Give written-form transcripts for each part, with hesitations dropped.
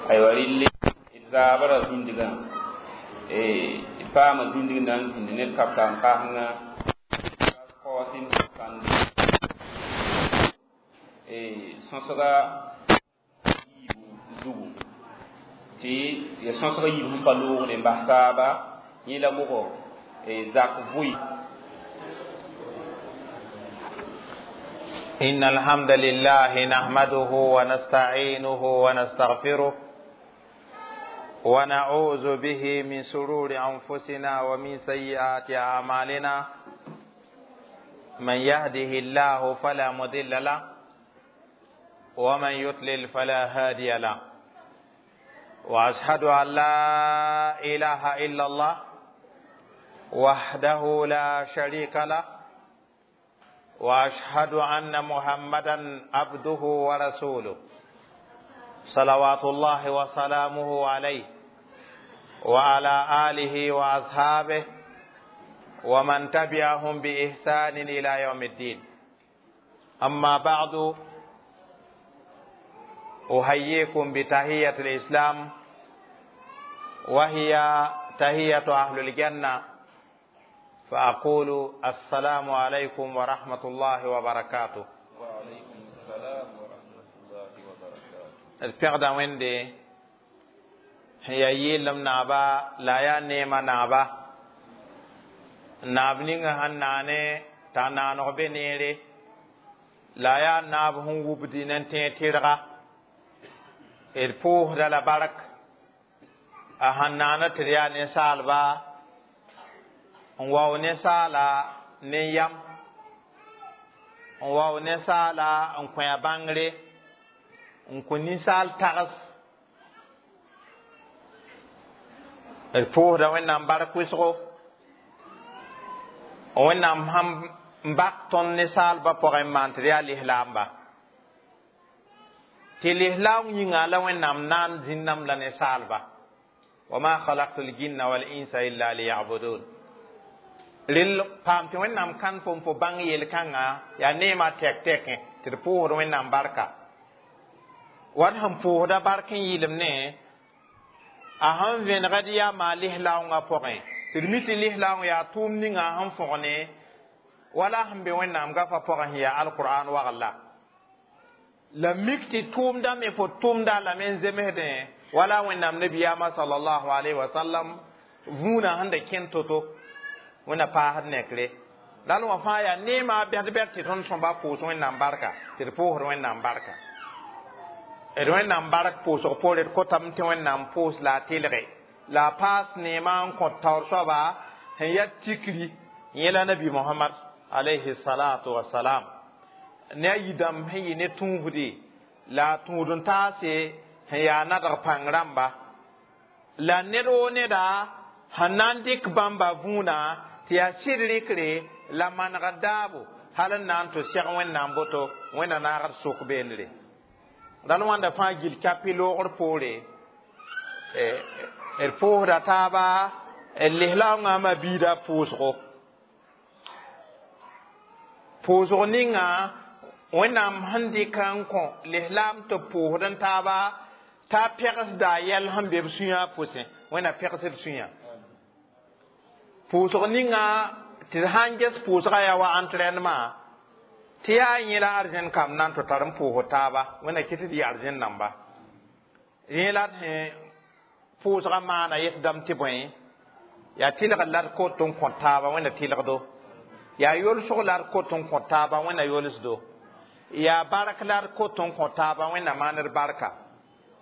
Aywa rɩlle d zaabra zĩndgã d paama zĩndg na n zĩnd ned kapsam kasenga kaoos n kãnd sõsga yiibu zugu tɩ ya sõsg yiib sẽn pa loogde n bas taaba yẽ la bʋgɔ zak vʋɩ. إن الحمد لله نحمده ونستعينه ونستغفره ونعوذ به من شرور أنفسنا ومن سيئات أعمالنا، من يهده الله فلا مضل له ومن يضلل فلا هادي له، وأشهد أن لا إله إلا الله وحده لا شريك له، وأشهد أن محمدا عبده ورسوله صلوات الله وسلامه عليه وعلى آله وأصحابه ومن تبعهم بإحسان إلى يوم الدين. أما بعد، أحييكم بتحية الإسلام، وهي تحية أهل الجنة، فأقول السلام عليكم ورحمة الله وبركاته. وعليكم السلام ورحمة الله وبركاته. الفقد ويندي هي يلم نابا لا يا نيما نابا نابنيغ هناني تانانو بنيري لا يا ناب هم وبدي ننتي تيرغا الفوه دلا بارك أهنانا تريا نسالبا n wao ninsaala ne yam, n wao ninsaala n kõ a bãngre, n kõ ninsaal tags. D pʋʋsda Wẽnnaam bark wɩsgo, Wẽnnaam sãn n bak tõnd ninsaalbã pʋgẽ n maan tɩ d yaa lislaamba. Tɩ lislaam yĩnga la Wẽnnaam naan zĩnnam la ninsaalba. Wa ma khalaqtu l-jinna wal-insa illa liya'budun. Rel paam tɩ Wẽnnaam kãn fo n fo bãng yel-kãngã yaa neemã tɛk-tɛkẽ tɩ d pʋʋsd Wẽnnaam barka. Wat sẽn pʋʋsda bark n yɩɩlem ne a sẽn vẽnegd yaa maa lislaoongã pʋgẽ tɩ d mi tɩ lislaoong yaa tʋʋm ninga sẽn fõgne wala sẽn be Wẽnnaam gafã pʋgẽ sẽn yaa alqur'an wagl la mik tɩ tʋʋmda me fo tʋmda lame n zemsdẽ wala Wẽnnaam nabiyaamã sallallahu alayhi wa sallam vũunã sẽn da kẽnd to-to wẽnna paasd nekre. Dal wã fãa yaa neemã bɛd-bɛd tɩ tõnd sõmba pʋʋs Wẽnnaam barka, tɩ d pʋʋsd Wẽnnaam barka. D Wẽnnaam bark pʋʋsg poore d kotame tɩ Wẽnnaam pʋʋs la a tɩlge la a paas neemã n kõt taoor soaba sẽn yaa tikri yẽ la nabi Mohamad alayhi salatu wasalam ne a yidãmb sẽn yɩ ne tũusde la a tũud n taase sẽn yaa nadg pãng rãmba la ned woo neda sẽn na n dɩk bãmba vũunã tɩ yaa sɩd rɩkre la manegd daabo hal n na n tɩ sɛg Wẽnnaam boto Wẽnna naagd sʋk beendre. Dãn wãnda fãa gil kapi loogr poore d pʋʋsda taaba d lislaoongã ma biida pʋʋsgo. Pʋʋsg ninga Wẽnnaam sẽn dɩk n kõ lislaam tɩ pʋʋsd n taaba t'a pɛgsda a yɛl sẽn be b sũyã pʋsẽ Wẽnna pɛgsd sũyã. Pʋʋsg ninga tɩ d sãn ges pʋʋsgã yaa wa entraînement tɩ yaa yẽ la arzẽn kam na n tɩ tar n pʋʋsd taaba Wẽnna kɩ tɩ d yɩ arzẽn namba. Yẽ la d sẽn pʋʋsgã maana yetdame tɩ bõe yaa tɩlgd la d kot n kõ taaba Wẽnna tɩlgdo, yaa yolsg la d kot n kõ taaba Wẽnna yolsdo, yaa bark la d kot n kõ taaba Wẽnna maand barka.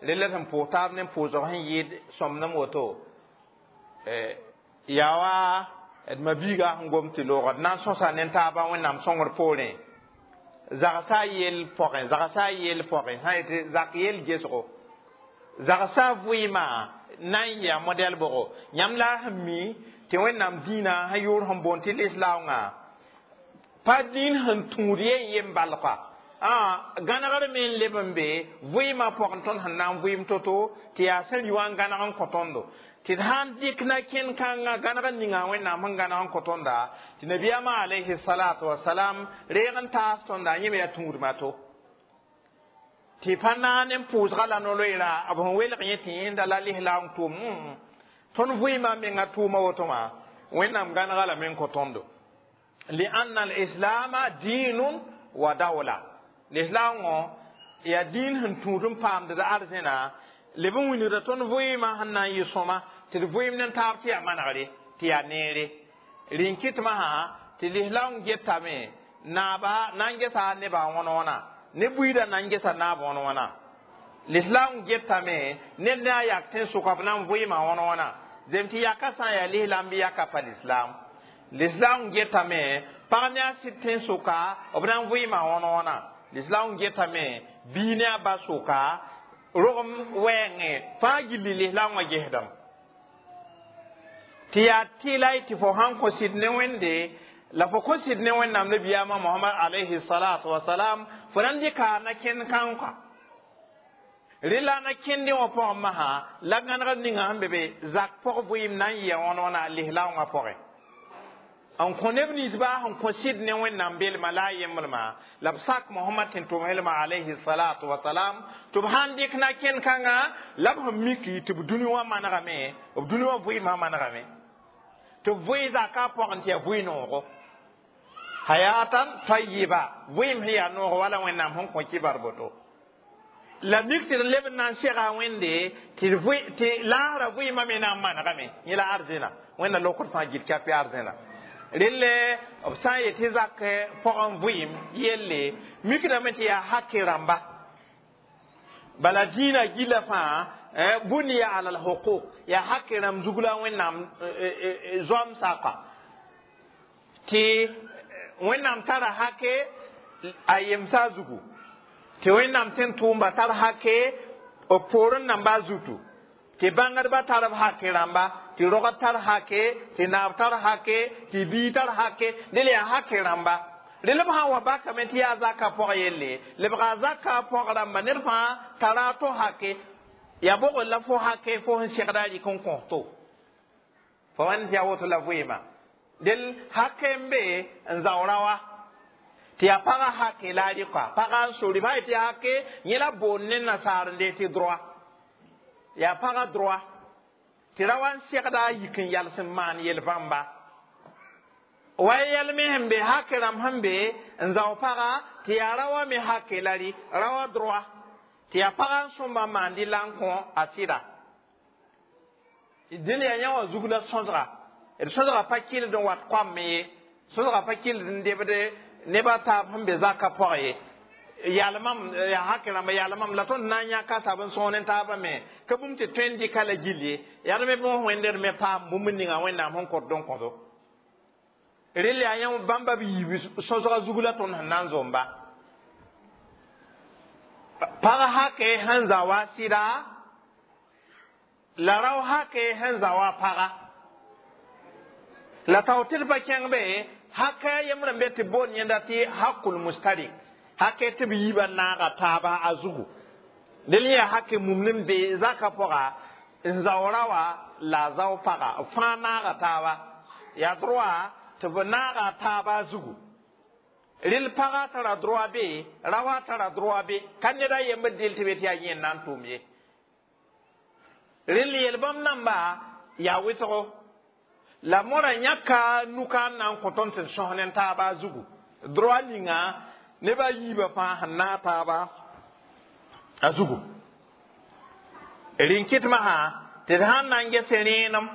Rel la sẽn pʋʋs taab ne pʋʋsg sẽn yɩɩd sõmnem woto yaa wa d mabiiga sẽn gom tɩ loogd na n sõsa ne taabã Wẽnnaam sõngr poorẽ zagsa yell pʋgẽ zagsa yell pʋgẽ sã n yetɩ zak yell gesgo zagsa vɩɩmã na n yɩa modɛl bʋgo yãmb la a sẽn mi tɩ Wẽnnaam dĩinã sẽn yʋʋr sẽn boond tɩ lislaoongã pa dĩin sẽn tũud yen yem bal koa gãnegr me n leb n be vɩɩmã pʋgẽ tõnd sẽn na n vɩɩm to-to tɩ yaa sẽn rɩ wã n gãneg n kõ tõndo tɩ d sãn dɩk na kẽn-kãngã gãneg ninga Wẽnnaam sẽn gãneg n kõ tõnda tɩ nabiyaamã alayhi salatu wasalam reeg n taas tõnda yẽ me yaa tũudmã to. Tɩ pa naane n pʋʋsga la no-loeera b sẽn welg yẽ tɩ yẽnda la lislaam tʋʋm. Tõnd vɩɩmã menga tʋʋma woto wã, Wẽnnaam gãnega lame n kõ tõndo. Lianna alislama dinun wa dawla. Lislaam wã yaa dĩin sẽn tũud n paamd d arzẽna leb n wilgda tõnd vɩɩmã sẽn na n yɩ sõma, tɩ d vɩɩm ne taab tɩ yaa manegre, tɩ yaa neere. Rɩ n kɩtmã sã tɩ lislaam getame naaba na n gesa nebã wõn-wõna, ne buiidã na n gesa naab wõn-wõna. Lislaam getame ned ne a yak tẽn-sʋka b na n vɩɩmã wõn-wõna, zem tɩ yaka sã n yaa lislaam bɩ yaka pa lislaam. Lislaam getame pag ne a sɩd tẽn-sʋka b na n vɩɩmã wõn-wõna. Lislaam getame bii ne a ba sʋka rogem wɛɛngẽ fãa gilli lislaam wã gesdame. Tɩ yaa tɩla tɩ fo sãn kõ sɩd ne Wẽnde la fo kõ sɩd ne Wẽnnaam nabiyaamã Mohamad alayhi salatu wasalam, fo na n dɩka na kẽnd kãnkã. Rẽ la na kẽndẽ wã pʋgẽ masã la gãnegr ninga sẽn be be zak pʋg vɩɩm na n yɩa wõn-wõna lislaam wã pʋgẽ. N kõ neb ninsba sẽn kõ sɩd ne Wẽnnaam belma la a yembrmã la b sak Mohamad tɩ n tʋm helma alayhi salatu wasalam, tɩ b sãn dɩk na kẽnd kãnga la b sẽn miki tɩ b dũni wã manegame, b dũni wã vɩɩmã manegame, tɩ b vɩɩ zaka pʋgẽ tɩ yaa vɩ noogo hayatan tayiba, vɩɩm sẽn yaa noogo wala Wẽnnaam sẽn kõ kibar boto. La mik tɩ d leb n na n sega Wẽnde tɩ laasra vɩɩmã me na n manegame. Yẽ la arzẽna Wẽnna lokd fãa gil kap arzẽna. Relle b sã n yet tɩ zak pʋgẽ vɩɩm yelle mikdame tɩ yaa haki rãmba. Bala dĩinã gila fãa buniya ala alhuquq, yaa haki rãmb zug la Wẽnnaam zoam saka tɩ Wẽnnaam tara hake a yemsa zugu, tɩ Wẽnnaam tẽn tʋʋmba tar hake b poorẽ namba zutu, tɩ bãngdbã tar b hake rãmba, tɩ rogd tar hake, tɩ naab tar hake, tɩ bii tar hake. Dẽl yaa hake rãmba. Rel b sã n wa bakame tɩ yaa zaka pʋg yelle, lebga zaka pʋg rãmba ned fãa tara a to hake, yaa bogr la fo hake fo sẽn segda a rɩk n kõsto fo wãn tɩ yaa woto la vɩɩmã. Del hake n be n zaoora wa tɩ yaa pagã hake la a rɩka pagã n sori b sã tɩ hake yẽ la boond ne nasaar n dee tɩ droit, yaa pagã droit tɩ ra wa n segda a yik n yals n maan yel-bãmba wa yɛlme sẽn be hake rãmb sẽn be n zao paga tɩ yaa ra wa me hake la rɩ ra wa droit tɩ yaa pagã n sõmba n maan dɩ la n kõ a sɩda. Dẽl yaa yã wã zug la sõsga. D sõsga pa kɩld n wat koam ye, sõsga pa kɩld n debd neb a taab sẽn be zakã pʋgẽ ye. Yalmam yaa hake rãmba yalmam la tõnd na n yãka taab n sõor ne taabã me ka bũmb tɩ tõe n dɩka la gill ye. Yaa d me bõos Wẽnd d me paam bũmb ninga Wẽnnaam sẽn kõt n kõdo. Rel yaa yã bãmba b yiib sõsga zug la tõnd sẽn na n zomba. Pag hake sẽn za wa sɩda la rao hake sẽn za wa paga la tao tɩ d pa kẽng be hake yembre n be tɩ boond yẽnda tɩ hakul mustarik, hake tɩ b yiibã naaga taaba a zugu. Del yẽ hake mum n be zaka pʋga n zao ra wa la a zao paga fãa naaga taaba, yaa droit tɩ b naaga taaba zugu. Rel paga tara droit be, rawa tara droit be, ka ned a yembr del tɩ be tɩ yaa yẽ n na n tʋʋm ye. Rel yel-bãmb namba yaa wɩsgo la mora yãka nuka n na n kõ tõnd tɩ d sõs ne taaba zugu. Droit ninga neb a yiibã fãa sẽn naag taaba a zugu. Rɩ n kɩtmã sã tɩ d sãn na n ges rẽenem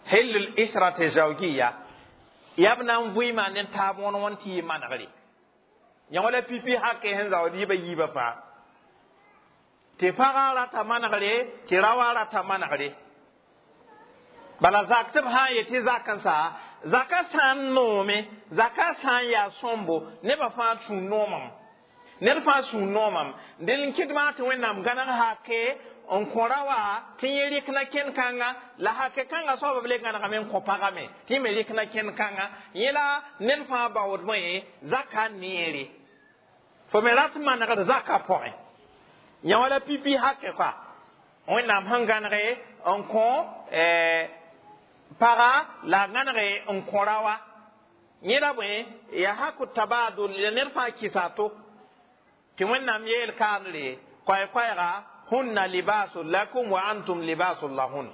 hell l israte zawgiya yaa b na n vɩɩmã ne taab wõn wõn tɩ yɩ manegre. Yã wala pipi hake sẽn zaood yibã yiibã fãa tɩ pagã rata manegre tɩ raoã rata manegre. Bala zak tɩ b sã n yet tɩ zak n sa zaka sã n noome, zaka sã n yaa sõmbo nebã fãa sũur noomame, ned fãa sũur noomame. Dẽl n kɩtmã tɩ Wẽnnaam gãneg hake n kõ ra wa tɩ yẽ rɩk na kẽnd-kãnga la hake kãngã soaba b le gãnegame n kõ pagã me tɩ yẽ me rɩk na kẽnd-kãnga. Yẽ la ned fãa baoodmẽ zaka neere fo me rat manegd zaka pʋgẽ. Yã wala pipi hake koa Wẽnnaam sẽn gãnege n kõ paga la gãnege n kõ ra wa. Yẽ la bõe yaa haku tabadul la ned fãa kɩsa to. Tɩ Wẽnnaam yeel kaanre koɛɛ-koɛɛga hunna libasul lakum wa antum libasul lahun.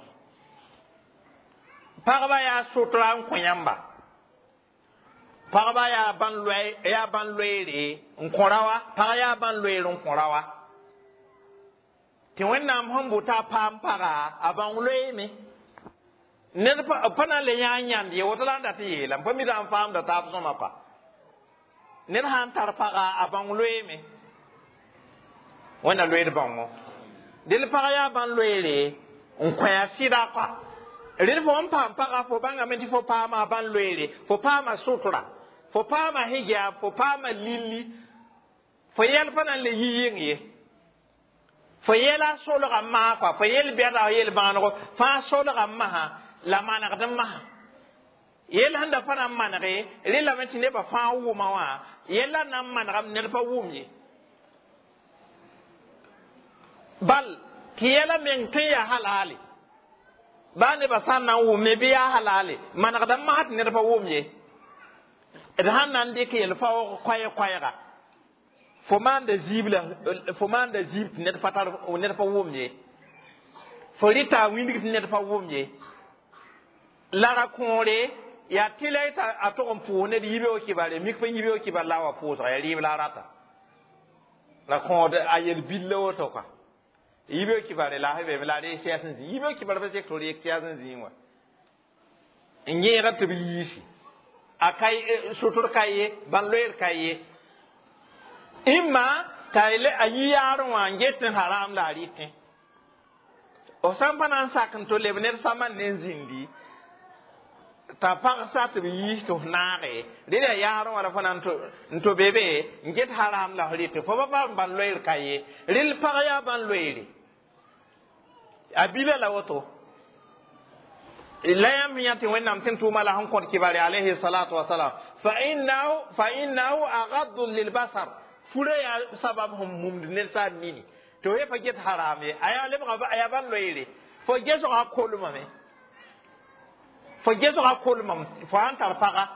Pagba yaa sutra n kõ yãmba. Pagba yaa bãn loe yaa bãn loeere n kõ raoa, pag yaa bãn loeer n kõ raoa. Tɩ Wẽnnaam sẽn bʋ t'a paam paga a bãng loeeme. Ned pa na n le yã n yãnd ye, woto la n dat n yeela n pa mi n faamda taab sõma pa. Ned sã n tar paga a bãng loeeme. Wẽnna loeed bãngo. Dẽl pag yaa bãn loeere n kõ a sɩda kɔa. Rẽd fo n paam paga fo bãngame tɩ fo paama a bãn loeere, fo paama sutra, fo paama hijab, fo paama lilli, fo yɛl pa na n le yi yɩng ye. Fo yɛla solga n maa kɔa, fo yel bɛda yel bãanego fãa solga n masã la manegd n masã. Yell sẽn da pa na n manege rẽ lame tɩ nebã fãa wʋma wã, yella na n manegame ned pa wʋm ye. Bal tɩ yɛla meng tõe n yaa halale. Baa nebã sã n na n wʋme bɩ yaa halale, manegd n masã tɩ ned pa wʋm ye. D sãn na n dɩk yel-faoog koɛɛ-koɛɛga, fo maanda zĩib la fo maanda zĩib tɩ ned pa tar ned pa wʋm ye. Fo rɩta a wĩndg tɩ ned pa wʋm ye. La ra kõore yaa tɩ la a tog n pʋʋs ned yibeoog kibare, mik pa yibeoog kibar la a wa pʋʋsga yaa rɩɩb la a rata. La kõod a yel-bill la woto kɔa. Yibeoog kibare la a be la a reeg sɛɛs n zĩ. Yibeoog kibar pa sek tɩ reeg sɛɛs n zĩig wã. N yẽega tɩ b yiisi. A ka sʋtr ka ye, bãn loeer ka ye. Imma t'a a yi yaarẽ wã n get n haram la a rɩtẽ. F sã n pa na n sak n to leb ned samand ne n zĩndi, t'a pagsa tɩ b yiis tɩ f naage, rẽ la yaarẽ wã la fo na n to be be n get haram la f rɩtẽ. Fo pa paam bãn loeer ka ye. Rel pag yaa bãn loeere. A bila la woto. La yãmb yã tɩ Wẽnnaam tɩ n tʋʋma la sẽn kõt kibare alayhi salatu wasalam. Fa innahu agaddu lilbasar. Fura yaa sabab sẽn mumd ned sã n nini. Tɩ f pa get haram ye. A yaa lebga a yaa bãn loeere. Fo gesga kolmame. Fo gesga kolmam fo sãn tar paga.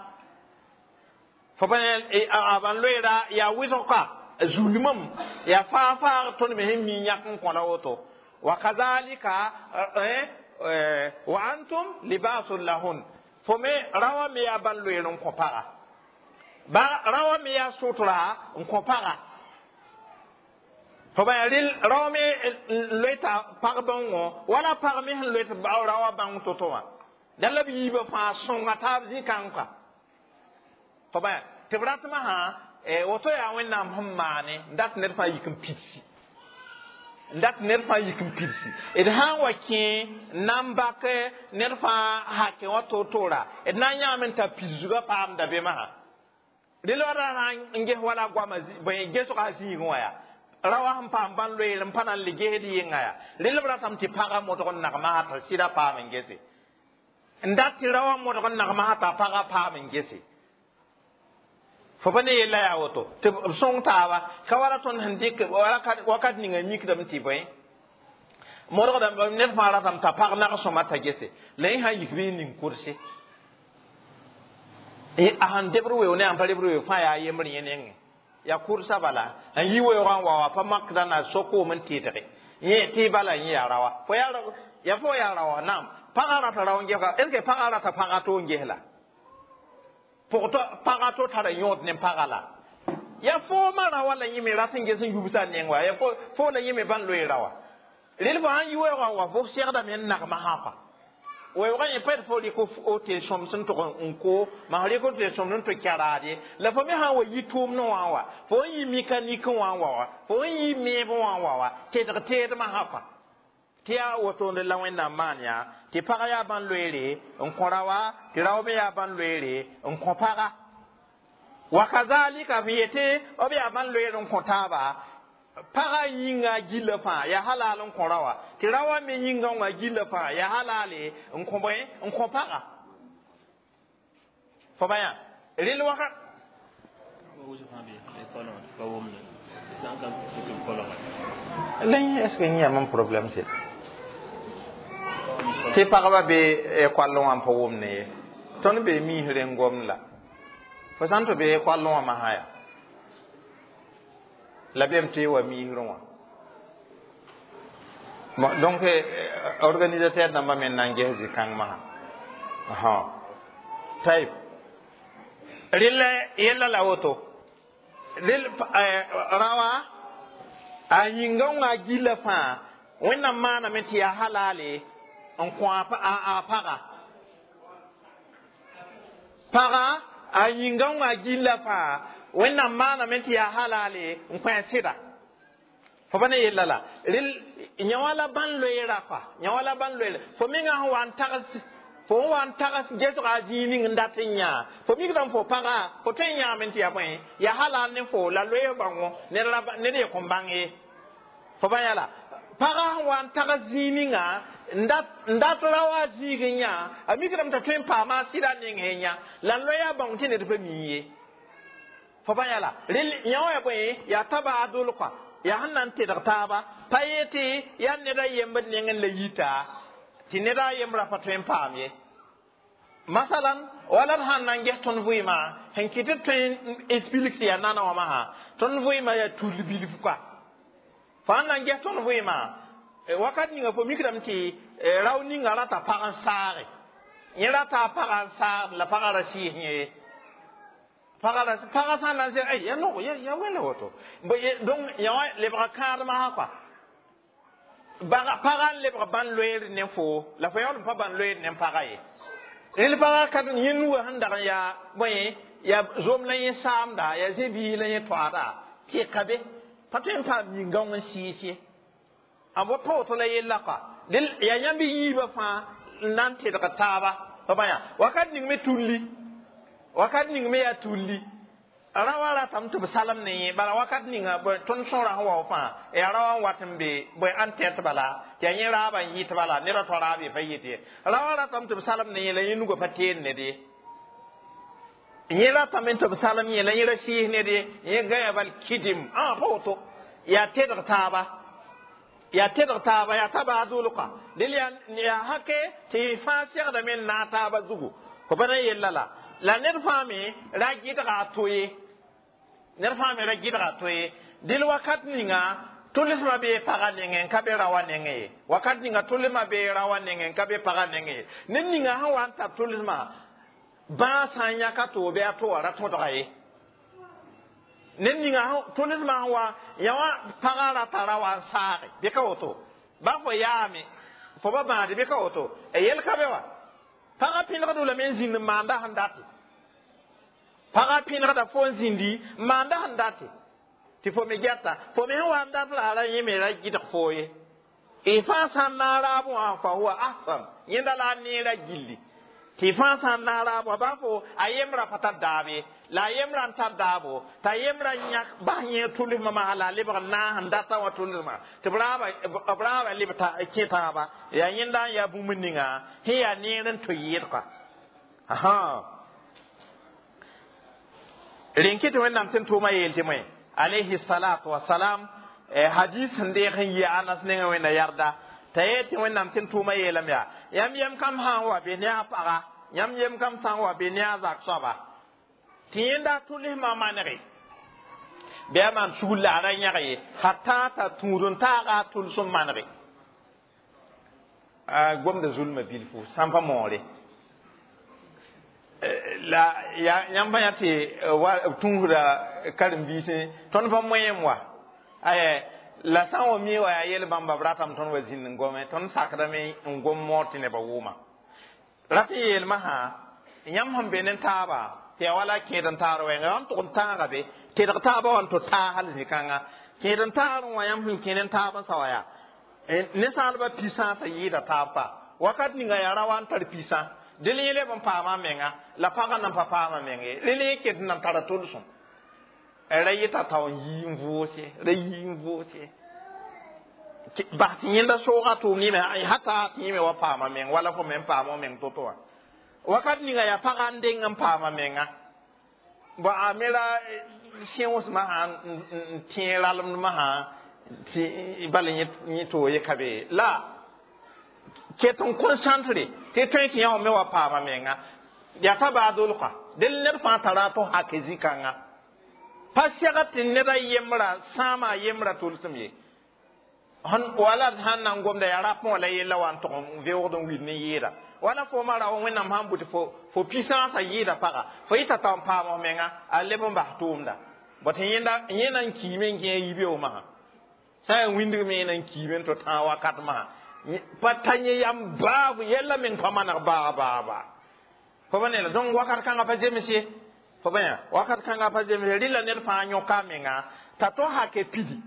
Fo pa a bãn loeera yaa wɩsg ka zulmam yaa fãag-fãag tõnd me sẽn mi yãk n kõ la woto. Wa kazalika wa antum libasul lahun. Fo me rawa me yaa bãn loeer n kõ paga. Ba rawa me yaa sutra n kõ paga. Fo ba rɩl rawa me n loe t'a pag bãongõ wala pag me sẽn loe tɩ rawa bãong to-to wã. Dã la b yiibã fãa sõnga taab zĩ-kãng kɔa. Fo ba tɩ b ratmã sã woto yaa Wẽnnaam sẽn maane n dat ned fãa yik n pidsi. N dat ned fãa yik n pidsi. D sã n wa kẽ n na n bak ned fãa hakẽ wã to-toora, d na n yãame n ta pidsgã paamda be masã. Rel wa ra sã n ges wala goamã gesga zĩigẽ wã yaa. Rawa sẽn paam bãn loeer n pa na n le gesd yɩnga yaa. Rel b ratame tɩ pagã modg n nagma t'a sɩda paam n gese. N dat tɩ rawa modg n nagma t'a pagã paam n gese. Fo pa ne yella yaa woto tɩ b sõng taaba ka wala tõnd sẽn dɩk wakat ninga mikdame tɩ bõe modgda ned fãa ratame t'a pag nag-sõma t'a gese la yẽ sã n yik bɩ n ning kurse. A sẽn debr weo ne a sẽn pa rebr weo fãa yaa yembr yẽ nengẽ. Yaa kursa bala n yi weoogã n wa wa pa makda na sokoom n tɩɩdge yẽ tɩ bala yẽ yaa raoa. Fo yaa fo yaa raoa naam. Pagã rata rao n gesga est ce que pagã rata pagã to n ges la? Pʋgtɔ pagã to tara yõod ne pagã la. Yaa foomã raoã la yẽ me rat n ges n yubsa neng wa, yaa fo la yẽ me bãn loe raoa. Rel fo sãn yi weoogã n wa fo segdame n nagma sã kɔa. Weoogã yẽ pa d fo rɩk o tɩ sõms n tʋg n ko, maa rɩk tɩ sõms n tʋ kɛraad ye. La fo me sã n wa yi tʋʋmdẽ wã n wa, fo n yi mikanik wã n wa wa, fo n yi meeb wã n wa wa, tedg teedmã sã kɔa. Tɩ yaa wotone la Wẽnnaam maan yaa tɩ pag yaa bãn loeere n kõ raoa, tɩ rao me yaa bãn loeere n kõ paga. Wa kazalika b yetɩ b yaa bãn loeer n kõ taaba, pagã yĩnga gilla fãa yaa halal n kõ raoa, tɩ raoã me yĩngã wã gilla fãa yaa halale n kõ bõe n kõ paga. Fo ba yã rel wakat la yẽ est ce que yẽ yaa mam problème sɩd tɩ pagba be koallẽ wã n pa wʋmne ye. Tõnd be miis rẽn-gomd la fo sã n tɩ be koallẽ wã masã yaa. La bem tɩ wa miisrẽ wã. Bon, donc organisateur dãmbã me n na n ges zĩ-kãng masã. Tayb rɩla yella la woto rel rawa a yĩnga wã gilla fãa Wẽnnaam maaname tɩ yaa halale n kõ a paga. Paga a yĩnga wã gilla fãa Wẽnnaam maaname tɩ yaa halale n kõ a sɩda. Fo pa ne yella la rel yã wã la bãn loeera kɔa, yã wã la bãn loeera. Fo menga sẽn wa n tags, fo sẽn wa n tags gesga a zĩig ning n dat n yã, fo mikdame fo paga fo tõe n yãame tɩ yaa bõe yaa halal ne fo la loees bãngo ned ye kõn bãng ye. Fo pa yã la paga sẽn wa n tags zĩig ninga n dat ra wa zĩig n yã, a mikdame t'a tõe n paama a sɩda neng sẽn yã la n loe a bãong tɩ ned pa mi ye. Fo pa yã la rel yã wã yaa bõe yaa tabaadol kɔa, yaa sẽn na n tedg taaba pa yetɩ yaa ned a yembd nengẽ la yita tɩ ned a yembra pa tõe n paam ye. Masalan wala d sãn na n ges tõnd vɩɩmã sẽn kɩt tɩ tõe n explique tɩ yaa nana wã masã, tõnd vɩɩmã yaa tull bilf koa. Fo sãn na n ges tõnd vɩɩmã wakat ninga, fo mikdame tɩ rao ninga rata pag n saage, yẽ rata a pagã n saagd la pagã ra sɩɩs yẽ. Paga paga sã n na n zẽg ya nog ya wẽnda woto. Donc yã wã lebga kãadmã sã kɔa, paga n lebg bãn loeer ne fo la fo yaool n pa bãn loeer ne paga ye. Rel paga ka yẽ nuga sẽn dag n yaa bõe yaa zom la yẽ saamda, yaa zẽ-biis la yẽ toaada tɩ ka be pa tõe n paam yĩngãong n sɩɩs ye. A bo pa woto la yella kɔa, yaa yãmb yiibã fãa n na n tedg taaba. Pa bã yã wakat ning me tulli, wakat ning me yaa tulli rawa ratame tɩ b salem ne yẽ. Bala wakat ninga tõnd sõora sẽn wa fãa yaa rawa n wat n be bõe ãn tɛt bala tɩ yaa yẽ raabã n yɩt bala ned a tõ raab ye pa yet ye. Rawa ratame tɩ b salem ne yẽ la yẽ nugã pa teen ned ye. Yẽ ratame tɩ b salem yẽ la yẽ ra sɩɩs ned ye, yẽ gãya bal kidim ã pa woto. Yaa tedg taaba, yaa tedg taaba, yaa tabaadʋlka del yaa hake tɩ fãa segdame n naag taaba zugu. Fo pa na yella la ned fãa me ra gɩdga a to ye, ned fãa me ra gɩdga a to ye. Dɩl wakat ninga tʋlsmã bee pagã nengẽ n ka be raoã nengẽ ye, wakat ninga tʋlsmã bee raoã nengẽ n ka be pagã nengẽ ye. Ned ninga sẽn wa n tar tʋlsmã bãa sã n yãk a to bɩ a to wã ra tõdga ye. Ned ninga tʋlsmã sẽn wa yã wã pagã rata ra wa n saage bɩ ka woto ba fo yaame fo ba bãade bɩ ka woto yel ka be wa. Pagã pẽlgd lame n zĩnd n maanda sẽn date, pagã pẽlgda fo n zĩndi n maanda sẽn date tɩ fo me gɛta fo me sẽn wa n dat la a ra yẽ me ra gɩdg foo ye. Y fãa sã n naag raab wã fa huwa ahsan, yẽnda la a neera gilli tɩ fãa sã n naag raab wã bã fo a yembra pa tar daab ye, la a yembra n tar daabo t'a yembra yãk bas yẽ tʋlsmã masã la a lebg n naas n data wã tʋlsmã tɩ b raaba leb kẽ taaba. Yaa yẽnda n yaa bũmb ninga sẽn yaa neer n to yɩɩdka. Rẽn kɩ tɩ Wẽnnaam tɩ n tʋʋmã yeel tɩ moe alayhi salatu wasalam hadis sẽn deeg sẽn yi Anas nengẽ Wẽnna yarda t'a yeel tɩ Wẽnnaam tɩ n tʋʋmã yeelame yaa yãmb yem kam sã n wa be ne a paga, yãmb yem kam sã n wa be ne a zak soaba tɩ yẽnda tʋlsmã manege bɩ a maan sugr la a ra yãg ye hatta t'a tũud n taaga a tʋlsem manege. A gomda zulmã bilfu sãn pa moore la yãmb yã tɩ tũusda karen-biisẽ tõnd pa moẽem wa aya la sã n wa mi wa yaa yel bãmba b ratame tõnd wa zĩnd n gome tõnd sakdame n gom moor tɩ nebã wʋʋma rat n yeelmã sã yãmb sẽn be ne taaba tɩ yaa wala kẽed n taar wɛɛnga yã n tʋg n tãaga be tedg taaba wa n tɩ taa hal zĩ-kãnga kẽed n taar n wã yãmb sẽn kẽ ne taab n sa wa yaa ninsaalbã pisã sã yɩɩda taab pa wakat ninga yaa ra wa n tar pisã dẽl yẽ leb n paama menga la pagã nan pa paama meng ye, rel yẽ ket n nan tara tʋlsem ra yɩta tao n yii n vʋʋse ra yii n vʋʋse bas tɩ yẽnda soogã tʋʋm yẽme hata tɩ yẽ me wa paama meng wala fo me n paama meng to-to wã wakat ninga yaa pagã n deng n paama menga bon a me ra sẽosmã sã n tẽ ralemdmã sã tɩ bala yẽ to ye ka be la ket n concentre tɩ tõe tɩ yã wã me wa paama menga yaa tabaadolka dẽl ned fãa tara tɩ hake zĩ-kãnga. Pa sɛgd tɩ ned a yembra sãama a yembra tolsem ye. Wala sãn na n gomda yaa rapẽ wã la yella wa n tog n veoogd n wil ne yɩɩda. Wala fo ma ra Wẽnnaam sãn bʋ tɩ fo puissance a yɩɩda paga fo yɩta t'a n paam f menga a leb n bas tʋʋmda. Bot yẽ na n kiime n gẽ yibeoog masã. Sã n yaa wĩndg me yẽ na n kiime n tɩ tãag wakat masã. Pa ta yẽ yam baab yɛlla meng pa maneg baa baa baa. Fo ba ne la donc wakat kãngã pa zems ye. Fo ba yã wakat kãngã pa zems ye. Rɩla ned fãa yõka a menga t'a to hake pidi.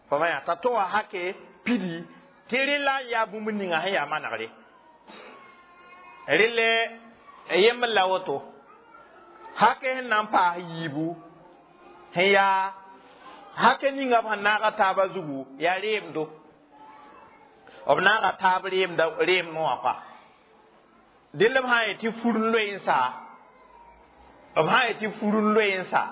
Fo ba yã t'a to wa hake pidi tɩ rɩla n yaa bũmb ninga sẽn yaa manegre. Rɩle yembr la woto. Hake sẽn na n paas yiibu sẽn yaa hake ninga b sẽn naaga taabã zugu yaa reemdo. B naaga taab reem noã pa. Dẽnd b sã n yet tɩ fur n loe n sa, b sã n yet tɩ fur n loe n sa,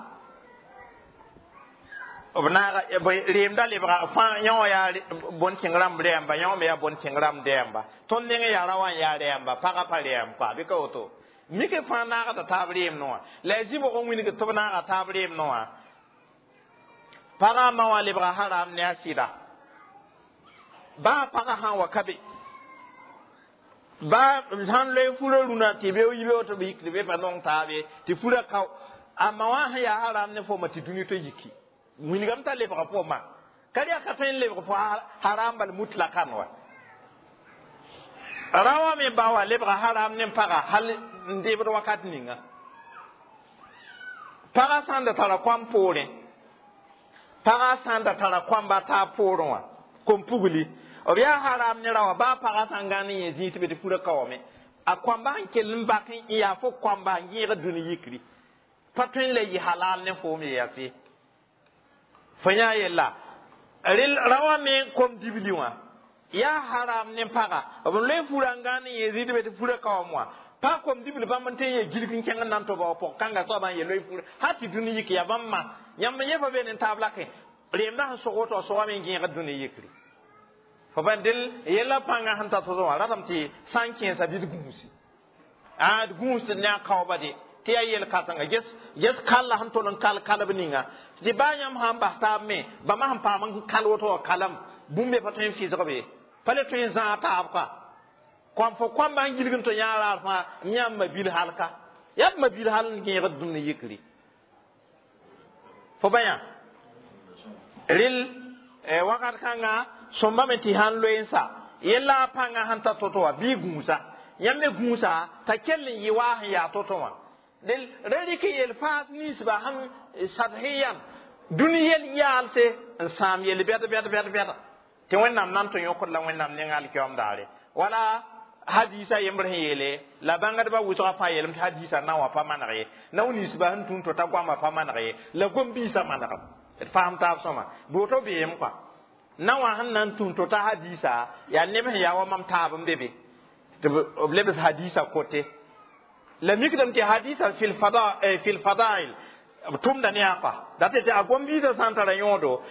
b naaga reemda lebga fãa yã wã yaa bõn-kẽng rãmb rɛɛmba, yã wã me yaa bõn-kẽng rãmb dɛɛmba. Tõnd nengẽ yaa ra wã n yaa rɛɛmba, pagã pa rɛɛm pa, bɩ ka woto. Mik fãa naagda taab reem noã. La a zĩ-bʋg n wilg tɩ b naaga taab reem noã. Pagã ma wã lebga haram ne a sɩda. Baa pagã sã n wa ka be. Baa sãn loe furã rũnã tɩ be yibeoog tɩ b yik tɩ be pa nong taabe tɩ furã kao. A ma wã sẽn yaa haram ne fooma tɩ dũni tɩ yiki. Wilgame t'a lebga fooma. Ka yaa ka tõe n lebg fo haram bal mutlakan wa. Ra wã me ba wã lebga haram ne paga hal n debd wakat ninga. Pagã sã n da tara koam poorẽ, pagã sã n da tara koamba taab poorẽ wã, kom-pugli, b yaa haram ne ra wã baa pagã sã n gãnd n yẽ zĩig tɩ be tɩ furã kaoome. A koamba sẽn kell n bak n yaa fo koamba n yẽegd dũni yikri. Pa tõe n la yɩ halal ne foom ye yase. Fo yã yella ra wã me kom-dibli wã yaa haram ne paga b loe furã n gãnd n yẽ zĩig tɩ be tɩ furã kaoom wã. Pa kom-dibli bãmb n tõe n yee gilg n kẽng n na n toba wa pʋg kãnga soabã n yee loe furã hal tɩ dũni yik yaa bãmb ma. Yãmb yẽ fa be ne taab lakẽ reemda sẽn sog woto a sogame n gẽegd dũni yikri. Fo ban del yella pãngã sẽn ta tʋsg wã ratame tɩ sã n kẽesa bɩ d gũusi. A d gũusd ne a kaooba de tɩ yaa yel-kãsenga ges kalla sẽn tol n kal kalb ninga. Tɩ baa yãmb sã n bas taab me bãmba sẽn paam n kal woto wã kalam bũmb be pa tõe n fɩsg be. Pa le tõe n zãag taab ka. Kõm fo kõamba n gilg n tɩ yã raar fãa m yãmb ma-bil halka. Yaa b ma-bil hal n gẽegd dũni yikri. Fo ba yã rɩl wakat kãnga sõmba me tɩ sãn loe n sa yella a pãngã sẽn ta to-to wã bɩ gũusa. Yãmb me gũusa t'a kell n yɩ waa sẽn yaa to-to wã. Del ra rɩk yel-faas ninsba sẽn sadhiyan dũni yel yaalse n sãam yel bɛd bɛd bɛd bɛda tɩ Wẽnnaam na n tɩ yõkd la Wẽnnaam nengã alkiyoom daare. Wala hadisa yembr sẽn yeele la bãngdbã wʋsgã fãa yeelame tɩ hadisa na wã pa maneg ye. Nao ninsba sẽn tũun to t'a goamã pa maneg ye la gom-biisã manegem. D faam taab sõma bɩ woto beem kɔa. Na wã sẽn na n tũun to t'a hadisa yaa neb sẽn yaa wa mam taab n be be tɩ b lebs hadisa kote. La mikdame tɩ hadisa fil fadail b tʋmda ne a kɔa. Dat tɩ a gom-biisã sã n tara yõodo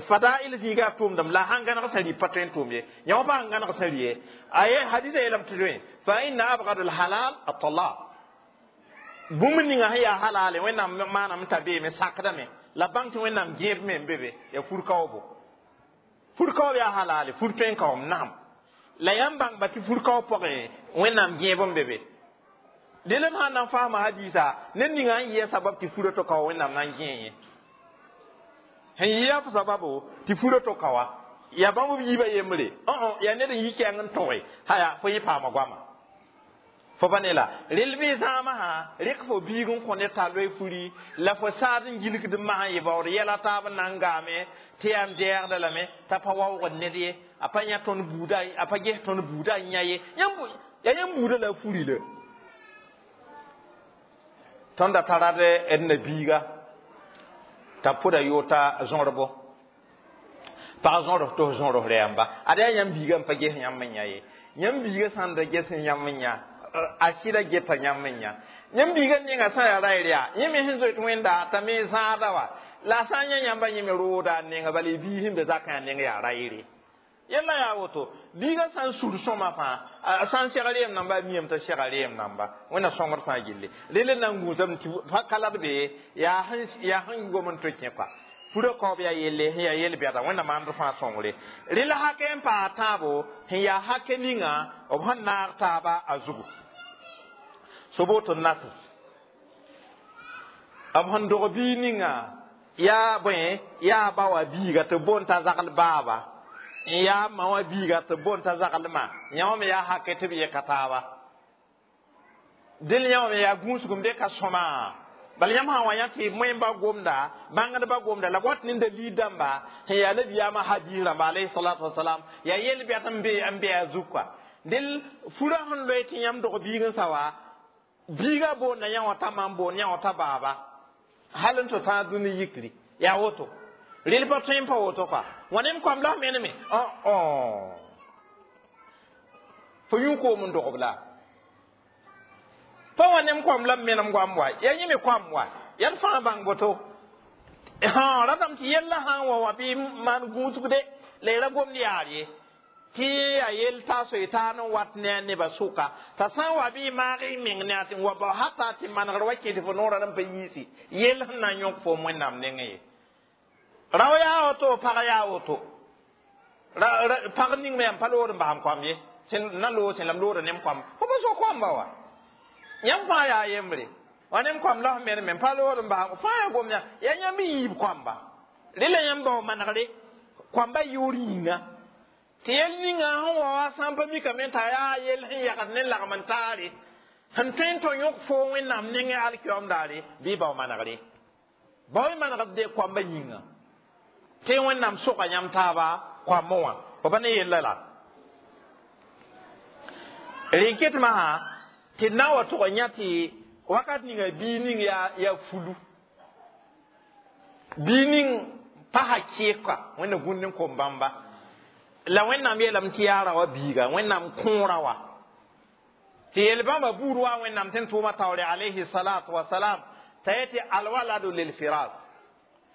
fadail zĩiga tʋʋmdame la sãn gãneg sẽn rɩ pa tõe n tʋʋm ye. Yã wã pa sẽn gãneg sẽn rɩ ye. A ye hadisa yeelame tɩ tõe fa inna abgad alhalal at-talaq. Bũmb ninga sẽn yaa halale Wẽnnaam maaname t'a beeme sakdame la bãng tɩ Wẽnnaam gẽeb me n be be yaa fur-kaoobo. Fur-kaoob yaa halale fur tõe n kaoom naam. La yãmb bãngba tɩ fur-kaoob pʋgẽ Wẽnnaam gẽeb n be be. Dẽnd b sãn na n faama hadisa ned ninga n yɩa sabab tɩ furã to kao Wẽnnaam na n gẽe yẽ. Sẽn yɩa f sababo tɩ furã to kaoa yaa bãmb b yiibã yembre. Yaa ned n yi kɛɛng n tõge haya fo yẽ paama goama. Fo pa ne la rel bɩ zãamã sã rɩk fo biig n kõ ned t'a loe furi la fo saad n gilgd n masã yɩ baood yɛla taab n na n gaame tɩ yaa n dɛɛgda lame t'a pa waoogd ned ye a pa yã tõnd buuda a pa ges tõnd buuda n yã ye. Yaa yãmb buudã la a furi la. Tõnd da tara d nabiiga t'a pʋda yoota zõrbo. Pag zõrs tɩ f zõrs rɛɛmba. Ad yaa yãmb biiga n pa ges yãmb n yã ye. Yãmb biiga sã n da ges yãmb n yã a sɩda geta yãmb n yã. Yãmb biiga nenga sã n yaa ra yaa yẽ me sẽn zoet Wẽnda t'a me zãada wa la sã n yã yãmba yẽ me rooda a nenga bala y biis sẽn be zakã yaa neng yaa ra yere. Yella yaa woto biiga sã n sur sõma fãa a sã n seg reem namba a miame t'a sega reem namba wẽnna sõngr fãa gilli rel n na n gũusame tɩ pa ka la d be yaa sẽn gom n tɩ kẽ kɔa furã kaoob yaa yelle sẽn yaa yel-bɛda wẽnna maand fãa sõngre rel hakɛ n paa tãabo sẽn yaa hakɛ ninga b sẽn naag taaba a zugu soboto nasr b sẽn dog bii ninga yaa bõe yaa ba wa biiga tɩ boond t'a zagl baaba n yaa ma wã biiga tɩ boond t'a zagl ma yã me yaa hakɛ tɩ b yɛka taaba dẽl yã me yaa gũusgem de ka sõma bala yãmb sã n wa yã tɩ moẽmba gomda bãngdbã gomda la b wat ne dalil dãmba sẽn yaa nabiyaamã hadis rãmba alayhi salatu wasalam yaa yel-bɛt n be a zug kɔa dẽl furã sẽn loe tɩ yãmb dog biig n sa wa biiga boonda yã wã t'a ma n boond yã wã t'a baaba hal n tɩ tãag dũni yikri yaa woto rel pa tõe n pa woto kɔa wã nem koam la f meneme fo yũ koom n dogb la pa wã nem koam la m menem goam wa ya yẽ me koam wa yaa d fãa bãng boto ratame tɩ yella sã n wa wã bɩ maan gũusgde la y ra gomd yaar ye tɩ yaa yell t'a soe taan n wat ne a nebã sʋka t'a sã n wa bɩ y maag y meng ne a tɩ n wa bao hata tɩ manegr wa kẽ tɩ fo noorã n pa yiisi yell sẽn na n yõk foom wẽnnaam nengẽ ye rao yaa woto pag yaa woto pag ning me yãmb pa lood n basam koam ye na loog sẽn la m looda nem koam fo pa so koamba wa yãmb fãa yaa yembre wa nem koam la f meneme n pa lood n basam fãa yaa gom yã yaa yãmb y yiib koamba rela yãmb bao manegre koamba yʋʋr yĩnga tɩ yel ninga sẽn wa wa sã n pa mikame t'a yaa yel sẽn yagd ne lagm n taare sẽn tõe n tɩ yõk foo wẽnnaam nengẽ alkiyoom daare bɩ bao manegre bao y manegd de koamba yĩnga tɩ wẽnnaam soga yãmb taaba koambã wã fo pa ne yella la rẽn ket masã tɩ d na n wa tʋg n yã tɩ wakat ninga bii ning yaa fulu bii ning pasa kɩɩka wẽnna gũnd n kom bãmba la wẽnnaam yeelame tɩ yaa ra wa biiga wẽnnaam kõora wa tɩ yel-bãmba buud wa wẽnnaam tɩ n tʋʋma taoore alayhi salatu wasalam t'a yetɩ alwaladu lilfiras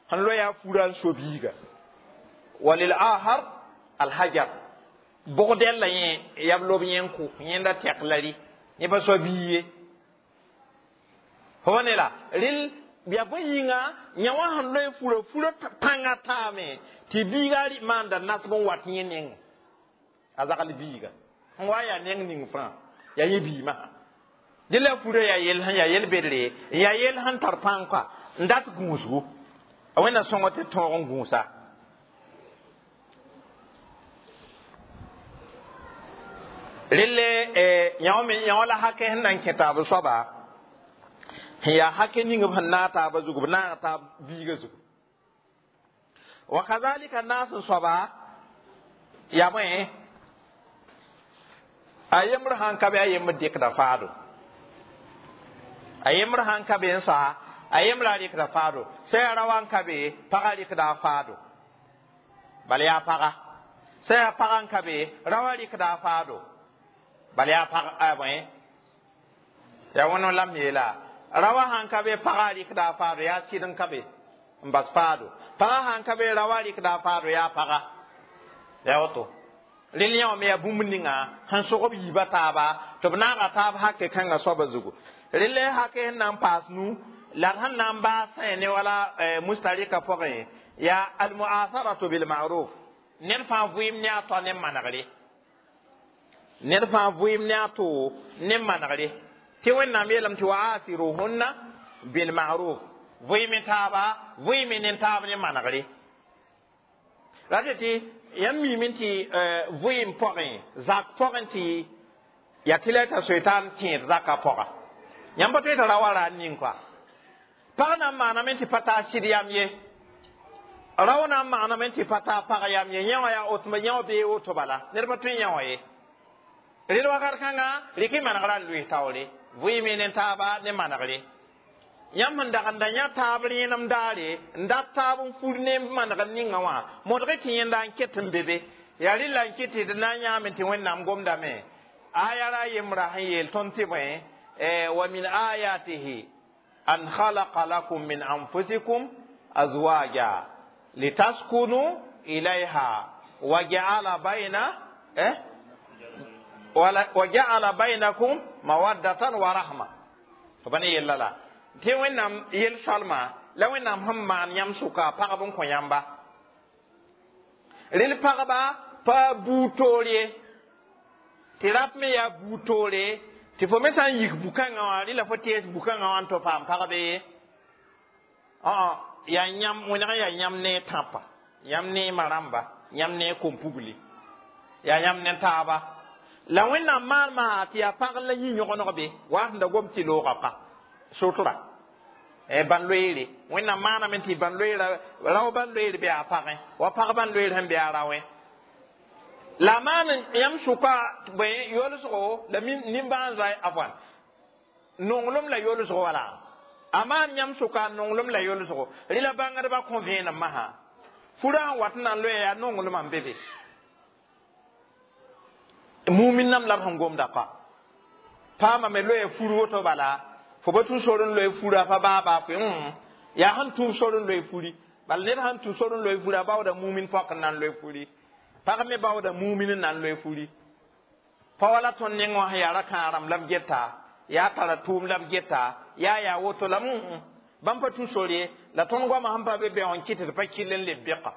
sẽn loe yaa fura n so biiga wa lilahar alhajar bʋgdɛl la yẽ yaa b lob yẽ n kʋ yẽnda tɛk la rɩ yẽ pa soa bii ye fo ne la rel yaa bõe yĩnga yã wã sẽn loe fura fura pãngã taame tɩ biiga maanda nasb n wat yẽ neng a zagl biiga sẽn wa yaa neng ning fãa yaa yẽ biimã dẽ la fura yaa yell sẽn yaa yel-bedre n yaa yell sẽn tar pãng kɔa n dat gũusgu a wẽnna sõng tɩ tõog n gũusa relle yã la hakɛ sẽn na n kẽ taab soaba sẽn yaa hakɛ ning b sẽn naag taabã zugu b naag taab biigã zugu wa kazalika naas n soaba yaa bõe a yembr sãn ka be a yembr dɩkda faado a yembr sãn ka be n soa a yembra rɩkda faado sã yaa ra wa n ka be pagã rɩkda a faado bala yaa paga sã yaa pagã n ka be ra wa rɩkda a faado bala yaa pag a bõe yaa wẽn la m yeela ra wa sãn ka be pagã rɩkda a faado yaa sɩd n ka be n bas faado pagã sãn ka be ra wa rɩkda a faado yaa paga yaa woto rel yã wã me yaa bũmb ninga sẽn sog b yiibã taaba tɩ b naaga taab hakɛ kãngã soabã zugu rel hakɛ sẽn na n paas nu la d sẽn na n baas sã ne wala mustarika pʋgẽ yaa almuasaratu bilmaruf ned fãa vɩɩm ne a toa ne manegre ned fãa vɩɩm ne a to ne manegre tɩ wẽnnaam yeelame tɩ wa asiruhunna bilmaruf vɩɩme taaba vɩɩme ne taab ne manegre ra tɩ yãmb miime tɩ vɩɩm pʋgẽ zak pʋgẽ tɩ yaa tɩ la t'a soe t'a n tẽed zakã pʋga yãmb pa tõe t'a ra wa ra n ning kɔa pag na n maaname tɩ pa taa sɩd yam ye rao na n maaname tɩ pa taa pag yam ye yã wã yaa otma yã wã bee woto bala ned pa tõe yã wã ye rel wakat kãnga rɩk y manegrã n loɩs taoore vɩɩme ne taaba ne manegre yãmb sẽn dag n da yã taab rẽenem daare n dat taab n fur ne manegr ninga wã modg tɩ yẽnda n ket n be be yaa rɩla n ket d na n yãame tɩ wẽnnaam gomdame aya ra yembra sẽn yeel tõnd tɩ bõe wa min ayatihi an khalaqa lakum min anfusikum azwaja litaskunu ilayha Wa ja'ala bayna wa ja'ala bainakum mawaddatan wa rahma. Fo pa ne yella la tɩ Wẽnnaam yel-soalma la Wẽnnaam sẽn maan yãmb sʋka pagb n kõ yãmba. Rel pagba pa buud toor ye, tɩ rap me yaa buud toore, tɩ fo me sã n yik bu-kãngã wã, rɩla fo tees bu-kãngã wã n tɩ paam pagbe ye. Yaa yãmb wẽneg n yaa yãmb ne tãpa, yãmb ne ma rãmba, yãmb ne kom-pugli, yaa yãmb ne taaba. La Wẽnnaam maanema tɩ yaa pag la yĩ yõgeneg be wa sẽn da gom tɩ loogã pa sotra ban-loeere. Wẽnnaam maaname tɩ ban-loeera rao ban-loeer be a pagẽ wa pag ban-loeer sẽn be a raoẽ. La maan yãmb sʋka bõe yolsgo la nimbãan-zoa afwan nonglem la yolsgo wala a maan yãmb sʋka nonglem la yolsgo. Rɩla bãngdbã kõ vẽenem masã furã sẽn wat n na n loe yaa nonglmã n be be mumin nam la b sẽn gomda pa paama me loe fur woto bala fo ba tũ sor n loe fura pa baaba fo yaa sẽn tũub sor n loe furi bala ned sãn tũ sor n loe furi a baooda mumin pɔk n na n loe furi, pag me baooda mumin n na n loe furi. Pa wala tõnd neng wã sẽn yaa ra-kãarem la b geta, yaa tara tʋʋm la b geta, yaa woto la bãmb pa tũ sor ye. La tõnd goamã sẽn pa be bɛo n kɩt tɩ pa kɩll n leb bɛka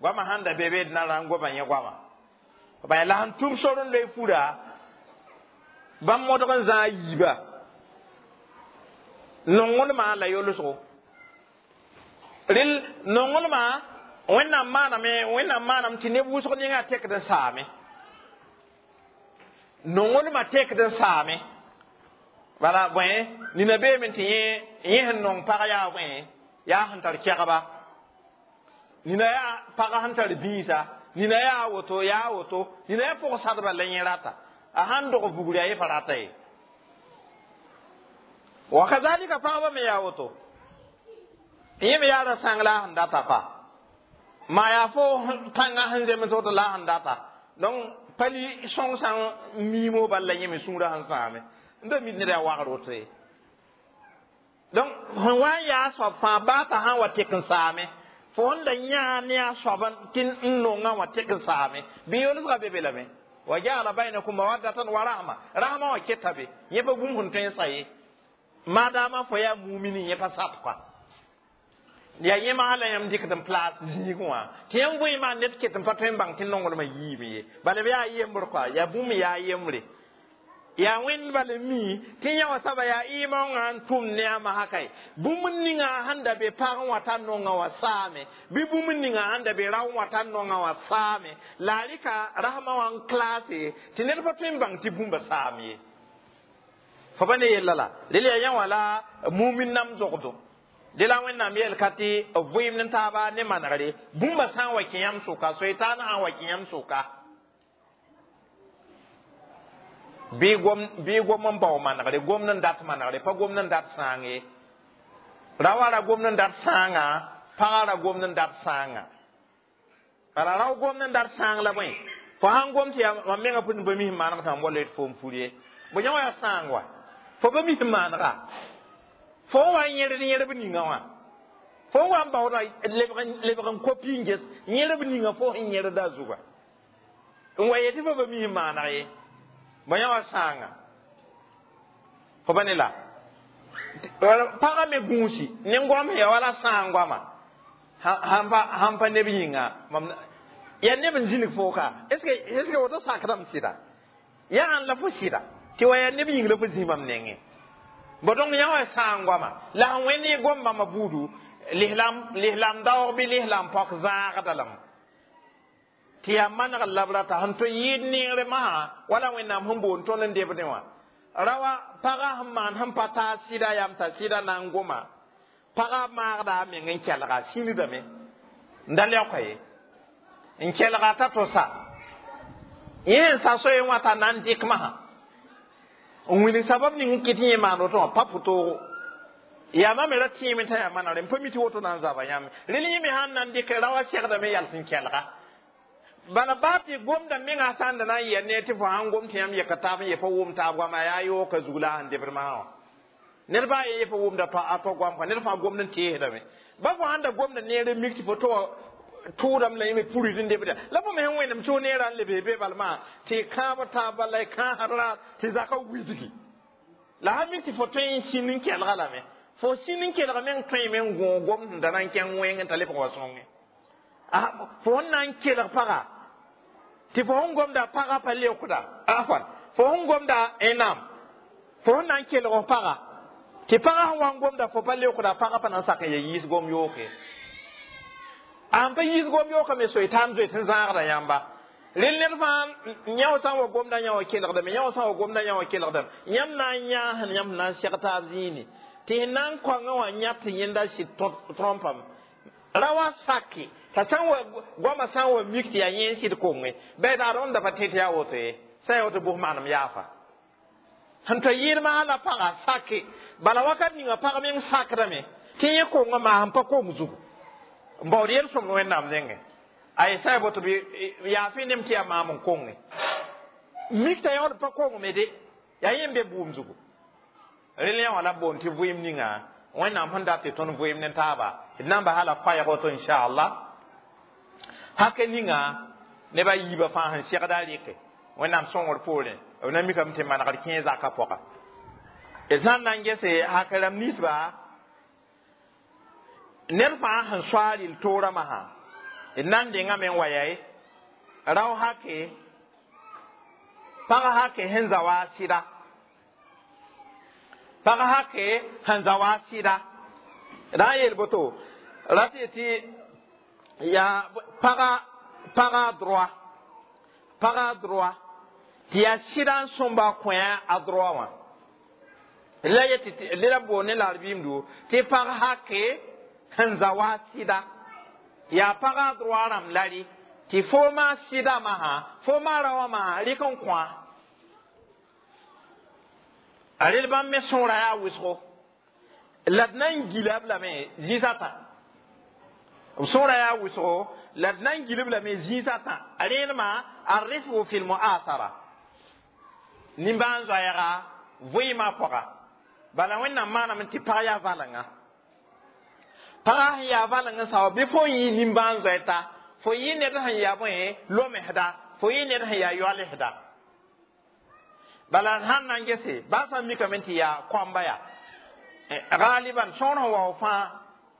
goamã sãn da be be d na ra n goma yẽ goamã bãe la sẽn tũb sor n loe fura bãmb modg n zãag yiiba nonglmã la yolsgo. Rel nonglmã Wẽnnaam maaname, Wẽnnaam maanam tɩ neb wʋsg ninga tekd n saame, nonglmã tekd n saame. Bala bõe nina beeme tɩ yẽ sẽn nong pag yaa bõe yaa sẽn tar kɛgba, nina yaa pag sẽn tar bĩisa, nina yaa woto yaa woto, nina yaa pʋg-sadba la yẽ rata a sãn dog vugri a yẽ pa rata ye. Wa kazalika pagba me yaa woto, yẽ me yaa ra sãng la a sẽn data pa ma yaa fo pãngã sẽn zems woto la a sẽn data. Donc pali sõng sã n miimo bal la yẽ me sũurã sẽn sãame n da mid ned yaa wagr woto ye. Donc sẽn wa n yaa soab fãa baa t'a sã n wa tek n saame, fo sẽn da yãa ne a soab tɩ n nongã wã tek n saame bɩ yolsgã be be lame. Wa ja'ala bainakum mawaddatan wa rahma, rahma wã keta be yẽ pa bũmb sẽn tõe n sa ye maadaama fo yaa mumini yẽ pa sat kɔa yaa yẽ maa la yãmb dɩkd n plaas zĩigẽ wã tɩ yãmb vẽema ned ket n pa tõe n bãng tɩ nonglmã yiime ye. Bala b yaa yembr kɔa yaa bũmb yaa yembre yaa Wẽnd bal n mi tɩ yã wã soaba yaa ɩɩmaoongã n tʋm ne a masã kae bũmb ninga sẽn da be pag wã t'a nongã wã saame bɩ bũmb ninga sẽn da be rao wã t'a nongã wã saame la a rɩka rasmã wã n klaase tɩ ned pa tõe n bãng tɩ bũmba saam ye. Fo pa ne yella la rel yaa yã wã la mumin nam zogdo de la Wẽnnaam yɛl ka tɩ b vɩɩmd n taaba ne manegre bũmba sã n wa kẽ yãmb sʋka soetaan sã n wa kẽ yãmb sʋka bɩ gom n bao manegre gomd n dat manegre pa gomd n dat sãang ye. Raoã ra gomd n dat sãangã, pagã ra gomd n dat sãangã. Bala rao gomd n dat sãang la bõe fo sãn gom tɩ yaa mam menga pʋd n pa mis maneg tɩ mam wa loe fo n pur ye bo yã wã yaa sãang wa fo pa mis manega fo n wa n yẽrd yẽrb ninga wã fo n wa n baooda lebg n kopi n ges yẽrb ninga fo sẽn yẽrda a zuga n wa yetɩ fo pa mis maneg ye bo yã wã sãanga fo pa ne la pagã me gũusi ne goam sẽn ya wala sãang goama sãn pa neb yĩnga mam yaa neb n zĩnig foo ka est ce que woto sakdame sɩda yaa ãn la fo sɩda tɩ wa yaa neb yĩng la fo zĩ mam nengẽ bo donc yã wã sãang goama la sẽn wẽnd yẽ gom bãmba buudu lislam daoog bɩ lislam pɔk zãagda lame tɩ yaa maneg la b rata sẽn tõe yɩɩd neere masã wala Wẽnnaam sẽn boond tõnd n debdẽ wã rawa pagã sẽn maan sẽn pa taa sɩda yam t'a sɩda na n goma pagã maagda a meng n kelga sĩndame n da leoka ye n kelga t'a to sa yẽ n sa soe wã t'a na n dɩk masã n wilg sabab ning n kɩt yẽ maan woto wã pa pʋtoogo yaa mam me ra tẽeme t'a yaa manegre n pa mi tɩ woto na n zaba yãmb rel yẽ me sãn na n dɩk raoã segdame yals n kelga bala baa tɩ gomda menga sãn da na n yɛ ne tɩ fo sãn gom tɩ yãmb yɛka taab n ye pa wʋm taab goama yaa yooka zug la sẽn debd masã wã ned baa ye ye pa wʋmda a to goam kɔa ned fãa gomd n teesdame ba fo sãn da gomda neer n mik tɩ fo to tʋʋdame la yẽ me purid n lebda la fo me sẽn wẽnem tɩ f neerã n lebe be balmã tɩ kãab taab bala y kãasd tɩ zakã wilgi la sã mik tɩ fo tõe n sĩnd n kelga lame fo sĩnd n kelg meng tõeme n gõog gom sẽn da na n kẽng wẽng n ta lebg wa sõnge fo sẽn na n kelg paga tɩ fo sẽn gomda pagã pa leokda afwan fo sẽn gomda naam fo sẽn na n kelg f paga tɩ pagã sẽn wa n gomda fo pa leokda pagã pa na n sak n ya yiis gom yooke an pa yiis gom yooka me soitan zoet n zãagda yãmba rel ned fãa yã sã n wa gomda yã wã kelgdame yã wã sã n wa gomda yã wã kelgdame yãmb na n yãasd yãmb na n seg taab zĩini tɩ sẽn na n kõngã wã yã tɩ yẽnda sɩd trõmpame ra wa sake t'a sã n wa goamã sã n wa mik tɩ yaa yẽ n sɩd konge bɩ taar rõnda pa tẽ tɩ yaa woto ye sã n yaa woto bʋs manem yaafa sẽn ta yɩɩdmã la pagã sake bala wakat ninga pag meng sakdame tɩ yẽ kongã maa sẽn pa kong zugu n baood yel-sõmd wẽnnaam nengẽ ay sã boto bɩ yaa fɩ nem tɩ yaa maam n konge mik t'a yaood pa kongme de yaa yẽ n be bʋʋm zugu rel yã wã la boond tɩ vɩɩm ninga wẽnnaam sẽn dat tɩ tõnd vɩɩm ne taaba d na n basa la koɛɛg woto inchallah hake ninga neb a yiibã fãa sẽn segda a rɩke wẽnnaam sõngr poorẽ b na mikame tɩ manegd kẽe zakã pʋga d sã n na n gese hak rãmb ninsba ned fãa sẽn soa rɩl toorã masã d na n dengame n wa yaye rao hake pag hake sẽn za wa a sɩda pag hake sẽn za wa a sɩda ra n yeel boto ra tɩ tɩ yaa paga droit paga droit tɩ yaa sɩda n sõmba kõ a droit wã la yetɩ la boond ne la d tɩ pag hake sẽn za wa a sɩda yaa paga droit rãmb lari tɩ fo maa sɩda masã fo maa ra wã masã rɩk n kõa a rel bãmb me sõora yaa wʋsgo la d na n gila b lame zĩis a tã b sõora yaa wʋsgo la d na n gil b lame zĩis a tã a rẽenemã a rifgu fi lmuasara nimbãan-zoɛɛga vɩɩmã pʋga bala wẽnnaam maaname tɩ pag yaa valenga pagã sẽn yaa valeng n sao bɩ fo n yɩ nimbãan-zoɛta fo yɩ ned sẽn yaa bõe lomsda fo yɩ ned sẽn yaa yoalsda bala sãn na n gese baa sã n mikame tɩ yaa kõamba yaa galiban sõor sẽn wa fãa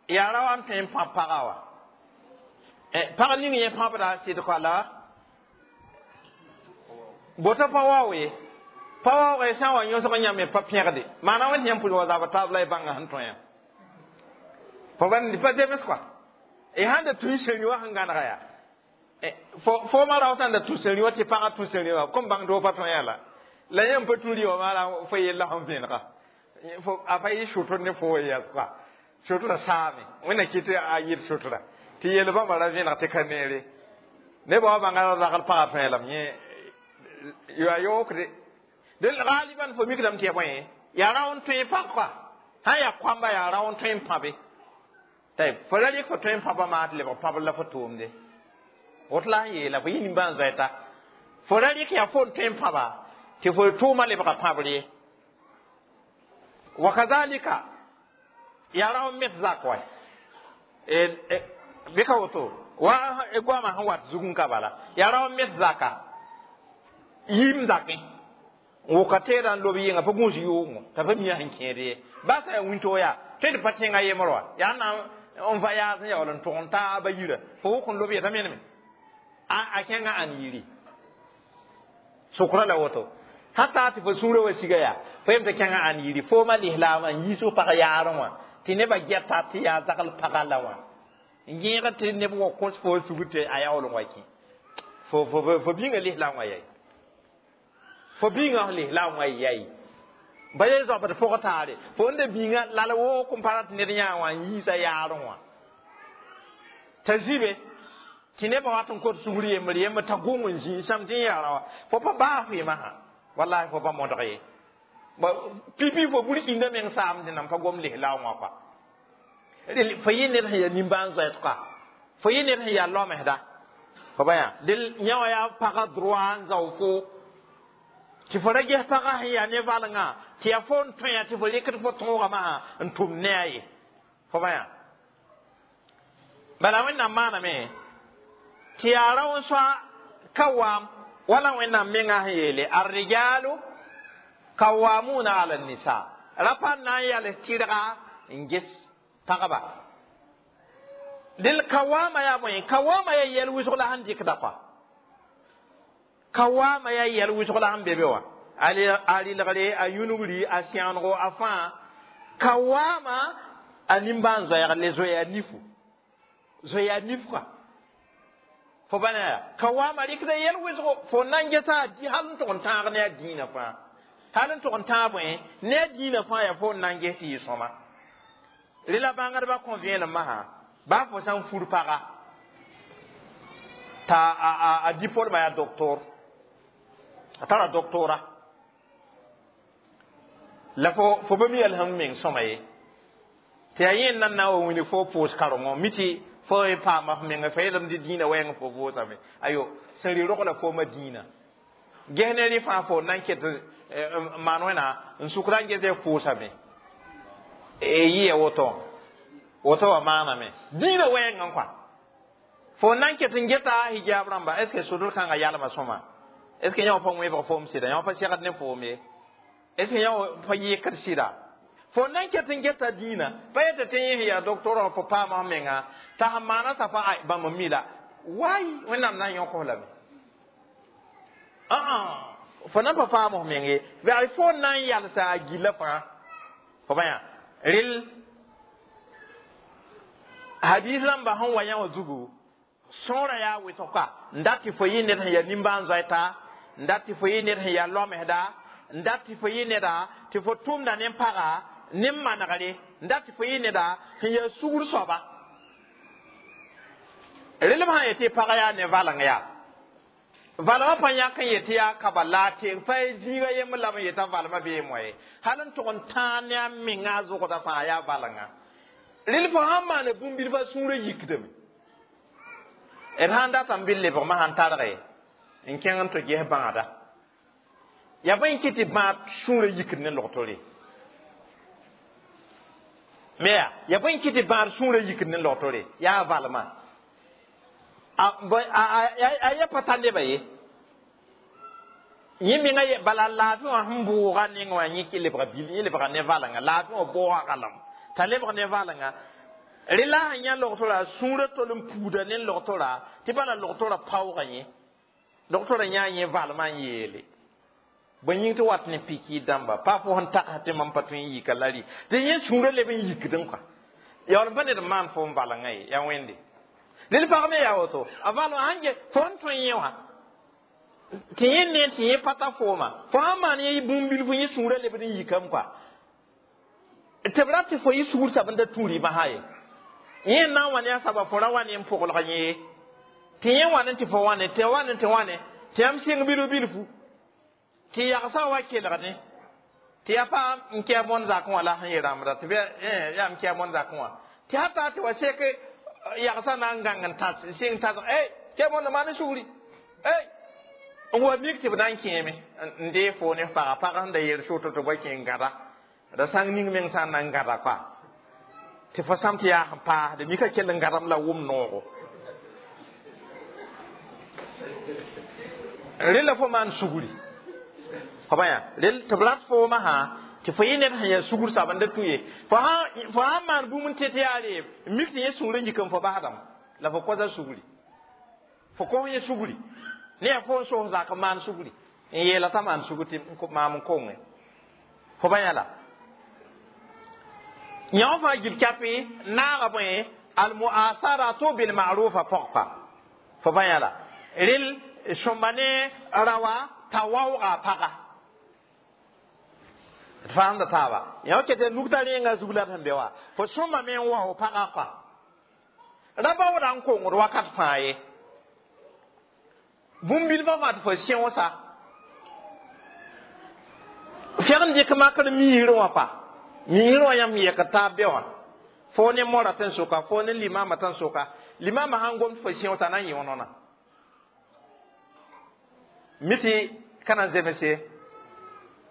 yaa ra wa n tõe n pãb pagã wa pag ning yẽ pãbda sɩd koala boto pa wao ye pa waoogẽ sã n wa yõsg yãmb me pa pẽgde maana wẽnd yãmb pʋl wa zab taab la y bãnga sẽn tõe yã fo pa zems kɔa y sãn da tũ sẽri wã sẽn gãnega yaa fo ma rao sãn da tũ sẽri wã tɩ pagã tũ sẽri wã kom bãng doo pa tõe yã la la yãmb pa tũ rɩ wã maana fo yella sẽn vẽenega a pa yɩ sʋtr ne fo yɛs kɔa sʋtrã saame wẽnna kɩ tɩ a yɩl sʋtrã tɩ yel bãmba ra vẽeneg tɩ ka neere nebã wa bãnga ra ragl pagã tõe lame yẽ yaa yookde dẽ galiban fo mikdame tɩ ya bõe yaa rao n tõe pag kɔa sã n yaa kõamba yaa rao n tõe n pãbe tɩ fo ra rɩk fo tõe n pãba maa tɩ lebg pãbr la fo tʋʋmde woto la sẽn yeela fo yɩ nimbãan-zoɛta fo ra rɩk yaa fo n tõe n pãba tɩ fo tʋʋmã lebga pãbr ye wa kazalika yaa rao n met zak wa bɩ ka woto wa goamã sẽn wat zugẽ ka bala yaa rao n met zaka yim zakẽ n wʋka teedã n lob yɩnga pa gũus yʋʋngo t'a pa mia sẽn kẽed ye baa sã yaa wĩntoog yaa tõe tɩ pa tẽngã yembr wa yaa na n va yaas n yaool n tʋg n taaba yira fo wʋk n lob yeta meneme a kẽngã ãn yiri sʋkrã la woto hata tɩ fo sũurã wa siga yaa fo yem tɩ kẽngã ãn yiri foomã lislaamã n yiis f pag yaarẽ wã tɩ nebã gɛta tɩ yaa zagl pagã la wã n yẽegd tɩ neb wa kõs fo sugr tɩ a yaool n wa kẽ fo bĩngã lislaam wã yɛi fo bĩngã lislaam wã yɛi ba ye zoabd pʋg taare fo n da bĩngã lal wook n pa rat ned yã wã n yiisa yaarẽ wã t'a zibe tɩ nebã wat n kot sugr yembr yembr t'a gʋng n zĩig sãm tɩ n yaa ra wã fo pa baa fɩɩmã sã wallahi fo pa modg ye pipi fo burkĩndã meng saamd nan pa gom lislaam wã kɔa fo yɩ ned sẽn yaa nimbãan-zoɛt kɔa fo yɩ ned sẽn yaa lomsda fo ba yã dɩ yã wã yaa pagã droit n zao fo tɩ fo ra ges pagã sẽn yaa ne valengã tɩ yaa fo n tõe tɩ fo rɩkd fo tõogã masã n tʋm ne a ye fo ba yã bala wẽnnaam maaname Tɩ yaa rao n soa kawam wala Wẽnnaam menga sẽn yeele arrijalu kawamuna ala nisa rapa na n yals tɩrga n ges pagba dɩl kawama yaa bõe kawama yaa yɛl wʋsg la sẽn dɩkda kɔa kawama yaa yɛl wʋsg la sẽn be be wã a rɩlgre a yũnugri a sẽonego a fãa kawama a nimbãan-zoɛɛg le zoeya nifu zoeya nif kɔa fo bãna yaa kawama rɩkda yɛl wʋsgo fo na n gesa hal n tʋg n tãag ne a dĩinã fãa hal n tʋg n tãag bõe ne a dĩinã fãa yaa fo n na n ges tɩ yɩ sõma rẽ la bãngdbã kõ vẽenem masã baa fo sã n fur paga t'a a diplôme yaa doctor a tara doctora la fo ba mi yɛl sẽn meng sõma ye tɩ yaa yẽ n na n wa wilg fo pʋʋs karengo mi tɩ fo y paama f menga fa yeelame tɩ dĩinã wɛɛng fo vʋʋsame ayo sẽn rɩ rogla fooma dĩinã ges ne rẽ fãa fo na n ket n maan wẽna n sʋkra n ges y pʋʋsame yɩa woto woto wa maaname dĩinã wɛɛngã kɔa fo na n ket n geta hijab rãmba est ce que sodr kãngã yalma sõma est ce que yã pa wẽbg foom sɩda yã pa segd ne foom ye est ce que yã pa yɩkd sɩda fo na n ket n geta dĩinã pa yeta tɩ yẽ yaa doctor fo paama f menga t'a sẽn maana t'a pa bãmb n mi la wai Wẽnnaam na n yõk f lame fo na n pa paam f meng ye fo na n yalsa a gilla fãa fo bã yaa rel hadis rãmba sẽn wa yã wã zugu sõora yaa wʋsg ka n dat tɩ fo yɩ ned sẽn yaa nimbãan-zoɛta n dat tɩ fo yɩ ned sẽn yaa loamsda n dat tɩ fo yɩ neda tɩ fo tʋmda ne paga ne manegre n dat tɩ fo yɩ neda sẽn yaa sugr soaba rel b sã yetɩ pag yaa ne valeng yaa valmã pa yãk n yetɩ yaa kaba la teng pa zĩiga yembr la b yetã valmã bee moa ye hal n tʋg n tãag ne a menga a zʋgda fãa yaa valenga rel fo sãn maana bũmb-bilfã sũurã yikdame d sãn data n bɩ lebgmã sãn targe n kẽng n tɩ ges bãada yaa bõe n kɩ tɩ bãad sũurã yikd ne logtore me yaa bõe n kɩ tɩ bãad sũurã yikd ne logtore yaa valmã a yɛ pa ta neba ye yẽ menga bala laafɩ wã sẽn bʋʋga neng wã yẽ lebga bil yẽ lebga ne valenga laafɩ wã bʋʋga kalem t'a lebg ne valenga rẽ la sẽn yã logtora sũurã tol n puuda ne logtora tɩ bala logtora paoogã yẽ logtora yãa yẽ valmã n yeele bõe yĩng tɩ wat ne piki dãmba pa fo sẽn tagsã tɩ mam pa tõe n yika la rɩ tɩ yẽ sũurã leb n yikdẽ kɔa yaool n pa ned n maan fo n valengã ye yaa wẽnde rel pag me yaa woto a valmã sãn ge fo n tõe yẽ wã tɩ yẽ ne tɩ yẽ pa ta fooma fo sãn maan yẽ bũmb bilfu yẽ sũurã lebd n yikame kɔa tɩ b rat tɩ fo yɩ sugr sab n da tũ rɩmã ye yẽ na n wa ne a saba fo ra wa ne n pʋglg yẽ ye tɩ yẽ wa ne tɩ fo wãne tɩ wa ne tɩ wãne tɩ yãmb sɩng bilf bilfu tɩ yagsã wa kelgdẽ tɩ yaa pa n kɛ bõn zakẽ wã la sẽn yɩ rãmbda tɩ yaa m kɛ bõn zakẽ wã tɩ hata tɩ wa sek yagsã na n gãng n tãs sɩng tãs ey kɛ bõnda maan sugri ey n wa mik tɩ b na n kẽeme n dee fo ne paga pag sẽn da yeel soto tɩ ba kẽ n gãda ra sãng ning meng sã n na n gãda kɔa tɩ fo sãm tɩ yaa sẽn paasde mika kell n gãdem la wʋm noogo rẽ la fo maan sugri fo bã yaa rel tɩ b rat foomã sã tɩ fo yɩ ned sẽn yaa sugr sab n da tũ ye fo sãn maan bũmb n tẽ tɩ yaa reeb n mik tɩ yẽ sũurã yik n fo basdame la fo kosa sugri fo kos yẽ sugri ne yaa fo n sos zak n maan sugri n yeela t'a maan sugr tɩ maam n konge fo bã yã la yã fãa gil kapi naaga bõe almuasaratu bilmarufa pɔgpa fo bã yã la rel sõmba ne rawa t'a waooga a paga d faamda taaba yã ket nugta rẽengã zug la d sẽn be wã fo sõmba me n wao pagã kɔa ra baooda n kongd wakat fãa ye bũmb-bilfã fãa tɩ fo sẽosa fɛg n dɩk makr miisr wã kɔa miisr wã yãmb yɛk taab be wã fo ne mora tɩ n soka fo ne limama tɩ n soka limama sãn gom tɩ fo sẽosa na n yõ nona mi tɩ ka na n zemse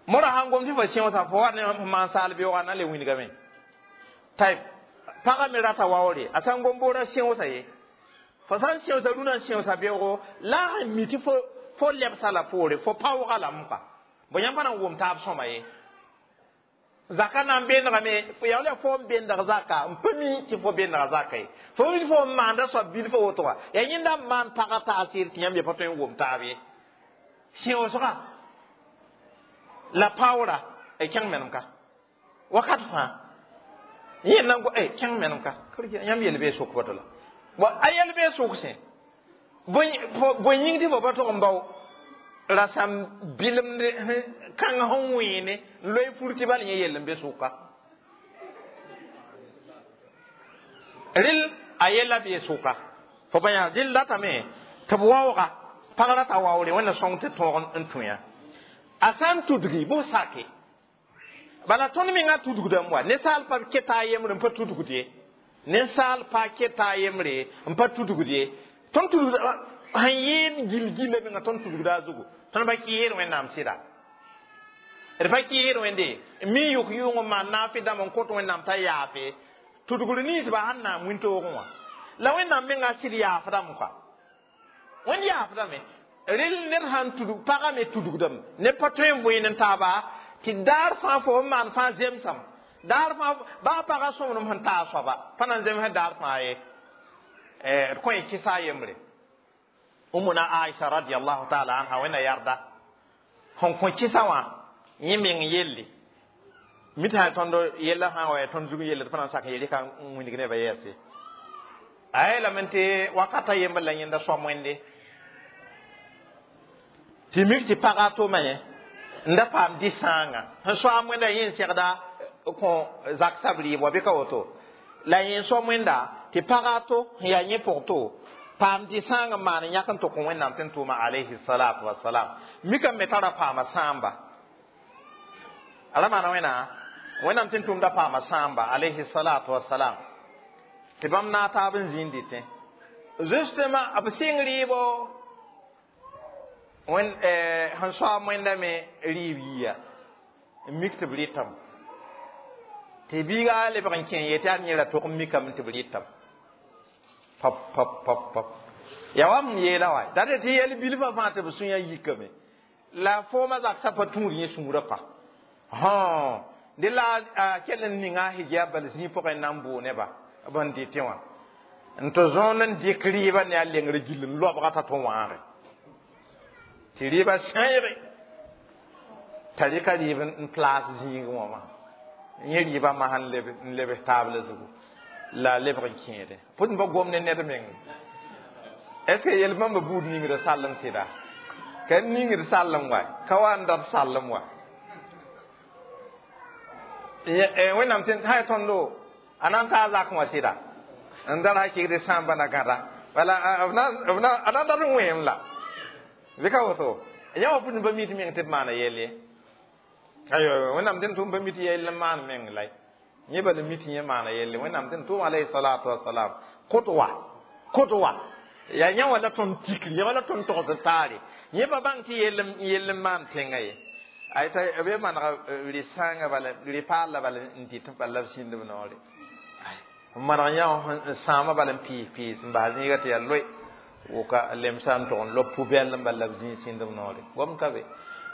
mora sãn gom tɩ fo sẽosa fo wa ne maan saal beoogã na n le wilgame tayb pagã me rata waoore a sãn gom boora sẽosa ye Fo sã n sẽosa rũnã n sẽosa beoogo la a mi tɩ fo lebsa la poore, fo paooga lame pa. Bõ yãmb pa na n wʋm taab sõma ye. Zaka na n bendgame, yaa la fo n bendg zaka n pa mi tɩ fo bendga zaka ye. Fo mi fo n maanda soab bilfã woto wã, yaa yẽnda n maan pagã t'a sɩd tɩ yãmb ye pa tõe n wʋm taab ye. Sẽoosga la paoora kẽng menem ka wakat fãa yẽ na kẽng menem ka yãmb yel bee sʋk woto la a yɛl bee sʋk sẽ bõe yĩng tɩ fo pa tog n bao rasam bilemd kãng sẽn wẽene n loe fur tɩ bal yẽ yell n be sʋka rel a yella bee sʋka fo pa yã rel datame tɩ b waooga pag rata waoore wẽnna sõng tɩ tõog n tũ yã a sã n tudgi bʋ sake bala tõnd menga tudgdame wa ninsaal pa keta a yembre n pa tudgd ye ninsaal pa keta a yembre n pa tudgd ye tõnd tudgd sẽn yeel gil-gilla menga tõnd tudgda a zugu tõnd pa kɩɩsd wẽnnaam sɩda d pa kɩɩsd wẽnde mi yʋk yʋʋng n maan naafɩ dãmb n kõt wẽnnaam t'a yaafe tudgr ninsba sẽn naam wĩntoogẽ wã la wẽnnaam menga sɩd yaafdame kɔa wẽnd yaafdame rel ned sãn tudg pagã me tudgdame ned pa tõe n võen n taaba tɩ daar fãa fo n maan fãa zemsam daar fãa baa pagã sõmblem sẽn taa soaba pa na n zemsẽ daar fãa ye d kõ y kɩsa a yembre Umuna Aisha radiyallahu ta'ala anha wẽnna yarda sẽn kõ kɩsa wã yẽ meng yelle mi tɩ sã tõnd yella sã n wa yaa tõnd zug yelle tɩ pa na n sak n yel ka n wilg nebã yɛɛse a yeelame tɩ wakata yembr la yẽnda soam wẽnde tɩ mik tɩ pagã tʋma yẽ n da paam dĩ-sãangã sẽn soaam wẽnda yẽ n segda kõ zak sab rɩɩb wa bɩ ka woto la yẽ n soam wẽnda tɩ pagã to sẽn yaa yẽ pʋg to paam dĩ-sãang n maan n yãk n tʋk wẽnnaam tɩ n tʋʋma alayhi salatu wasalam mikame me tara paama sãamba a ra maana wẽna wẽnnaam tɩ n tʋʋmda paama sãamba alayhi salatu wasalam tɩ bãmb naag taab n zĩnd dɩtẽ justement b sɩng rɩɩbo wẽn sẽn soaam wẽnda me rɩɩb yiya n mik tɩ b rɩtame tɩ biiga lebg n kẽ yetɩ yaa yẽ ra tog n mikame tɩ b rɩtame pap pap pap pap ya wa m yeela wa date tɩ yɛl bilfã fãa tɩ b sũyã yikame la foomã zaksa pa tũud yẽ sũurã pa hõ dẽ la a kell n ninga a hijab bal zĩig pʋgẽ n na n boo neba b n dɩtẽ wã n tɩ zõond n dɩk rɩɩbã ne a lengr gill n loabga t'a tõ wãage tɩ rɩɩbã sãeege t'a rɩka rɩɩb n plaas zĩigẽ wã wã yẽ rɩɩbã masã n lebs taabla zugu la lebg n kẽede pʋd n pa gom ne ned meng est ce que yel bãmba buud ningda sallem sɩda ka ningd sallem wa ka wa n dat sallem wa wẽnnaam tɩ sã y tõndo a na n taa zakẽ wã sɩda n dar sã kɩgd sãamba na gãda bala a na n dat n wẽem la bɩ ka woto yã wã pʋd n pa mi tɩ meng tɩ b maana yɛl ye ayo wẽnnaam tɩ n tʋm pa mi tɩ yɛl n maan meng la yẽ bala mi tɩ yẽ maana yelle wẽnnaam tɩ n tʋʋm alayhi salatu wasalam kʋtwa kʋtwa yaa yã wã la tõnd tikr yã wã la tõnd togsd taare yẽ pa bãng tɩ yell n maan tẽngã ye ay t'a b manega rɩ-sãangã bala rɩ-paal bala n dɩt bala la b sĩnd b noore n maneg yã n sãama bala n piis piis n bas zĩiga tɩ yaa loe woka lemsã n tog n lob pubɛl n bala la b zĩig sĩnd b noore gom ka be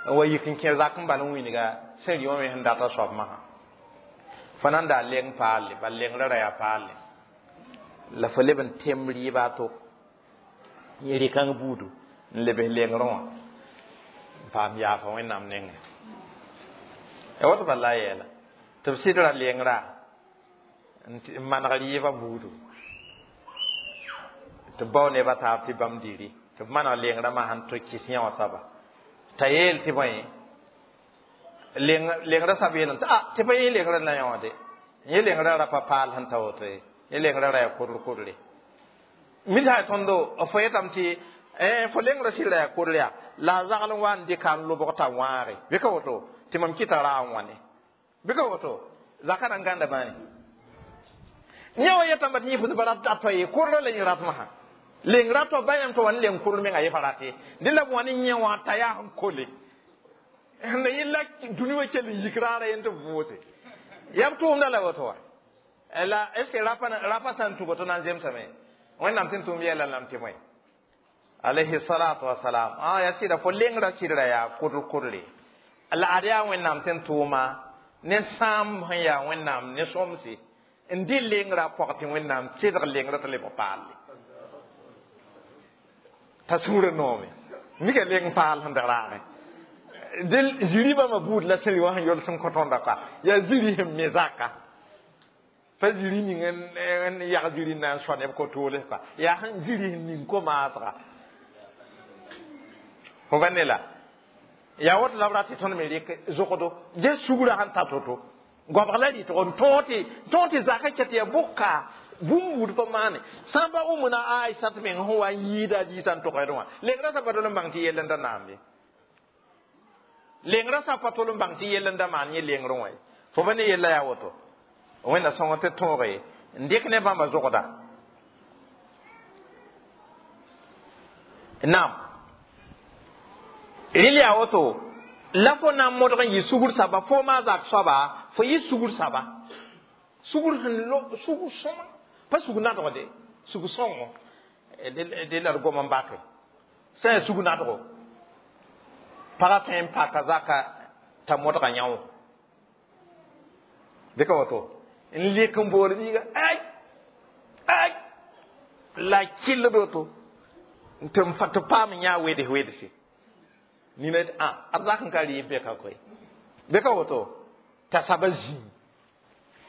n wa yik n kẽ zak n bal n wilga sẽn rɩ wã me sẽn data soab masã fo nan daa leng paalle bal lengrã ra yaa paalle la fo leb n tem rɩɩba a to yẽ rɩ-kãng buudu n lebs lengrẽ wã n paam yaafa wẽnnaam nengẽ ya woto bala a yeela tɩ b sɩdra lengrã n maneg rɩɩbã buudu tɩ bao nebã taab tɩ bãmb diri tɩ b maneg lengrã masã n tɩ kɩs yã wã soaba t'a yeel tɩ bõe lengrã sab yeelame tɩ a tɩ pa yẽ lengrã la yã wã de yẽ lengrã ra pa paal sẽn ta woto ye yẽ lengrã ra yaa kodr kodre mi sã tõndo fo yetame tɩ fo lengrã sɩd ra yaa kodr yaa la a zagl n wa n dɩka n lobg t'a wãage bɩ ka woto tɩ mam kɩta ra n wãne bɩ ka woto zaka na n gãnda bãane yẽ wa yetame tɩ yẽ pʋd pa rat a toa ye kodrã la yẽ ratmsã lengrã to ba yãmb tɩ wa n leng kodr menga yẽ pa rate dẽ la b wa ne yẽ wã t'a yaa sẽn kole na yella dũni wã kell n yik raara yẽ tɩ b vʋʋse yaa b tʋʋmda la woto wa la est ce que rapa sã n tũ woto na n zemsame Wẽnnaam tɩ n tʋʋm yɛla lame tɩ bõe alayhi salatu wasalam a ya sɩda fo lengrã sɩdra yaa kʋdr kʋdre la ad yaa wẽnnaam tɩ n tʋʋma ne sãam sẽn yaa wẽnnaam ne sõmse n dɩ lengrã pɔg tɩ wẽnnaam sɩdg lengrã tɩ leb paalle t'a sũurã noome mika leng paal sẽn dag raagẽ dɩ zĩri bãmba buud la sẽn wã sẽn yols n kõ tõnda ka yaa zĩri sẽn me zaka pa zĩri ning n yag zĩri na n soa neb ko-toolsga yaa sẽn zĩri sẽn ning ko-maasga fo pa ne la yaa woto la b rat tɩ tõnd me rɩk zogdo ges sugrã sẽn ta to-to goabg la rɩtg n tõog tɩ zakã ket tɩ yaa bʋka bũmb buud pa maane sã n pa wʋmna Aisat meng sẽn wa n yɩɩda a diisã n togd wã lengrã sa pa tol n bãng tɩ yell n da naam ye lengrã sa pa tol n bãng tɩ yell n da maan yẽ lengrẽ wã ye fo pa ne yella yaa woto wẽnna sõng tɩ tõoge n dɩk ne bãmba zogda naam rel yaa woto la fo na n modg n yɩ sugr saba fo maa zak soaba fo yɩ sugr saba sugr sẽn lo sugr sõma pa sug nadgde sug sõngo de la d gom n bake sã n yaa sug nadgo pagã tõe n paka zaka t'a modga yão bɩ ka woto n lek n bool biiga ay ay la kɩllд woto tɩ tɩ paam n yã weds wedse nina a ad zak n ka rɩɩb bɛka koe bɩ ka woto t'a saba zĩig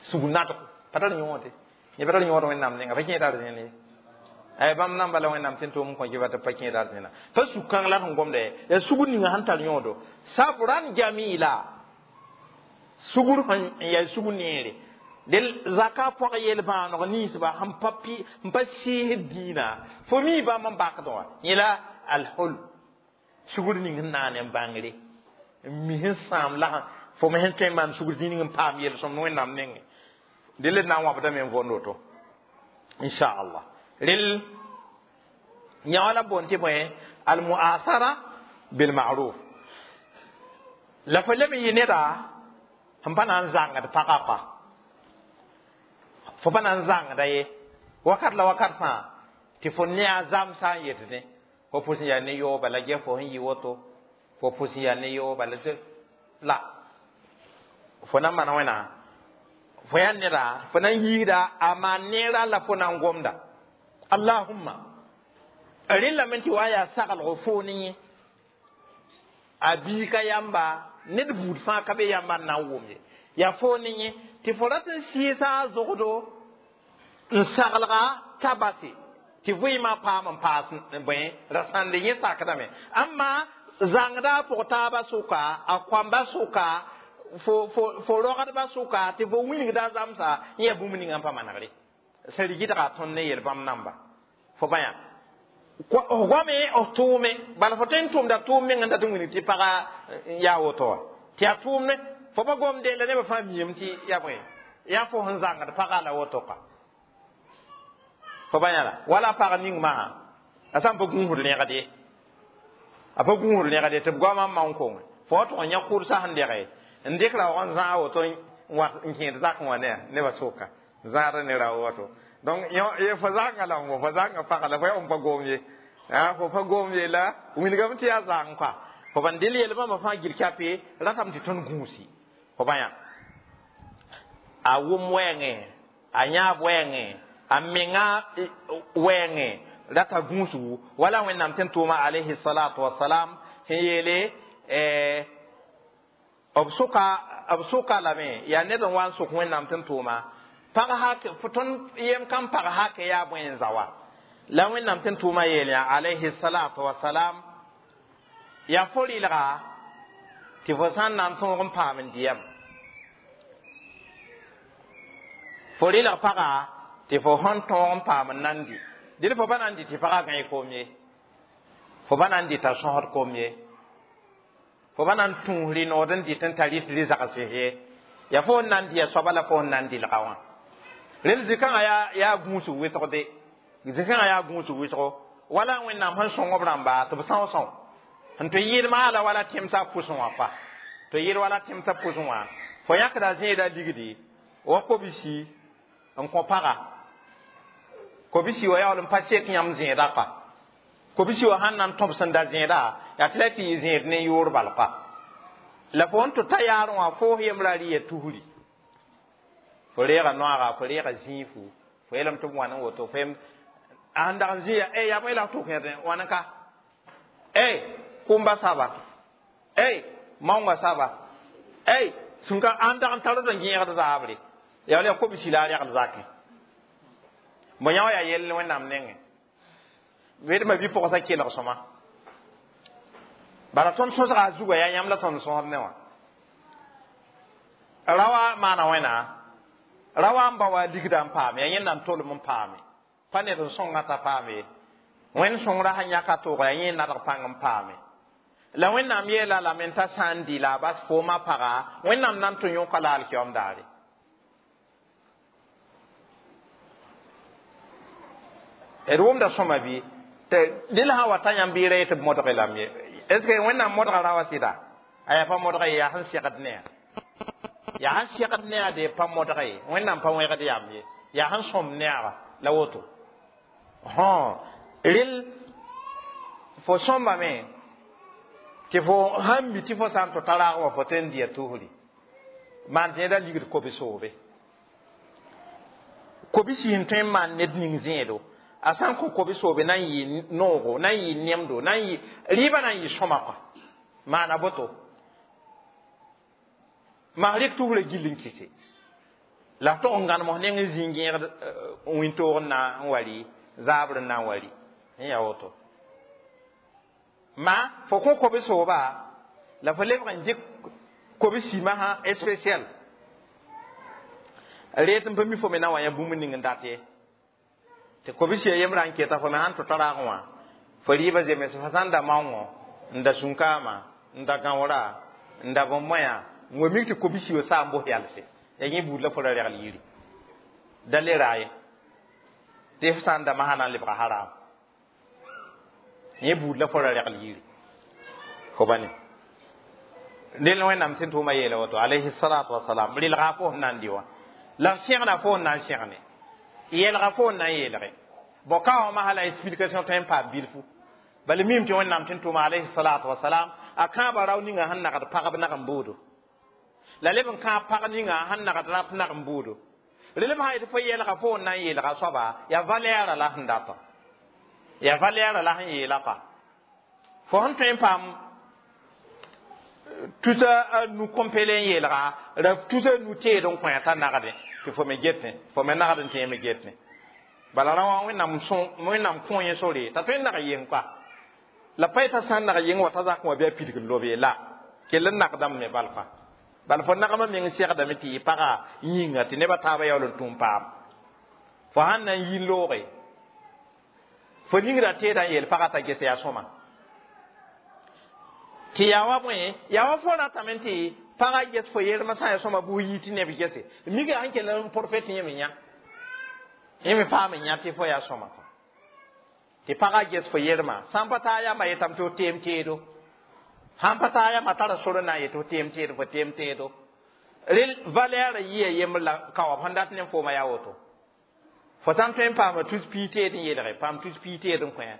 sug nadgo pa tar yõode yẽ pa tar yõod wẽnnaam nenga pa kẽeda d zẽn ye ay bãmb namba la wẽnnaam tɩ n tʋʋm n kõ kɩ tɩ pa kẽeda d zẽna pa sug kãng la sẽn gomda ye yaa sugr ninga sẽn tar yõodo sabran jamila sugr sẽn yaa sug neere del zaka pɔg yel-bãaneg ninsba sẽn pa pi n pa sɩɩsd dĩinã fo mi bãmb n bakd wã yẽ la alhul sugr ning sẽn naane n bãngre n mi sẽn sãam la fo me sẽn tõe n maan sugr dĩin n paam yel-sõmd wẽnnaam nengẽ del d na n wãbdame n võnd woto inchallah rel yã la boond tɩ bõe almuasara bilmaruf la fo leb n yɩ neda sẽn pa na n zãngd pagã pa fo pa na n zãngda ye wakat la wakat fãa tɩ fo ne a zamsã n yetne fo pʋs n yaa ne yooba la gɛ fo sẽn yɩ woto fo pʋs n yaa ne yooba la la fo na n maan wẽna fo yaa neda fo na n yiida a maan neerã la fo na n gomda allahumma rẽn lame tɩ wa yaa saglgo foo ne yẽ a biigã yamba ned buud fãa ka be yamba n na n wʋm ye yaa foo ne yẽ tɩ fo rat n sɩɩsa a zogdo n saglga t'a base tɩ vɩɩmã paam n paas bõe rasãnde yẽ sakdame amma zãngda a pʋg taabã sʋka a koamba sʋka fo rogdbã sʋka tɩ fo wilgda zãmsa yẽ yaa bũmb ninga n pa manegre sẽn rigdga tõnd ne yel-bãmb namba fo bã yã goame f tʋʋme bala fo tõe n tʋʋmda tʋʋm meng n dat n wilg tɩ paga yaa woto wã tɩ yaa tʋʋmne fo pa gomde la nebã fãa miame tɩ yaa bõe yaa fo sẽn zãngd pagã la woto ka fo ba yãla wala pag ning masã a sã n pa gũusd rẽgd ye a pa gũusd rẽgd ye tɩ b goamã n maon konge fo wa tʋg n yã kʋrsa sẽn dɛge n dɩk raoog n zãag woto n kẽed zakẽ wã ne nebã sʋka zãada ne rao woto donc ye fo zãnga la fo zãnga pagã la fo yaa n pa gom ye fo pa gom ye la wilgame tɩ yaa zãng kɔa fo ban dɩl yel-bãmba fãa gil kape ratame tɩ tõnd gũusi fo bã yã a wʋm wɛɛngẽ a yãab wɛɛngẽ a menga wɛɛngẽ rata gũusgu wala wẽnnaam tɩ n tʋʋma alayhi salatu wasalam sẽn yeele b sʋka lame yaa ned n wa n sʋk wẽnnaam tɩ n tʋʋma pag hak tõnd yem kam pag hak yaa bõe n zawa la wẽnnaam tɩ n tʋʋma yeel yã alayhi salatu wasalam yaa fo rɩlga tɩ fo sã n na n tõog n paam n dɩyam fo rɩlg pagã tɩ fo sẽn tõog n paam n nan dɩ dɩl fo pa na n dɩ tɩ pagã gãe koom ye fo pa na n dɩ t'a sõsd koom ye fo pa na n tũus rɩ-nood n dɩt n tar rɩt rɩ-zags ye yaa fo n na n dɩ a soaba la fo n na n dɩlga wã rel zĩ-kãngã yaa gũusg wɩsgde zĩ-kãngã yaa gũusg wɩsgo wala wẽnnaam sẽn sõng b rãmba tɩ b são sõo sẽn tɩ yɩɩd maala wala tẽmsã pʋsẽ wã pa tɩ yɩɩd wala tẽmsã pʋsẽ wã fo yãkda zẽeda ligdi wa kobsi n kõ paga Kobisi wa yaool n pa sek yãmb zẽeda pa. Kobisi wa sãn na n tõb sẽn da zẽeda, yaa tɩ la tɩ yɩ zẽed ne yoor bal pa. La fo n tɩ ta yaarẽ wã foos yembra rɩ ya tusri. Fo reega noaaga, fo reega zĩifu, fo yeelame tɩ b wãn n woto, fo a sẽn dag n zĩ ya, yaa bõe la f tʋk yẽd wãn n ka? Kʋmba saba. Maoongã saba. Sẽn ka a sẽn dag n tar d n gẽegd zaabre. Yaa wala yaa kobisi la a regl zakẽ. Bõ yã wã yaa yell Wẽnnaam nengẽ. Wedmã bi-pʋgsã kelg sõma. Bala tõnd sõsga a zugã yaa yãmb la tõnd sõsd ne wã. Rawa maana wẽna, rawa n ba wa ligda n paame, yaa yẽnda n tolem n paame. Pa ned n sõnga t'a paame ye. Wẽnd sõngra sẽn yãka tooga yaa yẽ nadg pãng n paame. La Wẽnnaam yeela lame t'a sã n dɩ la a bas foomã paga, Wẽnnaam na n tɩ yõka la alkiyoom daare. D wʋmda sõma bɩ tɩ dɩl sã wa ta yãmb bɩ ra yetɩ b modge lame ye. Est ce que Wẽnnaam modga rawa sɩda? A yaa pa modga ye, yaa sẽn segd ne a. Yaa sẽn segd ne a de pa modga ye. Wẽnnaam pa wẽgd yam ye. Yaa sẽn sõm ne a la woto. Rel fo sõmbame tɩ fo sãn mi tɩ fo sã n tɩ ta raag wã fo tõe n dɩ ya tusri. Maan tɩ yẽda ligd kobe-soobe. Kobisi sẽn tõe n maan ned ning zẽedo. A sã n kõ kobe-soobe na n yɩ noogo, na n yɩ nemdo, na n yɩ rɩɩbã na n yɩ sõma kɔa. Maana boto. Maa rɩk tusrã gill n kɩse. La f tog n gãnems neng n zĩ gẽegd wĩntoog n na n wa rɩ, zaabr n na n wa rɩ. N yaa woto. Ma fo kõ kobe-sooba la fo lebg n dɩk kobe-sĩmã sã spécial. Reet n pa mi fo me na wa yã bũmb ning n dat ye. Tɩ kobisi a yembrã n keta fo me sãn tɩ ta raag wã, fo rɩɩbã zems fo sã n da maoongõ, n da sũnkaamã, n da gãoora, n da bõn-moyã, n wa mik tɩ kobisi wa saa n bos yalse. Yaa yẽ buud la fo ra regl yiri. Da le ra ye. Tɩ f sã n da masã na n lebga haram. Yẽ buud la fo ra regl yiri. Fo ba ne. Rel Wẽnnaam sẽn tʋʋma yeela woto, alayhi salatu wasalam, relga fo sẽn na n dɩ wã. La sẽgna fo sẽn na n sẽgne. Yeelga fo sẽn na n yeelge. Bon, ka wã masã la explication tõe n paam bilfu. Bala mim tɩ Wẽnnaam sẽn tʋʋma alayhi salatu wasalam, a kãabã rao ninga sẽn nagd pagb nag n buudo. La leb n kãab pag ninga sẽn nagd rap nag n buudo. Relem sã yetɩ fo yeelga fo sẽn na n yeelga soaba, yaa valɛɛra la sẽn datã. Yaa valɛɛra la sẽn yeela pa. Fo sẽn tõe n paam tusa a nu kõmpele n yeelga, ra tusa nu teed n kõ t'a nagdẽ, tɩ fo me getẽ, fo me nagd n tẽ me getẽ. Bala ra wã Wẽnnaam kõ yẽ sore t'a tõe n nag yeng kɔa. La pa yetã sã n nag yeng wa t'a zak wã bɩ a pidg n lobe la. Kell n nagdame me bal kɔa. Bala fo nagmã meng segdame tɩ yɩ pagã yĩnga tɩ nebã taabã yaool n tũ n paam. Fo sãn na n yi looge, fo ningrã teedã n yeel pagã t'a ges yaa sõma. Tɩ yaa wa bõe, yaa wa fo ratame tɩ pagã ges fo yermã sã n yaa sõma bʋ yi tɩ neb gese. Miga sẽn kell n profet yẽ me yã. Yẽ me paam n yã tɩ fo yaa sõma. Tɩ pagã ges fo yermã. Sã n pa taa yamba yetame tɩ f teem teedo. Sãn pa taa yamba tara sor n na n yetɩ f teem teedo, fo teem teedo. Rel valɛɛrã yɩa yembr la ka wã sẽn dat ne foomã yaa woto. Fo sã n tõe n paama tus pii teed n yeelge, paam tus pii teed n kõ.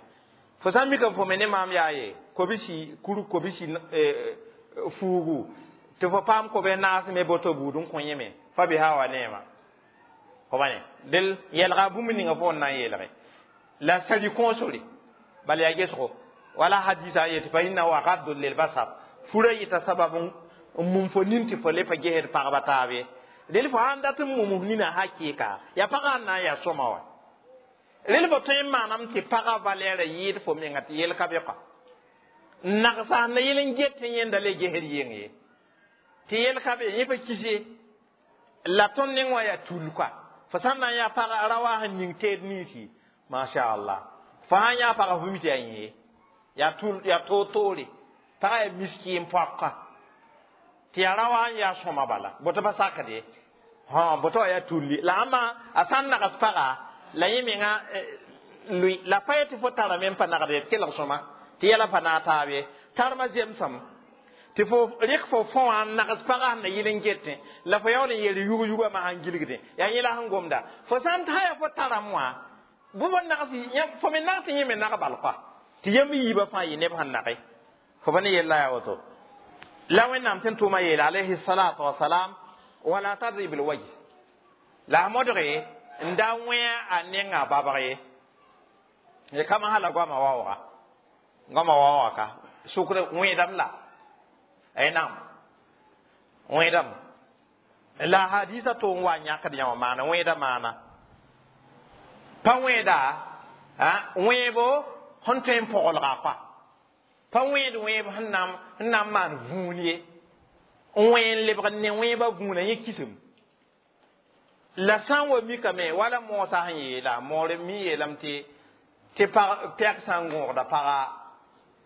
Fo sã n mika fo me ne maam yaa ye, kobisi kur kobisi fuugu, tɩ fo paam kobe naas me boto buud n kõ yẽ me, fa biha wa neema. Fo ba ne, del yɛlga bũmb ninga fo n na n yeelge. La sari kõosore, bala yaa gesgo. Wala hadisa yetɩ fa innahu agaddu lilbasar. Fura yɩta sabab n mum fo nin tɩ fo le pa gesd pagba taab ye. Rel fo sãn dat n mum nina hakɩɩka, yaa pagã n na n yaa sõma wa. Rel fo tõe n maanam tɩ pagã valɛɛrã yɩɩd fo menga tɩ yel ka be kɔa. Nagsa na yel n get tɩ yẽnda le gesd yeng ye. Tɩ yel ka be, yẽ pa kis ye. La tõnd neng wã yaa tul kɔa. Fo sãn na n yaa pagã ra wa sẽn ning teed ninsi, masha Allah. Fo sãn yaa pagã fo mi tɩ yaa yẽ ye. Yaa tul, yaa toor-toore. Pagã yaa miski n poaka. Tɩ yaa ra wa n yaa sõma bala. Boto pa sakd ye. Boto wa yaa tulli. La ãmba a sã n nags pagã, la yẽ menga lʋɩ. La pa yetɩ fo tarame n pa nagd ye, tɩ kelg sõma. Tɩ yɛla pa naag taab ye. Tarmã zemsame. Tɩ fo rɩk fo fõ wã n nags pagã sẽn na yɩl n getẽ. La fo yaool n yeel yug-yugã masã n gilgdẽ. Yaa yẽ la sẽn gomda. Fo sã n tã yaa fo taram wã, Bʋ nags fo me nags yẽ me nag bal koa tɩ yãmb yiibã fãa yɩ neb sẽn nage fo pa ne yella yaa woto la Wẽnnaam tɩ n tʋʋma yeele alayhi salatu wasalam wala tadrib lwajh la a modge n da wẽ a nenga babg ye ye kama hala goama waooga goama waooga ka sʋkr wẽedame la ay naam wẽedame la hadisa to n wa yãkd yãwã maana wẽeda maana pa wẽeda wẽebo sẽn tõe n pɔgelga koa pa wẽed wẽeb sẽn na n maan vũun ye n wẽ n lebg ne wẽebã vũuna yẽ kisem la sã n wa mikame wala moosã sẽn yeela moor mi yeelame tɩ pɛg sã n gõogda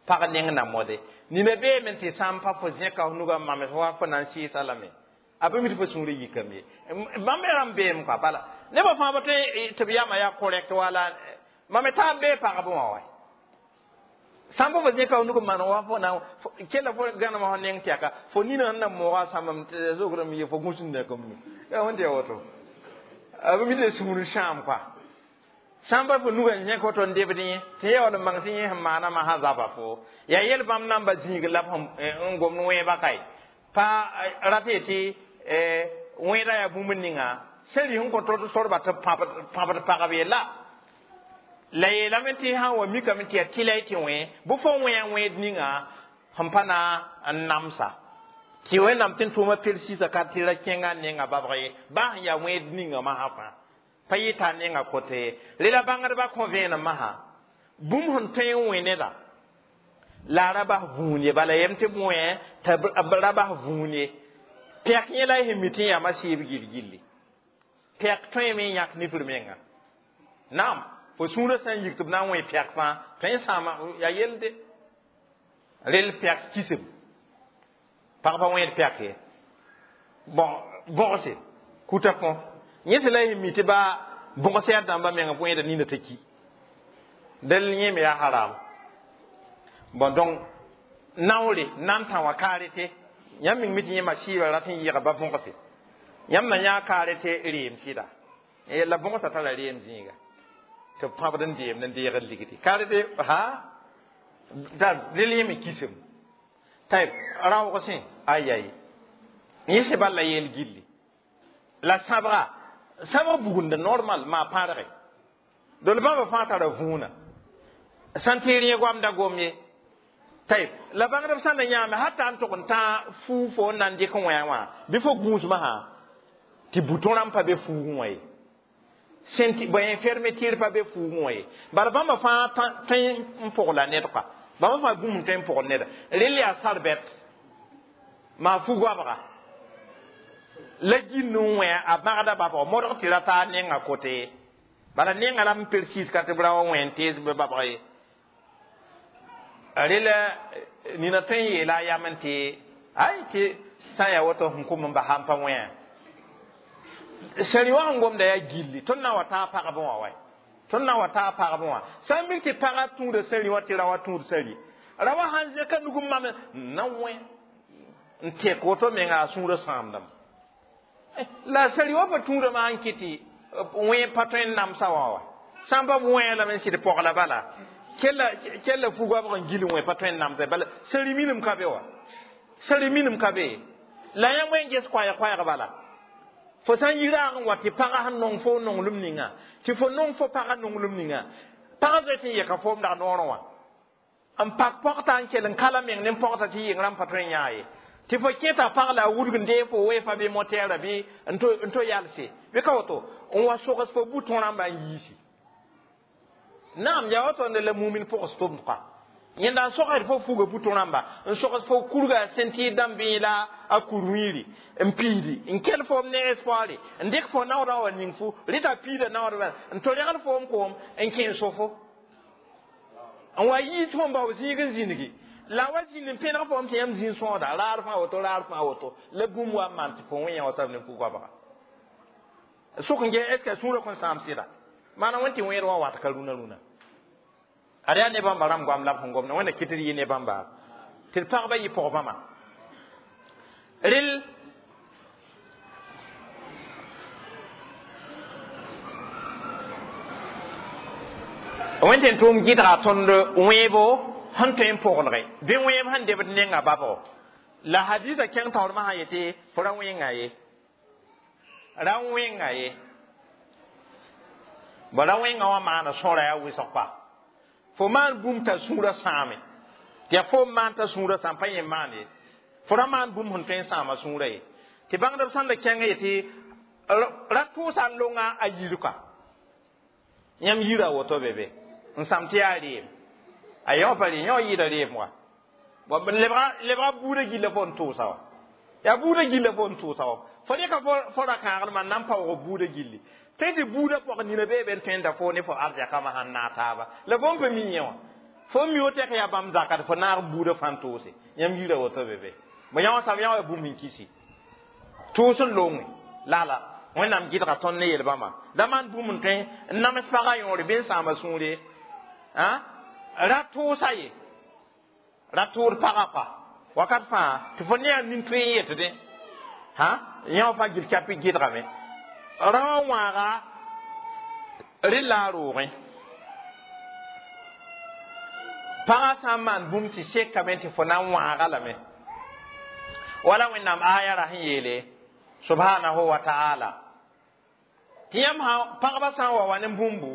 pag neng na mode nina beeme tɩ sã n pa fo zẽka f nugã mames wa fo na n sɩɩsa lame a pa mi tɩ fo sũurã yikame ye bãmb rãmb beem koa bala nebã fãa pa tõe tɩ b yama yaa correct wala mam taa bee pagb wã wa sãn pa fo zẽka f nug maan wa fo na kella fo gãnema fo neng tɛka fo nina sẽn na mooga sãmbame zograme ye fo gũsd kom nu yaa wẽn tɩ ya woto a pa mi tɩ sũur sãam koa sãn pa fo nugã zẽk woto n debd yẽ tɩ yaool n bãng tɩ yẽ sẽn maana masã zaba fo yaa yel bãmb namba zĩig la b n gomd wẽeba kae pa rat ye tɩ wẽeda yaa bũmb ninga sẽn rɩ sẽn kõ tɩ sorba tɩ pãbd pagb ye la la yeelame tɩ sã n wa mikame tɩ yaa tɩla y tɩ wẽ bɩ fo wẽ wẽed ninga sẽn pa na n namsa tɩ Wẽnnaam tɩ n tʋʋma persɩsa ka tɩ ra kẽnga nenga babg ye baa sẽn yaa wẽed ninga masã fãa pa yɩta a nenga kote ye rela bãngdbã kõ vẽenem masã bũmb sẽn tõe n wẽ neda la a ra bas vũun ye bala yem tɩ b wẽ t'a ra bas vũun ye pɛk yẽ la y sẽn mi tɩ yãmba sɩɩb gil-gilli pɛk tõeme n yãk nifr menga naam fo sũurã sã n yik tɩ b na n wẽ pɛk fãa tõe n sãama yaa yelde rel pɛk kisem pag pa wẽed pɛk ye bon bõgse kuta kõ yẽ sẽn la y sẽn mi tɩ baa bõgs yaa dãmba menga wẽeda nina t'a ki del yẽ me yaa haram bon donc naoore na n tã wã kaarete yãmb ming mi tɩ yẽma sɩɩba rat n yɩga ba bõgse yãmb na yã kaarete reem sɩda la bõgsã tara reem zĩiga tɩ b pãbd n deemd n deegd ligdi kaarete ha da rel yẽ me kisem tayb raoog sẽ ayay yẽ sẽn bal la yeel gilli la sãbga sãbg bugunda normal maa pãrge dol bãmba fãa tara vũuna sã n tɩ rẽ goamda gom ye tayb la bãngdb sã n na yãame hata n tog n tã fuu fo n na n dɩk wẽ wã bɩ fo gũusmã sã tɩ butõ rãmb pa be fuugẽ wã ye bõe fermeture pa be fuugẽ wã ye bara bãmba fãa tõe n pʋgla ned koa bãmba fãa bũmb n tõe n pʋgl neda rel yaa sarbɛt maa fu-goabga la gĩnd n wẽ a bãgda babg modg tɩ ra taa nenga kote ye bala nenga la n persiis ka tɩ b ra wa wẽ n tees bɩ babg ye rela nina tõe n yeela a yam n tɩ ay tɩ sã n yaa woto sẽn kʋm n basa n pa wẽa sẽri wã sẽn gomda yaa gilli tõnd na n wa taa pagb wã wa tõnd na n wa taa pagb wã sã n mik tɩ pagã tũuda sẽri wã tɩ ra wa tũud sẽri ra wa sãn zẽka nug n mame n na wẽ n tɛk woto menga a sũurã sãamdame la sẽri wã pa tũudame sãn kɩ tɩ wẽ pa tõe n namsa wã wa sã n pa b wẽ lame n sɩd pɔgla bala kella fu-goabg n gil wẽ pa tõe n namsa bala sẽri minim ka be wa sẽri minim ka be la yãmb wẽ n ges koɛɛg bala fo sã n yi raag n wa tɩ pagã sẽn nong fo nonglem ninga tɩ fo nong fo pagã nonglem ninga pagã zoe tɩ n yɛka foom dag noorẽ wã n pak pɔgta n kell n kala meng ne pɔgta tɩ yɩng rãmb pa tõe n yãa ye tɩ fo kẽta pag la a wudg n dee fo weefa bɩ motɛɛra bɩ n to yalse bɩ ka woto n wa sogs fo butõ rãmba n yiisi naam yaa woto la mumin pʋgs tʋmd koa yẽnda n sogsd fo fuga butõ rãmba n sogs fo kurga sẽn tɩ dãmb la a kur-wĩiri n piidi n kell foom ne espoire n dɩk fo naoodã wa ning fu rɩta piida naoodbã n to regl foom koom n kẽ n so-fo n wa yiis fo n bao zĩig n zĩnigi la wa zĩnd n pẽneg foom tɩ yãmb zĩig sõoda raar fãa woto raar fãa woto la bũmb wa n maan tɩ fo wẽ yã wa tab ne fu-goabga sʋk n ge est ce que sũurã kõn sãam sɩda maana wẽn tɩ wẽed wã wat ka rũnã rũnã ad yaa ne bãmba rãmb goam la b sẽn gomda wẽnna kɩt d yɩ ne bãmba tɩ d pagba yɩ pʋg bãmba rel Wẽn tʋʋm gɩdga tõnd wẽebo sẽn tõe n poglge bɩ wẽeb sẽn debd nenga babgo la hadisa kẽng taoormã sã yetɩ fo ra wẽnga ye ra wẽnga ye bõ ra wẽnga wã maana sõra yaa wʋsg pa fo maan bũmb t'a sũurã sãame tɩ yaa fo n maan t'a sũurã sãam pa yẽ maan ye fo ra maan bũmb sẽn tõe n sãama sũurã ye tɩ bãngdb sãn da kẽng yetɩ ra tʋʋsa n longa a yirka yãmb yira woto be be n sãm tɩ yaa reem a yõ pa reem yõ yɩɩda reem wa lebga buudã gilla fo n tʋʋsa wa yaa buudã gilla fo n tʋʋsa wa fo rɩka fo ra kãaglmã n na n paoog buudã gilli tõe tɩ buudã pɔg nina bee be n tõe n da fo ne fo arzɛkãmã sãn naag taaba la fo n pa mi yẽ wã fo n mi woto yaa bãmb zakat fo naag buudã fãa n tʋʋse yãmb yira woto be be bõ yã wã sãm yã wa bũmb n kisi tʋʋs n longe lala wẽnnaam gɩdga tõnd ne yel-bãmba da maan bũmb n tõe n nams pagã yõore bɩ n sãama sũure ra tʋʋsa ye ra tʋʋd pagã pa wakat fãa tɩ fo ne yaa nin-tõe n yetdẽ yã wã fãa gil kɛp gɩdgame ra wã wãaga rɩ la a roogẽ pagã sã n maan bũmb tɩ sekame tɩ fo na n wãaga lame wala wẽnnaam aya ra sẽn yeele subhanahu wa ta'ala tɩ yãmb pagba sã n wa wa ne bũmbu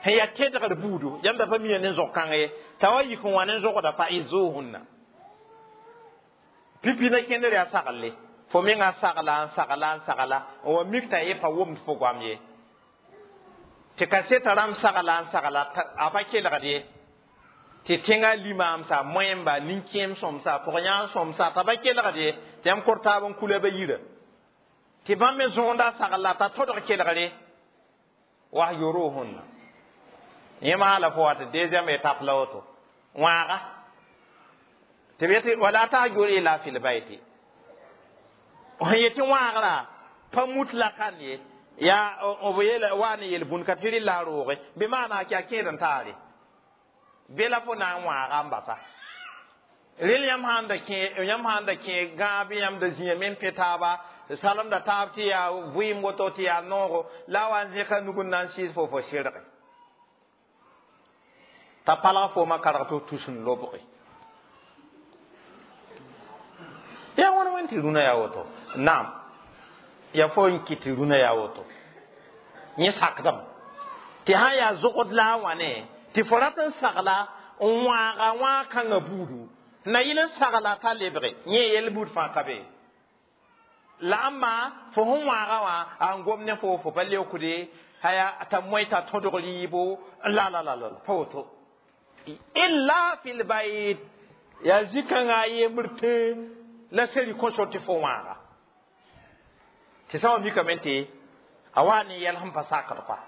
sẽn yaa tedgr buudu yãmb da pa mia ne zog-kãng ye t'a wa yik n wa ne zogda fa izuhunna pipi na kẽndr yaa saglle fo menga sagla n sagla n sagla n wa mik t'a ye pa womd fo goam ye tɩ kaseta rãmb sagla n sagla a pa kelgd ye tɩ tẽngã limaamsa moẽmba nin-kẽem sõmsa pʋg-yãag sõmsa t'a pa kelgd ye tɩ yãmb kor taab n kula ba yira tɩ bãmb me zõonda sagla t'a tõdg kelgre wahjuruhunna yẽ maala fo wa tɩ deuxième étape la woto wãaga tɩ b yetɩ wala tahjur ila fil bayti sẽn yetɩ wãagrã pa mutlakan ye yaa b yeela wa ne yel bũn ka tɩ rɩ la a rooge bɩ maana kɩ a kẽed n taare be la fo na n wãaga n basa rel yãmb sãn da kẽ yãmb sãn da kẽ gãab yãmb da zĩame n pẽ taaba salemda taab tɩ yaa vɩɩm woto tɩ yaa noogo la a wa n zẽka nug n na n sɩɩs fo fo sɩrge t'a palg foomã karg tɩ tus n lobge yaa wãn wẽn tɩ rũnã yaa woto naam yaa fo n kɩt tɩ rũnã yaa woto yẽ sakdame tɩ sã yaa zogd la a wãne tɩ fo rat n sagla n wãaga wãag kãngã buudu na yɩl n sagla t'a lebge yẽ yel buud fãa ka be la ãmba fo sẽn wãaga wã a n gom ne fo fo pa leookde haya t'a moe t'a tõdg rɩɩbo la la la la pa woto illa fil bayt yaa zĩ-kãngã a yembr tẽ la seri kõsor tɩ fo wãaga tɩ sã wa mikame tɩ a wa ne yɛl sẽn pa sakd pa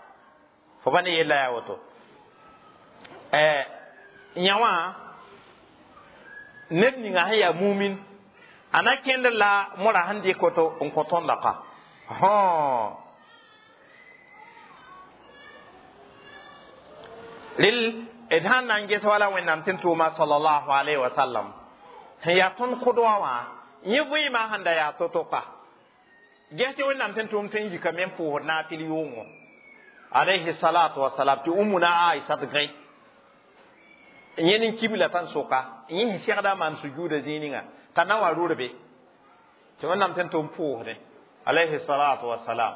fo pa ne yella yaa woto yã wã ned ninga sẽn yaa mumin a na kẽnd la mora sẽn dɩk woto n kõ tõnda ka rel d sãn na n ges wala wẽnnaam tɩ n tʋʋma sallallahu alayhi wa sallam sẽn yaa tõnd kʋdwã wã yẽ vɩɩmã sẽn da yaa to-to ka ges tɩ wẽnnaam tɩ n tʋʋm tõe n yikame n pʋʋsd naafɩl yʋʋngo alayhi salatu wasalam tɩ umuna aisat gãe yẽ nin kibla tãn soka yẽ sẽn segda maan sujuuda zĩig ninga t'a na wa rʋrbe tɩ wẽnnaam tɩ n tʋm pʋʋsdẽ alayhi salatu wasalam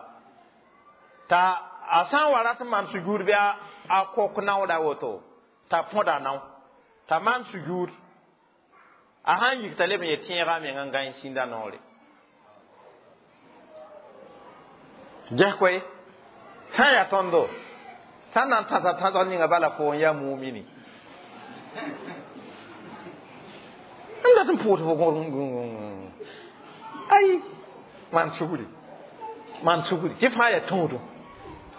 t'a a sã n wa rat n maan sujuud bɩ a kok naooda woto t'a põda nao t'a maan sujuud a sãn yik t'a leb n ye tẽegã meng n gãe sĩnda noore ges koe sã n yaa tõndo sã n na n tãsa tãsg ninga bala fo n yaa mumini n dat n pʋʋs fo ay maan sugri maan sugri tɩ fãa yaa tũudu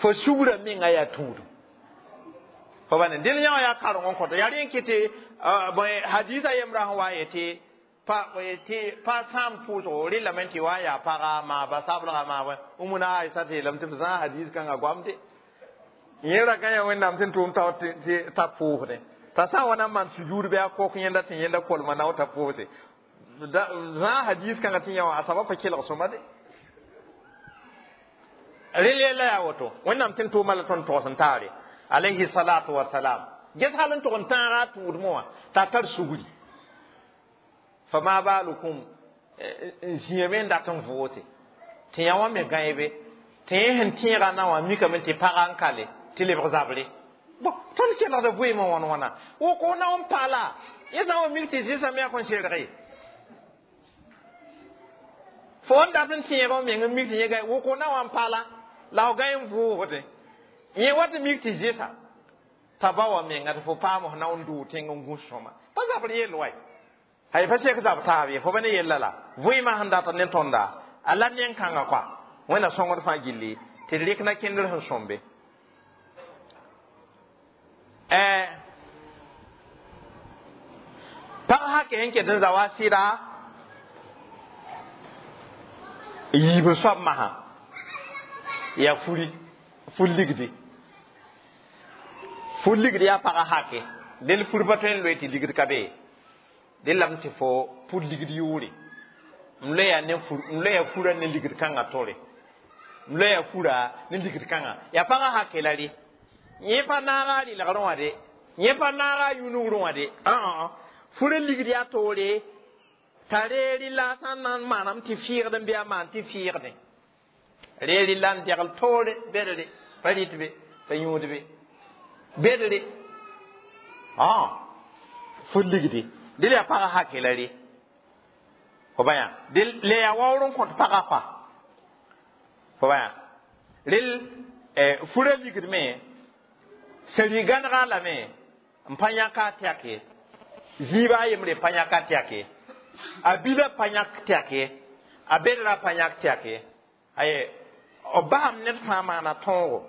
fo sugrã menga yaa tũudu fo ba ne dẽl yã wã yaa kareng n kõta yaa rẽ n kɩ tɩ hadisa yembrã sẽn wa n yetɩ pa sãam pʋʋsgo rɩlame tɩ wa n yaa paga maaba sablga maaba umuna aisa tɩ yeelame tɩ b zãa hadis kãngã goamde yẽ ra gã ya wẽnnaam tɩ n tʋʋm tao t'a pʋʋsdẽ t'a sã n wa na n maan sujuud bɩ a kok yẽnda tɩ yẽnda kolma nao t'a pʋʋse zãa hadis kãngã tɩ yã wã a soaba pa kelg sõma de rel yella yaa woto wẽnnaam tɩ n tʋʋma la tõnd togs n taare Alayhi salatu wasalam ges hal n tʋg n tãaga a tʋʋdmẽ wã t'a tar sugri. Fama balukum n zĩame n dat n vʋʋse tɩ yã wã me gãebe tɩ yẽ sẽn tẽega na wã mikame tɩ pagã n kale tɩ lebg zabre. Bon, tõnd kelgda vɩɩmã wãn wãna woko na n paala yẽ sã n wa mik tɩ zɩsame a kõn serge fo n dat n tẽeg f meng n mik tɩ yẽ gã woko na wã n paala la f gã n vʋʋsdẽ yẽ wa tɩ mik tɩ zɩsa t'a ba wa menga tɩ fo paam f na n dʋʋ tẽng n gũs sõma pa zabr yell wa hay pa sek zab taab ye fo pa ne yella la vɩɩmã sẽn dat ne tõnda a la nen-kãngã koa wẽnna sõngd fãa gilli tɩ d rɩk na kẽndr sẽn sõmbe. Pag hake sẽn ket n za wa sɩda yiib soab masã yaa furi fur ligdi fur ligdi yaa pagã hake del fur pa tõe n loe tɩ ligd ka be dẽ lame tɩ fo pur ligd yʋʋre n loeya ne fur n loeya fura ne ligd kãngã tore n loeya fura ne ligd kãngã yaa pagã hake la rɩ yẽ pa naaga a rɩlgrẽ wã de yẽ pa naaga a yũnugrẽ wã de fura ligd yaa toore t'a reeri la sã n na n maanam tɩ fɩɩgd n bɩ a maan tɩ fɩɩgdẽ reeri la n degl toore bedre pa rɩt be pa yũud be bedre fur ligdi dɩl yaa pagã hake la rɩ fo ba yã le yaa waoor n kõt pagã pa fo ba yã rel fura ligdme seri gãnega lame n pa yãka a tɛk ye zĩiba a yembre pa yãk a tɛk ye a bila pa yãk tɛk ye a bedra pa yãk tɛk ye aye b basam ned fãa maana tõogo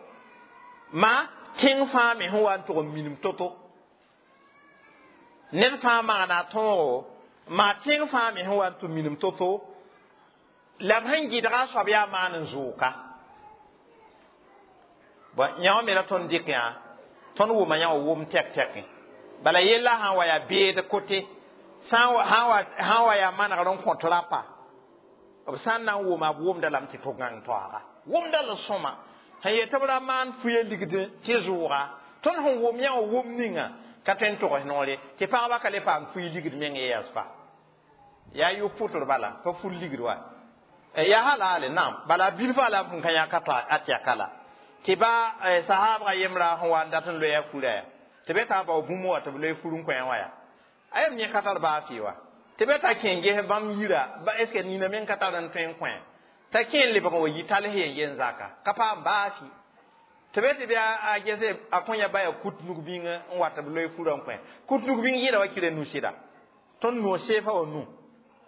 ma tẽng fãa me sẽn wa n tʋg n minim to-to ned fãa maana tõogo maa tẽng fãa me sẽn wa n tʋg minim to-to la b sẽn gɩdga a soab yaa maan n zʋʋka. Bon, yã wã me la tõnd dɩk yã tõnd wʋma yã wã wʋm tɛk-tɛkẽ bala yella sã n wa yaa beed kote sã n wa yaa manegr n kõt rapa b sã n na n wʋma b wʋmda lame tɩ to gãng toaaga wʋmda la sõma sẽn yet tɩ b ra maan fuya ligd tɩ zʋʋga tõnd sẽn wʋm yã wã wʋm ninga ka tõe n togs noore tɩ pagba ka le paam fuy ligd meng ye yaspa yaa yʋ pʋtr bala pa fur ligd wa yaa halaale naam bala bilfã la b sẽn ka yãk a tɛka la tɩ ba sahaabga yembra sẽn wa n dat n loeya fura ya tɩ be t'a bao bũmb wa tɩ b loe fur n kõ wã ya a yem yẽ ka tar baa fɩ wa tɩ be t'a kẽ ges bãmb yira ba est ce que nina meng ka tar n tõe n kõ t'a kẽ n lebg n wa yi tals yen yen zaka ka paam baa fɩ tɩ be tɩ bɩ a gese a kõ ya ba ya kut nug bĩngã n wa tɩ b loe furã n kõ kut nug bĩng yɩɩda wa kɩra nu sɩda tõnd no seefa wa nu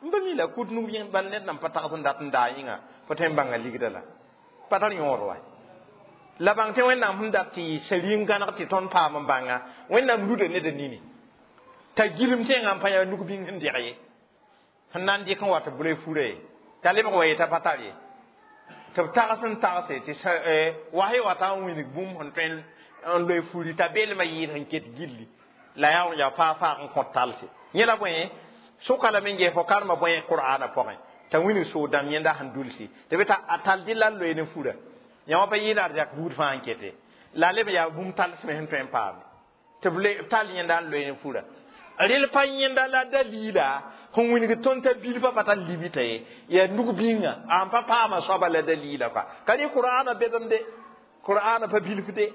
n pa mi la kut nug bĩng bal ned nan pa tags n dat n daa yĩnga pa tõe n bãnga ligda la pa tar yõod wa la bãng tɩ Wẽnnaam sẽn dat tɩ sari n gãneg tɩ tõnd paam n bãnga Wẽnnaam luda ned a nini t'a gilem tẽngã n pa yaa nug bĩng sẽn deg ye sẽn na n dɩk n wa tɩ b loe fura ye t'a lebg wa yeta pa tar ye tɩ b tags n tagse tɩ was y wata n wĩnig bũmb sẽn tõe n loe furi t'a beelmã yɩɩd sẽn ket gilli la yaa yaa faa-faag n kõt talse yẽ la bõe sʋka lame n ges fo karema bõe qur'ana pʋgẽ t'a wĩnig soog dãmb yẽnda sẽn dulsi tɩ bɩ t'a a tall dɩ la n loe ne fura yã wã pa yɩɩda d yak buud fãa n kete la leb yaa bũmb talsme sẽn tõe n paame tɩ b tall yẽnda n loe ne fura rel pa yẽnda la dalila sẽn wĩnig tõnd t'a bilfã pa tar libita ye yaa nug bĩnga n pa paama soaba la dalila koa ka rɩ qur'ana bedemde qur'ana pa bilfde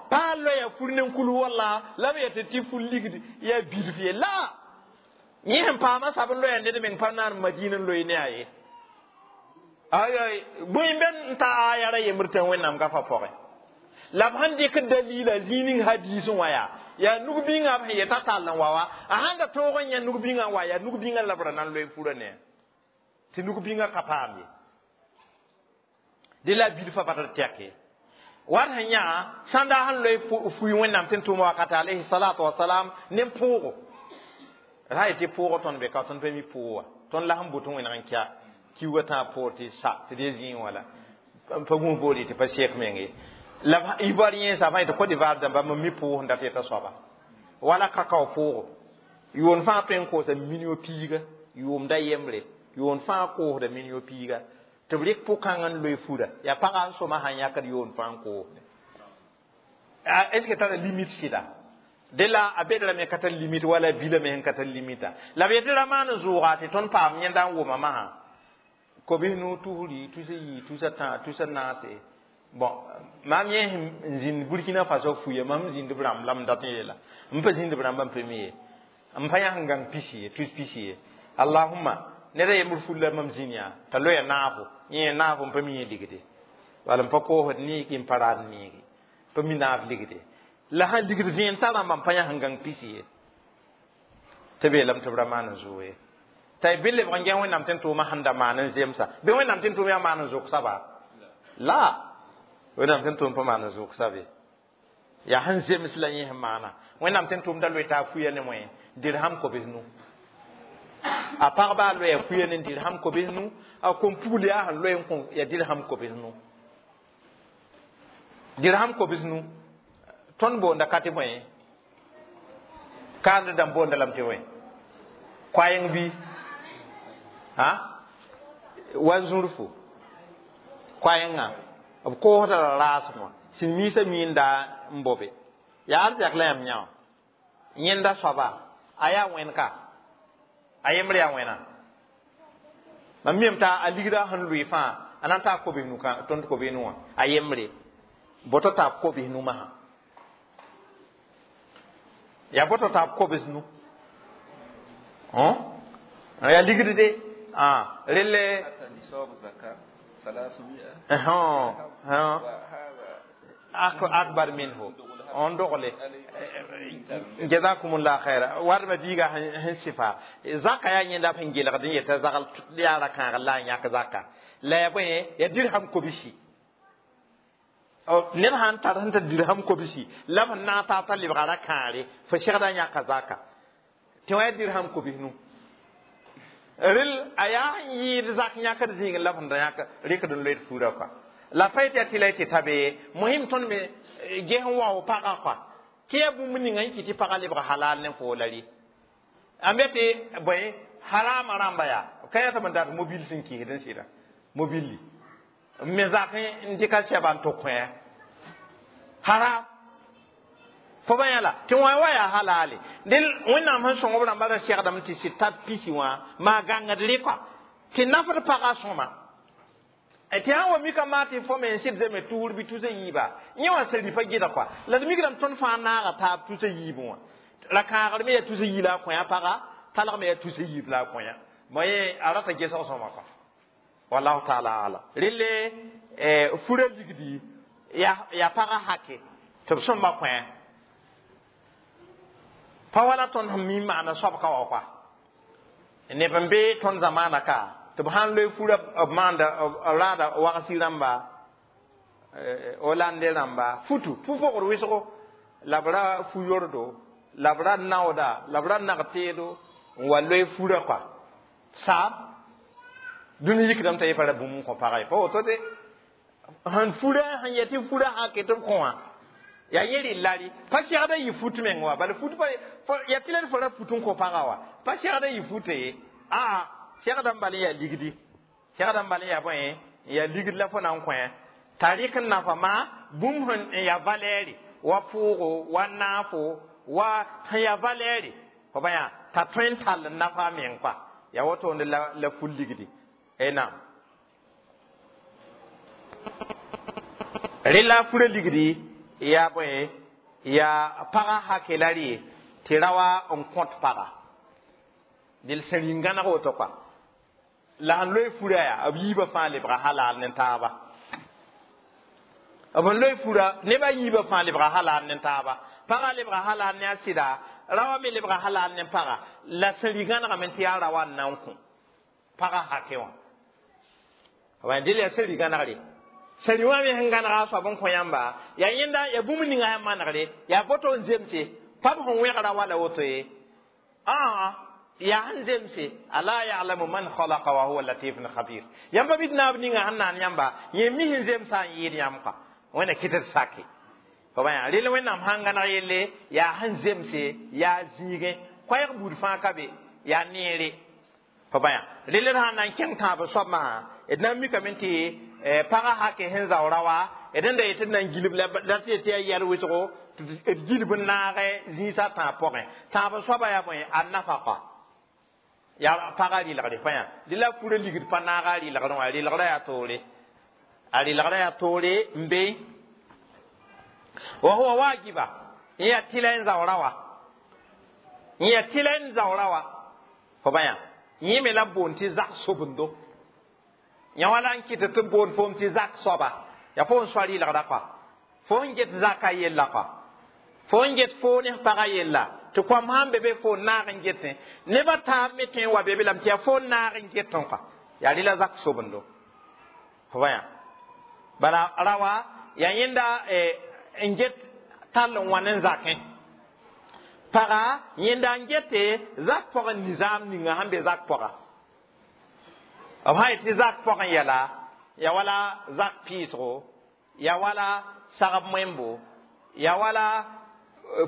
pa loya fur ne kul walla la b yetɩ tɩ fur ligd yaa bilf ye la yẽ sẽn paama sab n loya ned meng pa naan madina n loe ne a ye ay bõe n n ta aya ra yembr tɩ Wẽnnaam gafa pʋgẽ la b sẽn dɩk dalila zĩig ning hadiisẽ wã yaa yaa nug bĩngã b sẽn yeta tall n wa wa a sãn da tõog n yã nug bĩngã n wa yaa nug bĩngã la b ra na n loe furã ne tɩ nug bĩngã ka paam ye dẽ la bilfã pa tar tɛk ye wat sẽn yã sãnda sẽn loe fui Wẽnnaam tɩ n tʋʋm wakate alayhi salatu wasalam ne pʋʋgo ra yetɩ pʋʋgo tõnd be ka tõnd pa mi pʋʋg wa tõnd la sẽn bʋt n wẽneg n kya kiuugã tãa poor tɩ sa tɩ dee zĩig wã la pa gũus boole tɩ pa sek meng ye la Ivoirien sa fãa tɩ Côte d'Ivoire dãmba mam mi pʋʋg sẽn dat yeta soaba wala kakao pʋʋgo yʋʋn fãa tõe n koosa million piiga yʋʋmda yembre yʋʋn fãa koosda million piiga tɩ b rɩk pʋ-kãng n loe fura yaa pagã n sõma sãn yãkd yʋʋn fãa n koosde Est ce que tara limite sɩda de la a bedra me ka tar limite wala bila me sẽn ka tar limita la b yetɩ ra maan n zʋʋga tɩ tõnd paam yẽnda n wʋma masã kobs nu tusri tusa yi tusa tã tusa naase. Bon, mam yẽ n zĩnd Burkina Faso fuya, mam zĩnd b rãmb la m dat n yeela m pa zĩnd b rãmba n pa mi ye, m pa yãs n gãng pisi ye, tus pisi ye. Allahumma ned a yembr ful la mam zĩnd yaa t'a loya naafo, yẽ naafo n pa mi yẽ ligde, wala n pa koosd neegi, n pa raad neegi, pa mi naaf ligde la sãn ligd zẽen t'a rãmba n pa yãs n gãng pisi ye, tɩ beelame tɩ b ra maan n zʋʋ ye. T'a y bɩ lebg n gẽ Wẽnnaam tɩ n tʋʋmã sẽn da maan n zemsa bɩ Wẽnnaam tɩ n tʋʋm yaa maan n zʋk saba la Wẽnnaam tɩ n tʋʋm pa maan n zʋk sabe yaa sẽn zems la yẽ sẽn maana. Wẽnnaam tɩ n tʋʋmda loe t'a fuya ne moẽ dirham kobs nu, a pagba a loya fuya ne dirham kobs nu, a kom-pugl yaa sẽn loe n kõ ya dirham kobs nu. Dirham kobs nu tõnd boonda ka tɩ bõe kaand dãmb boonda lame tɩ bõe koaeng bɩ ha wa zũrfo koaengã b koosda la raasem wã sẽn miisã miinda n bobe yaa arzɛk la yãmb yã wã yẽnda soaba a yaa wẽn ka a yembr yaa wẽna mam miem t'a a ligda sẽn lʋɩ fãa a na n taa kobs nu tõnd kobs nu wã a yembre boto taab kobs nu masã yaa boto taab kobs nu yaa ligd de relle. نصاب الزكاة 300. Akbar minhu on dogle. Jazakumullah khaira. Warma biiga sẽn sɩfa zaka yaa yẽnda b sẽn gelgd n yeta zagl yaa ra kãagr la a yãk zaka la ya bõe ya dirham kobsi. Ned sãn tar sẽn tar dirham kobsi la b sẽn naag taab t'a lebga ra kãare fo segda yãka zaka tɩ wã ya dirham kobs nu rel a yaa sẽn yɩɩd zak yãkd zĩigẽ la b sẽn da yãk rɩkd n loeed fuurã kɔa la pa yetɩ yaa tɩ la y tɩ ta be mosɩm tõnd me ges n wao pagã kɔa tɩ yaa bũmb ninga n kɩ tɩ pagã lebg halal ne foo la rɩ a me tɩ bõe harama rãmba yaa ka yaa tɩ b n dat mobil sẽn kɩsd n sɩda mobilli n me zak n dɩka sɛba n tʋk kõ haram fo ba yã la tɩ wã wa yaa halale dẽ Wẽnnaam sẽn sõng b rãmba ra segdame tɩ sɩd tar pisi wã maa gãngd rɩ kɔa tɩ nafd pagã sõma tɩ sã n wa mika maa tɩ fo me n sɩd zeme tuur bɩ tusa yiiba yẽ wã sẽn rɩpa gɩda kɔa la d mikdame tõnd fãa naaga taab tusa yiibẽ wã ra kãagr me yaa tusa yi la a kõ paga talg me yaa tusa yiib la a kõ mo yẽ a rata gesg sõma kɔa wallahu taala alam. Relle fura ligdi yaa pagã hake tɩ b sõmba kõ pa wala tõnd sẽn mi maana soabka wa kɔa neb n be tõnd zamaana ka tɩ b sãn loe fura b maanda b raada wagsi rãmba Hollande rãmba futu fu-pogd wɩsgo la b ra fu-yordo la b ra naooda la b ra nag teedo n wa loe fura kɔa saab dũni yikdame t'a yɩ pa ra bũmb n kõ pagã ye pa woto de sẽn fura sẽn yɛ tɩ fura hake tɩ b kõ wã yaa yẽ rɩ lari pa segda yɩ fut meng wa bala fut pa yaa tɩ la d fo ra fut n kõ pagã wa pa segda yɩ fute ye aa segda n bal n yaa ligdi segda n bal n yaa bõe n yaa ligd la fo na n kõ t'a rɩk n nafa maa bũmb sẽn n yaa valɛɛre wa pʋʋgo wa naafo wa sẽn yaa valɛɛre fo ba yã t'a tõe n tall n nafa a meng kɔa yaa wotoonde la ful ligdi e naam rela fura ligdi yaa bõe yaa pagã hake la rɩ tɩ ra wa n kõt paga dɩl sẽn rĩn-gãneg woto kɔa la sẽn loe fura yaa b yiibã fãa lebga halal ne taaba b sẽn loe fura nebã yiibã fãa lebga halal ne taaba pagã lebga halal ne a sɩda rawa me lebga halal ne paga la sẽn rĩ-gãnegame tɩ yaa rawa n na n kõ pagã hake wã dɩl yaa sẽn rĩ-gãnegre sẽn rĩ wã me sẽn gãnega a soab n kõ yãmba yaa yẽnda yaa bũmb ninga sẽn manegre yaa boto n zemse pa b sẽn wẽgra wala woto ye aa yaa sẽn zemse ala ya'lamu man khalaqa wa huwa latifun khabir yãmba bɩ d naab ninga sẽn naan yãmba yẽ mi sẽn zemsã n yɩɩd yãmb kɔa wẽnna kɩt d sake fo ba yã rel Wẽnnaam sãn gãneg yelle yaa sẽn zemse yaa zĩigẽ koɛɛg buud fãa ka be yaa neere fo ba yã rel d sãn na n kẽng tãab soab masã d na n mikame tɩ pagã hake sẽn zao ra wa D da yetɩ d na n gilb la tɩ tɩ yaa yɛl wʋsgo d gilb n naagɛ zĩisã tãab pʋgẽ. Tãab soaba yaa bõe? A nafaka yaa pagã rɩlgre pa yã dɩ la furã ligd pa naaga a rɩlgrẽ wã, rɩlgrã yaa toore, a rɩlgrã yaa toore n be. Wa huwa wajiba, yẽ yaa tɩla n zaoora wa, yẽ yaa tɩla n zaoora wa fo ba yã. Yẽ me la boond tɩ zak sobendo yã wala n kɩt tɩ boond foom tɩ zak soaba yaa fo n soa rɩlgrã kɔa, fo n get zaka yella kɔa, fo n get fo ne pagã yella tɩ koam sãn be be fo n naag n getẽ nebã taab me tõe n wa be be lame tɩ yaa fo n naag n getẽ kɔa, yaa rɩla zak sobendo fo ba yã. Bala rawa yaa yẽnda n get tall n wa ne zakẽ paga yẽnda n gete zak pʋgẽ nizaam ninga sẽn be zak pʋga. B sã yet tɩ zak pʋgẽ yɛla ya wala zak piisgo, ya wala sagb moẽmbo, ya wala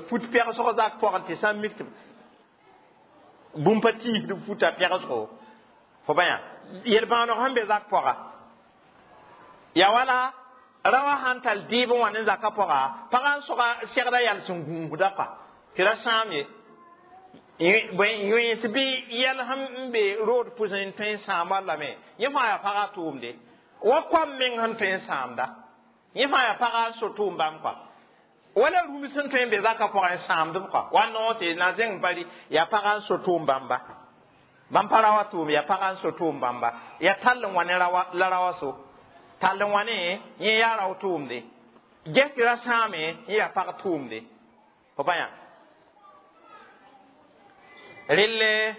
fut pɛgsg zak pʋgẽ tɩ sã n mik tɩ bũmb pa tiisd futa pɛgsgo fo ba yã yel-bãooneg sẽn be zak pʋga, ya wala rawa sãn tall dɩɩb n wa ne zakã pʋga, pagã n sʋga segda yals n gũusda kɔa tɩ ra sãam ye yões bɩ yɛl sẽn be rood pʋsẽ n tõe n sãama lame. Yẽ fãa yaa pagã tʋʋmde wa koam meng sẽn tõe n sãamda, yẽ fãa yaa pagã n so tʋʋm bãmb kɔa, wala rũms sẽn tõe n be zakã pʋgẽ n sãamdb kɔa wa noose na zẽng bari yaa pagã n so tʋʋm bãmba. Bãmb pa rawa tʋʋm, yaa pagã n so tʋʋm bãmba, yaa tall n wa ne la rawa so tall n wa ne yẽ yaa rao tʋʋmde ges tɩ ra sãame yẽ yaa pag tʋʋmde fo pa yã. Relle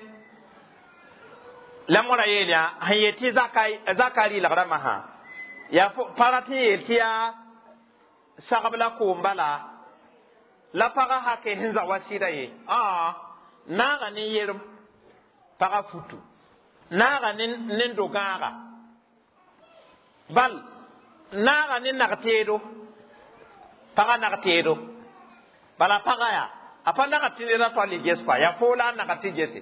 la mõra yeel yaa sẽn yet tɩ zaka rɩlgrã masã yaa pa rat n yeel tɩ yaa sagb la koom bala la pagã hake sẽn za wa sɩda ye. Aa naaga ne yerem pagã futu, naaga ne do-gãaga, bal naaga ne nag-teedo, pagã nag-teedo bala pagã yaa a pa nagd tɩ neda toal y ges kɔa, yaa foo la a nagd tɩ gese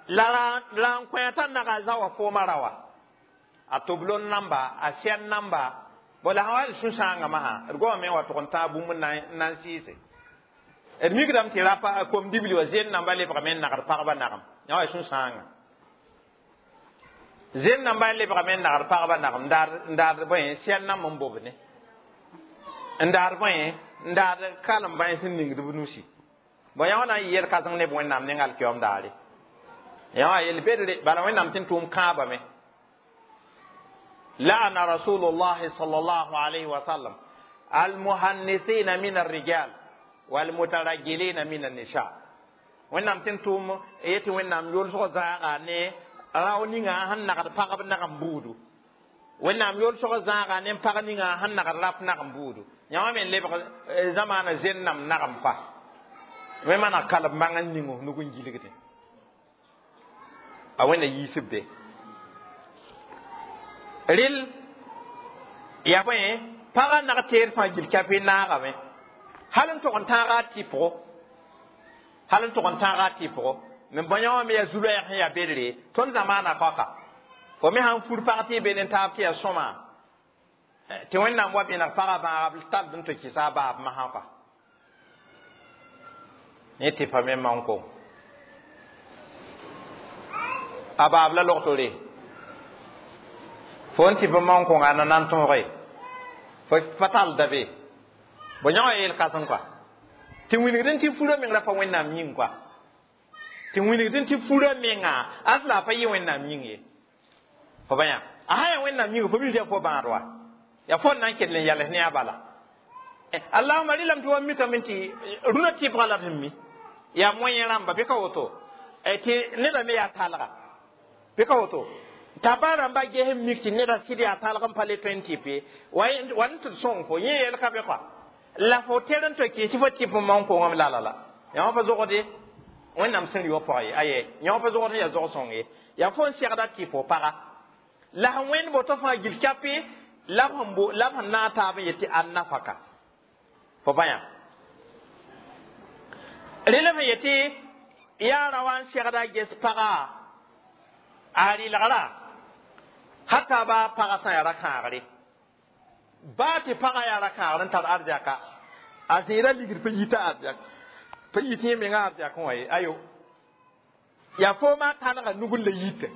la la n kõ t'a naga zawa fooma rawa a toblon namba a sɛn namba bo la sã wa sũ-sãangã masã d goamame n wa tʋg n tãag bũmb n na n sɩɩse. D mikdame tɩ rapa kom-dibli wã zen namba lebgame n nagd pagba nagem yã wa sũ-sãangã zen namba lebgame n nagd pagba nagem n daad bõe sɛn namb n bobne n daad bõe n daad kalem bãens n ningd b nusi bõe yã wa na n yɩ yel-kãseng neb Wẽnnaam neng alkiyoom daare yã wa yel bedre bala Wẽnnaam tɩ n tʋʋm kãabame. لعن رسول الله صلى الله عليه وسلم المهنثين من الرجال والمترجلين من النساء. Wẽnnaam tɩ n tʋʋm yetɩ Wẽnnaam yʋlsg zãaga ne rao ninga sẽn nagd pagb nag n buudu, Wẽnnaam yʋlsg zãaga ne pag ninga sẽn nagd rap nag n buudu. Yã wã me n lebg zamaana zen nam nagem pa wẽ mana kalb mãng n ning f nug n gilgdẽ a Wẽnna yiisb be. Rɩl yaa bõe pagã nag teed fãa gil kɛpɩ naagame hal n tog n tãaga a tɩpgo, hal n tog n tãaga a tɩpgo me bõe wã me yaa zu-loɛɛg sẽn yaa bedre tõnd zamaana koaka fo me sãn fur pag tɩ y be ne taab tɩ yaa sõma tɩ Wẽnnaam wa bẽneg pagã bãagb tald n tɩ kɩsa a baab masã kɔa ne tɩ pa me man-kong a baab la log-tore fo n tɩ b man-kõnga na nan tõoge fo pa talda be bo yã wã yeel kãseng kɔa tɩ wilgd tɩ furã meng ra pa Wẽnnaam yĩng kɔa tɩ wilgd tɩ furã menga asla a pa yɩ Wẽnnaam yĩng ye fo ba yã a sã yaa Wẽnnaam yĩng fo bilf yaa fo bãad wa yaa fo n na n kell n yals ne a bala. Allahuma rɩlame tɩ wa mikame tɩ rũnã tɩpgã la d sẽn mi yaa moyen rãmba bɩ ka woto tɩ neda me yaa talga bɩ ka woto t'a ba rãmba ges n mik tɩ neda sɩd yaa talg n pa le tõe n tɩp ye wa n tɩ d sõng fo yẽ yel ka be kɔa la fo ter n tɩ kɩs tɩ fo tɩp n man kongame la la la yã wã pa zogde Wẽnnaam sẽn rɩ wã pʋgã ye aye yã wã pa zogd sẽn yaa zog-sõng ye yaa fo n segda tɩ fo paga la sẽn wẽnd boto fãa gil kape la b sẽn bo la b sẽn naag taab n yet tɩ an-nafaka fo pa yã rẽlem sẽn yetɩ yaa ra wa n segda ges paga a rɩlgra hata ba paga sã yaa ra kãagre Baa tɩ pagã yaa ra-kãagr n tar arzɛka, a zẽeda ligd pa yita arzɛk, pa yit yẽ menga arzɛkẽ wã ye. Ayo, yaa foomã tãnega nugr la yita.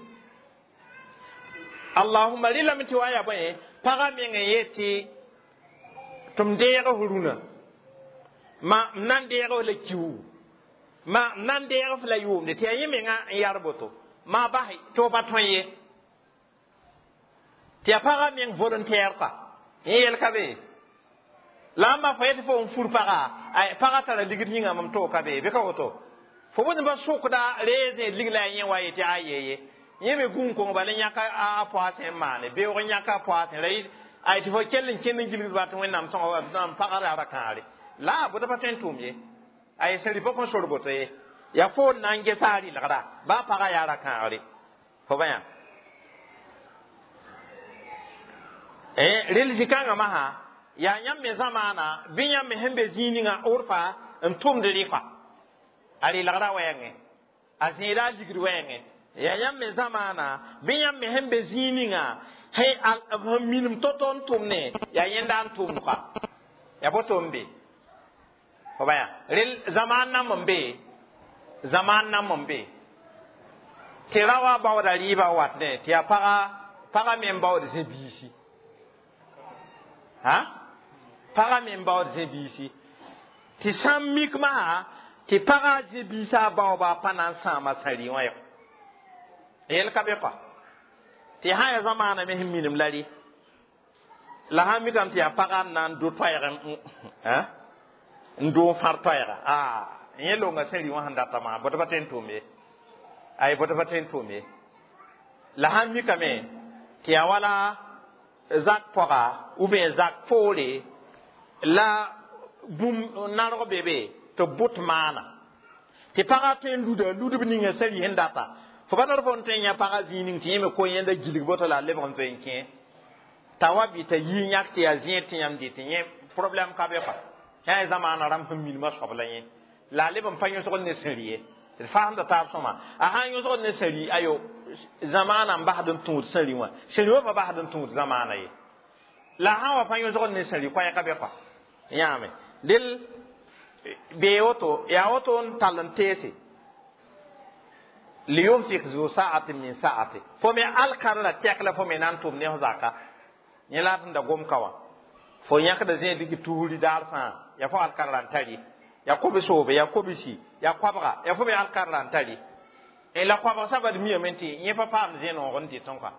Allahumma, rɩlame tɩ wa yaa bõe, pagã meng n yet tɩ tɩ m deeg f rũnã, ma m na n deeg f la kiuugu, ma m na n deeg f la yʋʋmde, tɩ yaa yẽ menga n yar boto ma bas tɩ f pa tõe ye, tɩ yaa pagã meng volontaire kɔa. Yẽ yɛl ka be la n ma fo yetɩ fo n fur pagã, pagã tara ligd yĩnga, mam toog ka be bɩ ka woto. Fo bõe pa sʋkda reezẽ lig la a yẽ wa yetɩ a yeye, yẽ me gũun kong bala yãka a poasẽ n maane beoog n yãka a poasẽ ra ay tɩ fo kell n kẽnd n gilgd ba tɩ Wẽnnaam sõnga n pagã ra ra-kãare la bota pa tõe n tʋʋm ye. Ay sẽn rɩ pa kõn sor boto ye, yaa fo n na n gesa a rɩlgda baa pagã yaa ra-kãagre fo ba yã. Rel zĩ-kãngã masã yaa yãmb me zamaana bɩ yãmb me sẽn be zĩig ninga orfa n tʋmd rɩka a rɩlgrã wɛɛngẽ, a zẽeda a ligd wɛɛngẽ. Yaa yãmb me zamaana bɩ yãmb me sẽn be zĩig ninga sẽn minim to-to n tʋmne, yaa yẽnda n tʋmd kɔa, yaa boto n be fo ba yã. Rel zamaan nam n be, zamaan nam n be tɩ ra wa baooda rɩɩbã wat ne tɩ yaa pagã me n baood zẽ-biisi. Ha, pagã me n baood zẽ-biisi, tɩ sã n mik masã tɩ pagã zẽ-biisã baooba pa na n sãama sãri wã yɔ, yel ka be kɔa. Tɩ sã ya zamaana me sẽn minim la rɩ la sã n mikame tɩ yaa pagã n na n do toɛɛg n doo n fãr toɛɛga, a yẽ longa sẽn rɩ wã sẽn data maa bõe pa tõe n tʋʋm ye, ay bõe pa tõe n tʋʋm ye. La sã n mikame tɩ yaa wala zak pɔga ou bien zak poore la bũmb narg be be tɩ b bʋt maana tɩ pagã tõe n luda ludb ninga sẽn rɩ sẽn data. Fo pa tar fo n tõe n yã pagã zĩig ning tɩ yẽ me ko yẽnda gilg boto la a lebg n zoe n kẽ t'a wa bɩ t'a yi yãk tɩ yaa zẽed tɩ yãmb dɩ tɩ yẽ problème ka be kɔa. Yã zamaana rãmb sẽn minimã soab la yẽ la a leb n pa yõsgd ne sẽn rɩ ye, d faasmda taab sõma. A sã n yõsgd ne sẽn rɩ, ayo, zamaana n basd n tũud sẽn rɩ wã, sẽn rɩ wã pa basd n tũud zamaana ye. La sã n wa pa yõsgd ne sẽn rɩ, koɛɛga be kɔa yãame del bee woto, yaa woto n tall n teese liyunfik zu sa'atin min sa'ati. Fo me alkar la tɛk la fo me na n tʋm ne f zaka yẽ la d sẽn da gom ka wã, fo yãkda zẽed dɩk tuusri daar fãa, yaa fo alkar la n tari, yaa kobe-soobe, yaa kobsi, yaa koabga, yaa fo me alkar la n tari. La koabg sabad miame tɩ yẽ pa paam zẽ-noog n dɩtẽ kɔa,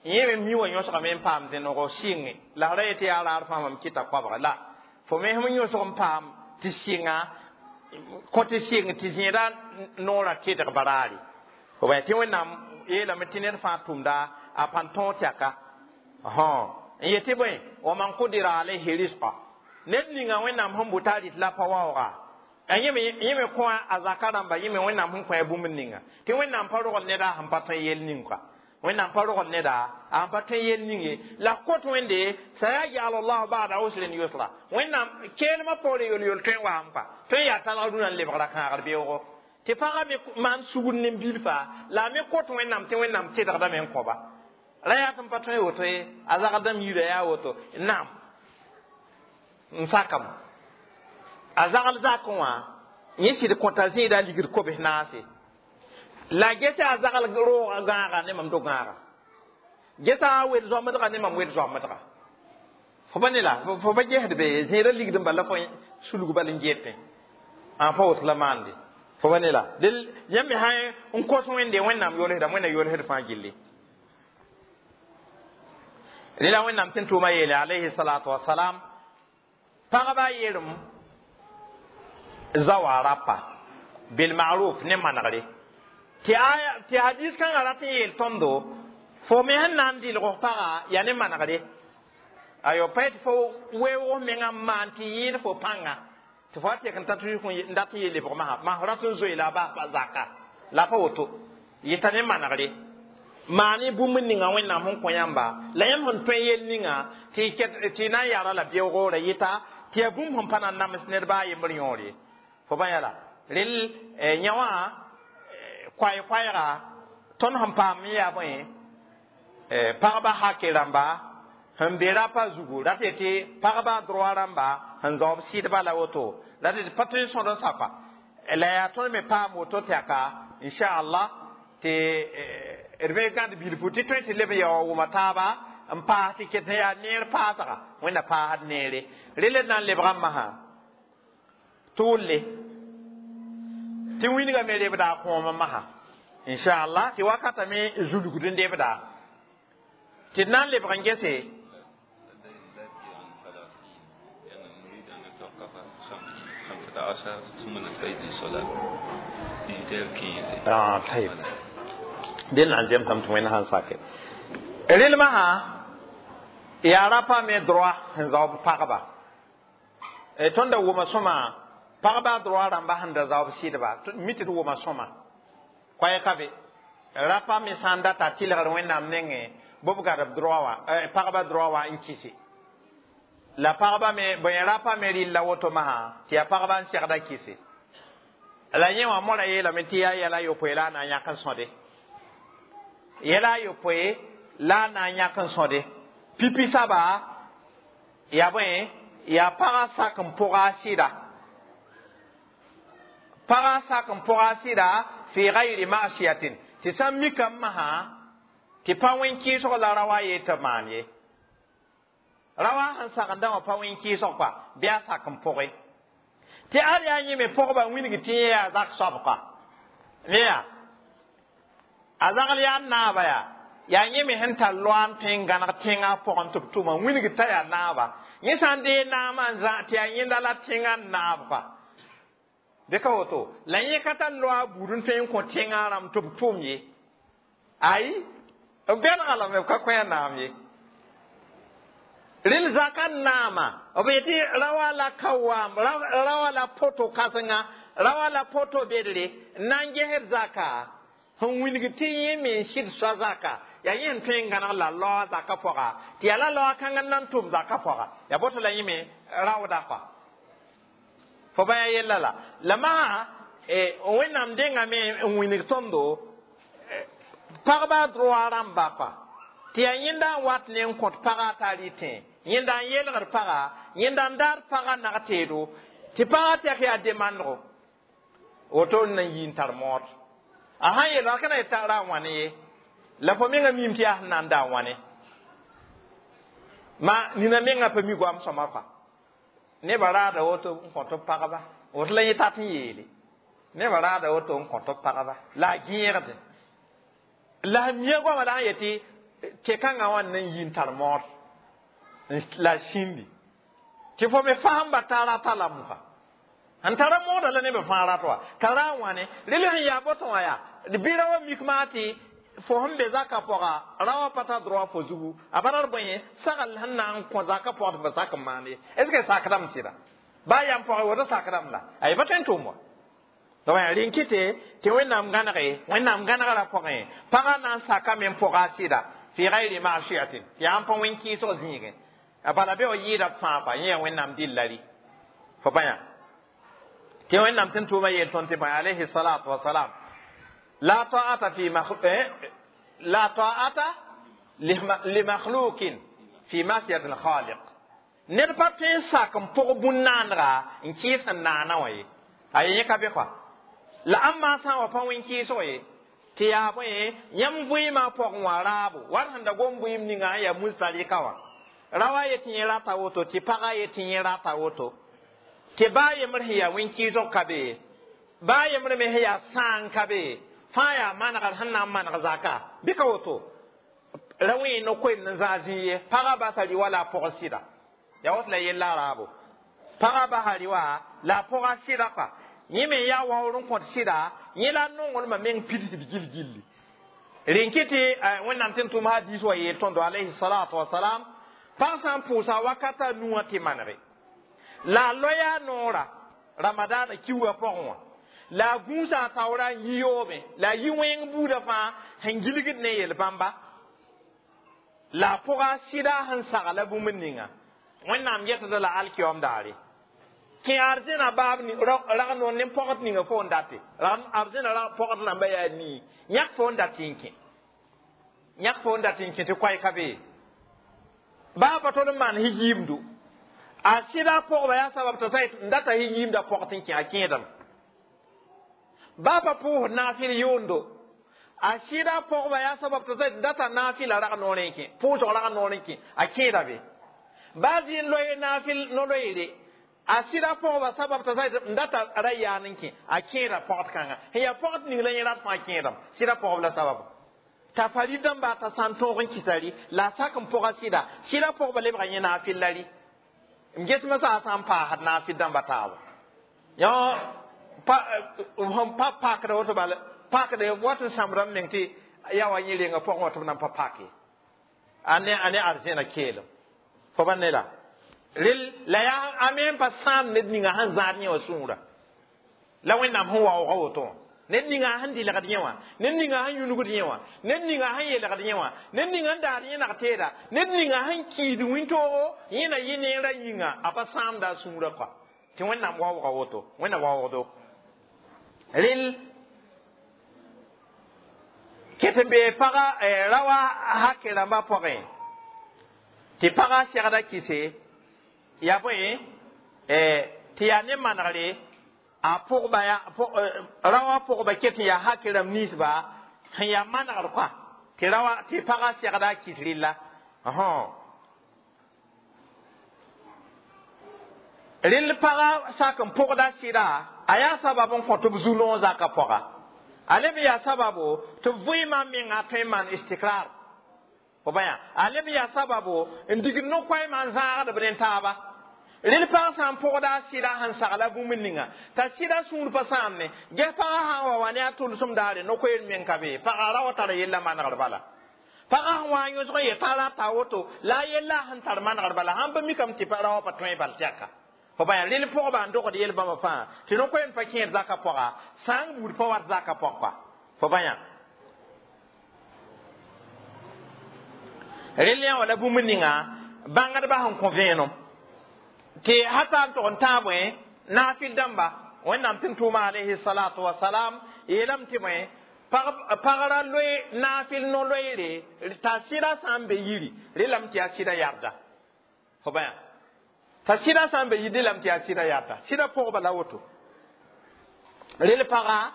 yẽ me mi wã yõsgame n paam zẽ-noog sɩnge la ra yetɩ yaa raar fãa mam kɩta koabga la fo me sẽm yõsg n paam tɩ sɩnga kõ tɩ sɩng tɩ zẽeda noorã kedg baraare fo bã tɩ Wẽnnaam yeelame tɩ ned fãa tʋmda a pãn tõog tɛka n yetɩ bõe wa man qudira alayhi risqa, ned ninga Wẽnnaam sẽn bʋ t'a rɩt la pa waooga, yẽ me kõ a zaka rãmba, yẽ me Wẽnnaam sẽn kõ a bũmb ninga tɩ Wẽnnaam pa rogl neda sẽn pa tõe yel ning kɔa, Wẽnnaam pa rogl neda a sẽn pa tõe yel ning ye. La kot Wẽnde sayaj'al llahu ba'da usrin yusra, Wẽnnaam keelmã poore yol-yol tõe n waam kɔa, tõe n yaa talg rũnã n lebgra kãagr beoogo tɩ pagã me maan sugr ne bilfa la a me kot Wẽnnaam tɩ Wẽnnaam tedgdame n kõba ra yaa tɩ n pa tõe woto ye, a zagdame yirã yaa woto naam n sakame a zagl zakẽ wã yẽ sɩd kõta zẽeda ligd kobs naase la gesa a zagl roogã gãaga ne mam do gãaga, gesa a wel zoamdga ne mam wel zoamdga fo pa ne la fo pa gesd be zẽeda ligd n bala fo sulg bal n getẽ a pa woto la maande fo pa ne la del yãmb me sã n kos Wẽnde Wẽnnaam yolsdame, Wẽnna yolsd fãa gilli. Rẽla Wẽnnaam tɩ n tʋʋma yeele alayhi salatu wasalam pagba yeerem zawa rapa bilmaruf ne manegre tɩ hadis kãngã rat n yeel tõndo fo me sẽn na n dɩlg f pagã yaa ne manegre ayo pa tɩ fo weoog mengã n maan tɩ yẽed fo pãnga tɩ fo a tek n tat n dat n yeel lebg masã mas rat n zoe la a bas pa zaka la pa woto yɩta ne manegre maane bũmb ninga Wẽnnaam sẽn kõ yãmba la yãmb sẽn tõe yel ninga tɩ na n yara la beoogre yɩta tɩ yaa bũmb sẽn pa na n nams ned baa a yembr yõor ye fo bã yala rel yã wã koay-koɛɛga tõnd sẽn paam n yaa bõe pagba hake rãmba Sẽn be rapa zugu rat yetɩ pagba droit rãmba sẽn zaoob sɩdba la woto la d pa tõe n sõd n sapa la yaa tõnd me paam woto tɛka inchallah tɩ d me gãd bilfu tɩ tõe tɩ leb n yaoa wʋma taaba n paas tɩ ket yaa neer paasga wẽnna paasd neere rel d na n lebga n masã tʋʋlle tɩ wĩnga me rebda a kõom n masã inchallah tɩ wakata me zulgd n debda tɩ d na n lebg n gese. 15 ثم نستعيد للصلاة. Ah, طيب. Den na n zemsame tɩ wẽnd sãn sake rel masã yaa rapa me droit sẽn zaoob pagba. Tõnd da wʋma sõma pagba droit rãmba sẽn da zaoob sɩdba mi tɩ d wʋma sõma koɛɛ ka be rapa me sã n data tɩlgr wẽnnaam nengẽ bɩ b gad b droit wã pagba droit wã n kɩse la pagba me bõe rapa me rɩlla woto masã tɩ yaa pagba n segda kɩse la yẽ wã mora yeelame tɩ yaa yɛla yopoe la a na n yãk n sõde yɛla a yopoe la a na n yãk n sõde pipi saba yaa bõe yaa pagã sak n pʋga a sɩda pagã sak n pʋga a sɩda fi gayri masiyatin tɩ sã n mika n masã tɩ pa wẽn-kɩɩsg la ra wa yeel tɩ maan ye rawa sẽn sagenda wã pa wẽn-kɩɩsg kɔa bɩ a sak n pʋgẽ tɩ ad yaa yẽ me pʋgba wilg tɩ yẽ yaa zak soab kɔa ne yaa a zagl yaa naaba yaa yaa yẽ me sẽn tar loa n tõe n gãneg tẽngã pʋgẽ tɩ b tʋma wilg t'a yaa naaba yẽ sã n dee naamã n zã tɩ yaa yẽnda la tẽngã n naab kɔa bɩ ka woto la yẽ ka tar loa buud n tõe n kõ tẽngã rãmb tɩ b tʋm ye ayi b bẽnega lame b ka kõ a naam ye rel zaka naama b yetɩ rawa la kawaam rawa la poto kãsenga rawa la poto bedre n na n gesd zaka sẽn wilg tɩ yẽ me n sɩd soa zaka yaa yẽ sẽn tõe n gãneg la laoa zaka pʋga tɩ yaa la laoa kãngã n na n tʋm zaka pʋga yaa boto la yẽ me raooda kɔa fo bã yaa yella la masã wẽnnaam dengame n wilg tõndo pagba droit rãmba kɔa tɩ yaa yẽnda n wat ne n kõt pagã t'a rɩtẽ yẽnda n yelgd pagã yẽnda n daad pagã nag teedo tɩ pagã tɛk yaa demandgo woto n na n yi n tar mood a sãn yeel ka na yetã ra a wãne ye la fo menga miime tɩ yaa sẽn na n da a wãne ma nina menga pa mi goam sõma kɔa nebã raada woto n kõt b pagba woto la yẽ tat n yeele nebã raada woto n kõt b pagba la a gẽegde la a mia goamã la sã n yetɩ tɩ-kãngã wã n na n yi n tar mood la sĩndi tɩ fo me fasẽmba t'a rata la mosã sẽn tara mooda la nebã fãa rat wa ka ra n wãne rel sẽn yaa boto wã yaa bɩ ra wa mik maa tɩ fo sẽn be zakã pʋga ra wã pa tar droit fo zugu a pa tar bõe sagl sẽn na n kõ zakã pʋgd fo sak n maan ye est ce que sakdame sɩda baa yam pʋgẽ woto sakdame la ay pa tõe n tʋʋm wa donc yaa rẽn kɩte tɩ wẽnnaam gãnege wẽnnaam gãnegrã pʋgẽ pagã na n sakame n pʋga a sɩda fi gayri masiyatin tɩ yaa n pa wẽn-kɩɩsg zĩigẽ a bala be wa yɩɩda b fãa pa yẽ yaa wẽnnaam dɩlla rɩ fo pa yã tɩ wẽnnaam tɩ n tʋʋma yeel tõnd tɩ bõe alayhi salatu wasalam la ta'ata fi la ta'ata limakhluqin fi masiyati al-khaliq ned pa tõe n sak n pʋg bũn-naandga n kɩɩs n naana wã ye a yẽ ka be kɔa la ãmb sã n wa pa wẽn-kɩɩsg ye tɩ yaa bõe yãmb vɩɩmã pʋgẽ wã raabo wat sẽn da gom vɩɩm ninga n yaa musdalika wã ra wa yetɩ yẽ rata woto tɩ pagã yetɩ yẽ rata woto tɩ baa yembr sẽn yaa wẽn-kɩɩsg ka be baa yembr me sẽn yaa sãang ka be fãa yaa manegr sẽn na n maneg zaka bɩ ka woto ra wẽ no-koeemd n zãag zĩ ye pagã basa rɩ-wa la a pʋg sɩda yaa woto la yella raabo pagã basa rɩ-wa la a pʋga sɩda kɔa yẽ me yaa waoor n kõt sɩda yẽ la nonglmã meng pidsd gil-gilli rẽn kɩ tɩ wẽnnaam tɩ n tʋm hadiis wa yeel tõndo alayhi salatu wasalam pag sã n pʋʋsa wakata nuwã tɩ manege la a loya noora ramadaana kiuugã pʋgẽ wã la a gũusa a taoora n yi yoobẽ la a yi wẽng buudã fãa sẽn gilgd ne yel-bãmba la a pʋga sɩda sẽn sagla bũmb ninga wẽnnaam yetda la alkiyoom daare kẽ arzẽna baab rag noor ne pɔgd ninga fo n date arzẽna pɔgd rãmba yaa nii yãk fo n dat n kẽ yãk fo n dat n kẽ tɩ koɛɛ ka be Baa pa tol n maan hijiimdu. A sɩda pʋgba yaa sabab t'a sa n data hijiimda pɔgt n kẽ a kẽedame. Baa pa pʋʋsd naafɩl yʋʋndo. A sɩda pʋgba yaa sabab t'a sa n data naafɩla rag noorẽ n kẽ, pʋʋsg rag noorẽ n kẽ, a kẽeda be. Baa zɩ n loe naafɩl no-loeere. A sɩda pʋgba sabab t'a sa n data ra yaan n kẽ, a kẽeda pɔgd kãnga. Sẽn yaa pɔgd ning la yẽ rat fãa kẽedame, sɩda pʋgb la sabab. T'a farid dãmba t'a sã n tõog n kɩtari la a sak n pʋga sɩda, sɩda pʋgba lebga yẽ naafɩl la rɩ. M gesmã sã a sã n paasd naafɩl dãmba taaba. Yõ pa sẽn pa pakda woto bala pakda wat n sãmbda m meng tɩ yaa wa yẽ renga pʋgẽ wã tɩ b nan pa pake. A ne a ne arzẽna keelem. Fo pa ne la. Rel la yaa a me n pa sãam ned ninga sẽn zãad yẽ wã sũurã. La Wẽnnaam sẽn waoogã woto wã. Ned ninga sẽn dɩlgd yẽ wã, ned ninga sẽn yũnugd yẽ wã, ned ninga sẽn yelgd yẽ wã, ned ninga n daad yẽ nag-teeda, ned ninga sẽn kiid wĩntoogo yẽ na yɩ neerã yĩnga, a pa sãamda a sũurã kɔa. Tɩ Wẽnnaam waooga woto, Wẽnna waoogdo. Rel ket n bee paga rawa hake rãmbã pʋgẽ tɩ pagã segda kɩse yaa bõe tɩ yaa ne manegre a pʋgba ya rawa pʋgba ket n yaa hake rãmb ninsba sẽn yaa manegr kɔa tɩ rawa tɩ pagã segda a kɩs rɩlla. Rɩl pagã sak n pʋgda sɩda a yaa sabab n kõ tɩ b zu-noog zaka pʋga. A leb yaa sababo tɩ b vɩɩmã menga tõe n maan istikrar. Fo bã yaa a leb yaa sababo n dig no-koɛɛmã n zãagd b ne taaba. Rel pag sã n pʋgda a sɩda sẽn sagla bũmb ninga t'a sɩda sũur pa sãamne ges pagã sã n wa wa ne a tʋlsem daare no-koeer meng ka be pagã ra wa tara yella manegr bala. Pagã sẽn wa n yõsg n yetã rata woto la a yella sẽn tar manegr bala sãn pa mikame tɩ ra wa pa tõe bal tɛka. Fo bã yaa rel pʋgba n dogd yel-bãmba fãa tɩ no-koeem pa kẽed zaka pʋga sã n buud pa wat zaka pʋg kɔa. Fo bã yaa rel yã wa la bũmb ninga bãngdbã sẽn kõ vẽenem tɩ hata n tog n tãag bõe naafɩl dãmba Wẽnnaam tɩ n tʋʋma alayhi salatu wasalam yeelame tɩ bõe pagra loe naafɩl no-loeere t'a sɩda sã n be yiri relame tɩ yaa sɩda yabda. Fo bã yaa t'a sɩda sã n be yiri relame tɩ yaa sɩda yabda. Sɩda pʋgba la woto. Rel paga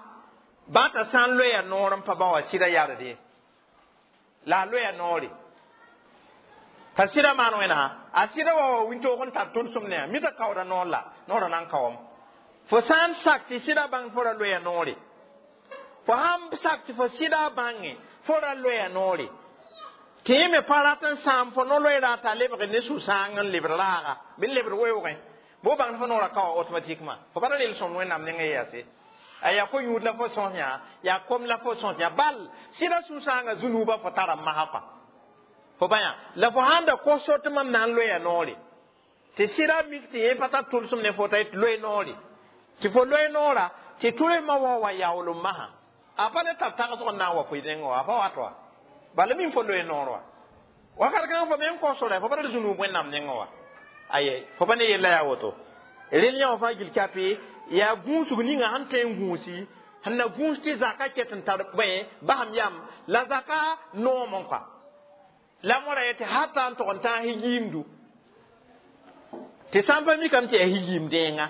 bã t'a sã n loeya noor n pa bã wa sɩda yabde la a loeya noore. T'a sɩda maan wẽna a sɩda wa wa wĩntoog n tar tʋlsem ne a mita kaooda noor la noorã na n kaoom. Fo sã n sak tɩ sɩda bãng fo ra loeya noore. Fo sãn sak tɩ fo sɩda bãnge fo ra loeya noore. Tɩ yẽ me pa rat n sãam fo no-loeera t'a lebg ne sũ-sãang n lebr raaga bɩ n lebr weoogẽ. Bo bãng fo noorã ka wa automatiquement. Fo pa ra rel sõm Wẽnnaam nengẽ yaase. A yaa ko-yũud la fo sõs yã, yaa kom la fo sõs yã. Bal sɩda sũ-sãangã zu-nuubã fo tara n masa kɔa. Fo bã yã la fo sãn da kos so tɩ mam na n loeya noore. Tɩ sɩda mik tɩ yẽ pa tar tʋlsem ne fo t'a yet loe noore. Tɩ fo loe noora tɩ tʋlsmã wa yaoolem masã. A pa le tar tagsg n na n wa fo nengẽ wã, a pa wat wa. Bala min fo loe noor wa. Wakat kãng fo me n kos ra fo pa tar zũnuub Wẽnnaam nengẽ wã. Aye fo pa ne yella yaa woto. Rel yã wã fãa gil kape yaa gũusg ninga sẽn tõe n gũusi sẽn na gũus tɩ zaka ket n tar bõe basam yam la zaka noom n kɔa. La mora yetɩ hata n tog n tãag hijiimdu. Tɩ sã n pa mikame tɩ yaa hijiim dẽenga.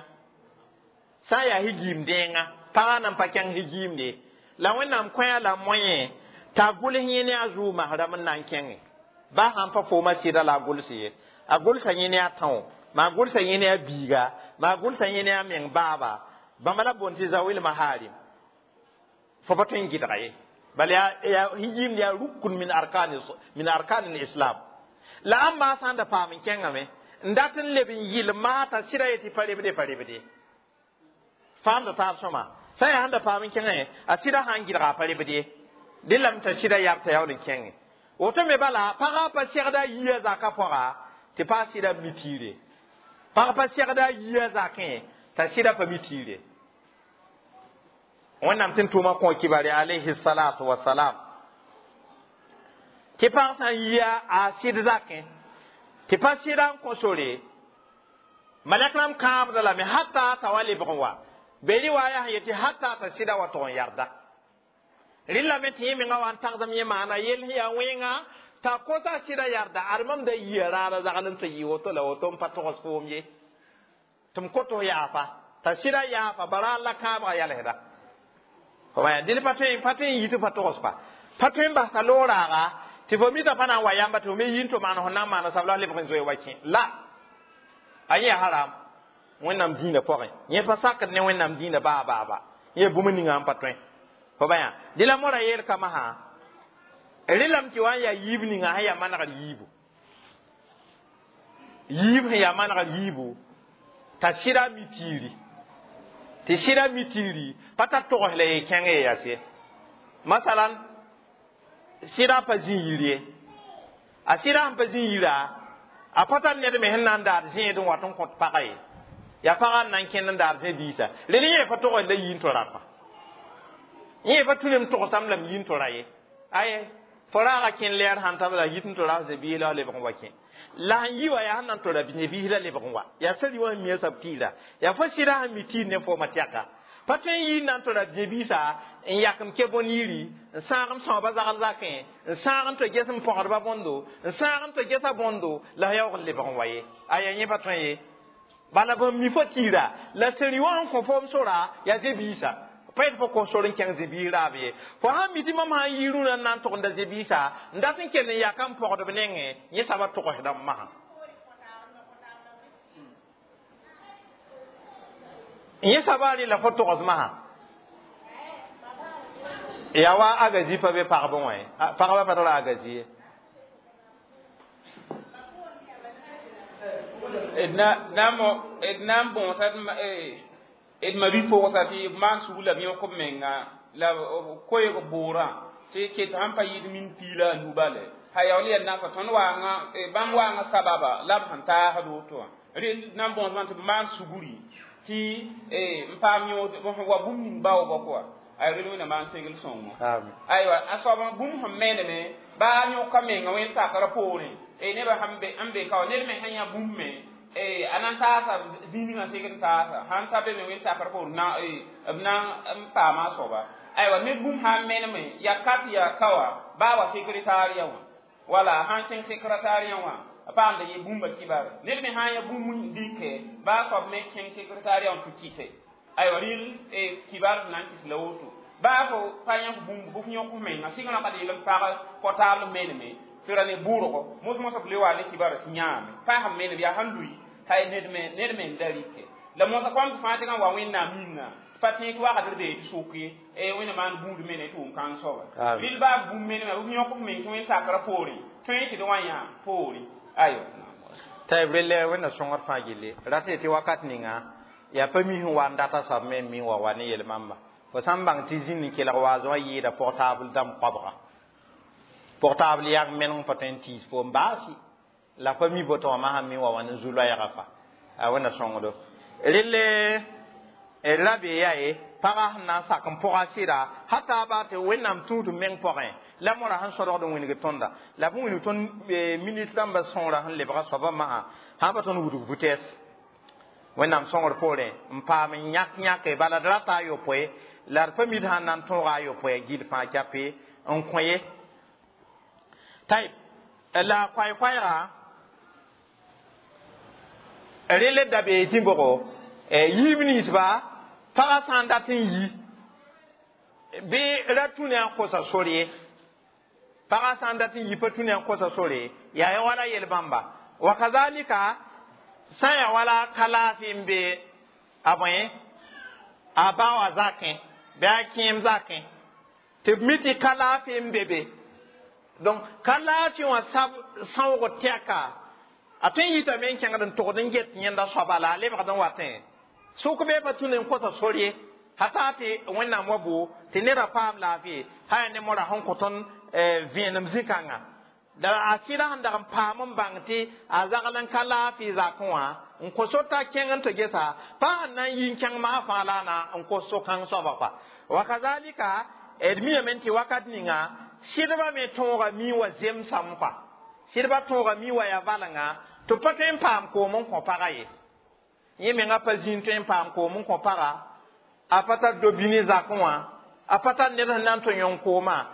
Sã n yaa hijiim dẽenga pagã nan pa kẽng hijiimde. La Wẽnnaam kõ-a la moyen t'a gʋls yẽ ne a zʋʋ masrãmb n na n kẽnge. Baa sãn pa fooma sɩda la a gʋls ye. A gʋlsa yẽ ne a tão, maa gʋlsa yẽ ne a biiga, maa gʋlsa yẽ ne a meng baaba. Bãmba la boond tɩ zawil maharim. Fo pa tõe n gɩdga ye. Bal yaa hijiimd yaa rukun min arkan al-islam. La ãmba sã n da paam n kẽngame n dat n leb n yɩl maata sɩda yetɩ pa rebde pa rebde. Faamda taab sõma. Sã n yaa sẽn da paam n kẽngã a sɩda sã n gɩdga a pa rebd ye. Dẽ lame t'a sɩda yab t'a yaool n kẽnge. Woto me bala pagã pa segda a yia zakã pʋga tɩ pa sɩda mi tiire. Pag pa segda a yia zakẽ t'a sɩda pa mi tiire. Wẽnnaam tɩ n tʋʋma kõ kibare alayhi salatu wasalam. Tɩ pag sã n yia a sɩd zakẽ tɩ pa sɩda n kõ sore malɛk rãmb kãabda lame hata t'a wa lebg n wa. Be riwaaya sẽn yetɩ hata t'a sɩda wa tog n yarda. Rɩlame tɩ yẽ menga wa n tagsem yẽ maana yell sẽn yaa wẽnga T'a kosa sɩda yarda ad mam da yia raada zagl n tɩ yɩ woto la woto n pa togs foom ye. Tɩ m kot f yaafa. T'a sɩda yaafa bara la kãabga yalsda. Fo dẽn pa tõe pa tõe n yi tɩ pa togs pa. Pa tõe n bas t'a loog raaga tɩ fo mita pa na n wa yãmba tɩ fo me yi n tɩ maan fo na n maana sab la f lebg n zoe wa kẽ. La a yẽ haram Wẽnnaam dĩinã pʋgẽ. Yẽ pa sakd ne Wẽnnaam dĩinã baa baaba. Yẽ bũmb ninga n pa tõe. Fo ba yã dẽ la mora yeel kama sã rẽlame tɩ wa n yaa yiib ninga sẽn yaa manegr yiibu. Yiib sẽn yaa manegr yiibu t'a sɩda mi tiiri. Tɩ sɩda mi tiiri pa tar togs la ye kẽng ye yaa. Masalan sɩda pa zĩ yir ye. A sɩda sẽn pa zĩ yira a pa tar ned me sẽn na n daad zẽed n wat n kõt pagã ye. Yaa pagã n na n kẽnd n daad zẽ diisa. Rel yẽ pa togs la yi n tɩ rapa. Yẽ pa tũ nem togsame lame yi n tɩ ra ye. Aye fo raaga kẽn lɛɛr sãn tab la yit n tɩ ras biis la lebg n wa kẽ. La sẽn yi wa yaa sẽn na n tɩ ra biis la lebg n wa. Yaa sari wã sẽn mi a sab tiira. Yaa fo sɩda sẽn mi tiir ne fooma tɛka. Pa tõe n yi n na n tɩ ra biisa n yak m ke bõn yiri n sãag m sõaba zagl zakẽ n sãag n tɩ ges m pɔgdba bõndo n sãag n tɩ gesa bõndo la yaoog n lebg n wa ye. Aya yẽ pa tõe ye. Bala bãmb mi fo tiira la sẽri wã n kõ foom sora yaa zẽ-biisã. Pa yet fo kos sor n kẽng zẽ-biis raab ye. Fo sãn mi tɩ mam sã n yi rũnã n na n togenda zẽ-biisã n dat n kell n yaka n pɔgdb nengẽ yẽ soaba togsdame masã. Yẽ soaba rɩ la fo togs masã. Yaa wa agazi pa be pagb wã ye. Pagba pa tar agazi ye. D na n bõosa d ma bi-pʋgsa tɩ b maan sug la b yõk b menga la koeeg bʋʋrã tɩ ket sãn pa yɩɩd min piig la a nu bale ha yaool yaa nasa tõnd waanga bãmb waanga sababa la b sẽn taasd woto wã rel na n bõosmã tɩ b maan sugri tɩ n paam yõod wa bũmb ning baoobã kɔa ay rel wẽnna maan segl sõngo aywa a soab bũmb sẽn meedme baa yõka menga wẽnd sakrã poorẽ nebã sẽn be ka wa ned me sẽn yã bũmb me a na n taasa zĩig ninga segd n taasa sãn ta be me wẽnd sakr poor na b na n paama a soaba aywa ned bũmb sã n meneme yaa kat yaa ka wã baa wa sekretariya wã wala sãn kẽng sekretariya wã a paamda ye bũmba kibare ned me sã n ya bũmb n dɩke baa soab me kẽng sekretariya wã tɩ kɩse aywa rɩl kibar na n kɩs la woto baa fo pa yãk bũmb bɩ f yõk f menga sɩng rãka d yel n pag portable meneme tɩ ra ne bʋʋrgo mos-mosã b le wa ne kibara tɩ yãame pa sẽn menem yaa sãn lʋɩ hay ned me n da rɩke la mosã kõm tɩ fãa tɩ wa Wẽnnaam yĩnga pa tẽeg tɩ wakatr bee tɩ sʋk ye Wẽnna maan buud mene tɩ wʋm kãng soaba rɩl baa bũmb meneme b yõk f meng tɩ wẽnd sakrã poorẽ tõe tɩ d wã yã poorẽ ayo. Tɩ b rel Wẽnna sõngd fãa gilli rat tɩ wakat ninga yaa pa mi sẽn wa n data soab me n mi wa wa ne yel-mamba. Fo sã n bãng tɩ zĩnd n kelg waaz wã yɩɩda portable dãmb koabga. Portable yaa meneng pa tõe n tiis foom baasi la pa mi boto wã masã mi wa wa ne zu-loɛɛga fa a Wẽnna sõngdo. Relle la be yaa ye pagã sẽn na n sak n pʋga sɩda hata baa tɩ Wẽnnaam tũud meng pʋgẽ la mora sẽn sõdgd n wĩneg tõnda la b wĩneg tõnd minit rãmbã sõora sẽn lebga soabã masã sã pa tõnd wudg vitesse Wẽnnaam sõngr poorẽ n paam n yãk yãke bala d rata a yopoe la d pa mid sãn na n tõoga a yopoe gill fãa cape n kõ ye tayb la koay-koɛɛga rel da bee tɩ bʋgo yiib ninsba pagã sã n dat n yi bɩ ra tũ ne a kosa sor ye pagã sã n dat n yi pa tũ ne a kosa sore yaa ya wala yel-bãmba wa kazalika sã n yaa wala ka laafɩ n be a bõe a ba wã zakẽ bɩ a kẽem zakẽ tɩ b mi tɩ ka laafɩ n be be donc ka laafɩ wã sab sãoog tɛka a tõe n yitame n kẽngd n togd n get yẽnda soaba la a lebgd n watẽ sʋk bee pa tũ ne n kosa sor ye hata tɩ Wẽnnaam wa bo tɩ neda paam laafɩ sã yaa ne mora sẽn kõ tõnd vẽenem zĩ-kãnga la a sɩda sẽn dag n paam n bãng tɩ a zagl n ka laafɩ zakẽ wã n kõ so t'a kẽng n tɩ gesa pa sẽn na n yi n kẽng maa fãa la a na n kos so-kãng soaba kɔa wa kazalika d miame tɩ wakat ninga sɩdbã me tõoga mi wa zemsame kɔa sɩdbã tõoga mi wa yaa valenga tɩ pa tõe n paam koom n kõ pagã ye yẽ menga pa zĩig tõe n paam koom n kõ paga a pa tar do-bini zakẽ wã a pa tar ned sẽn na n tɩ yõng koomã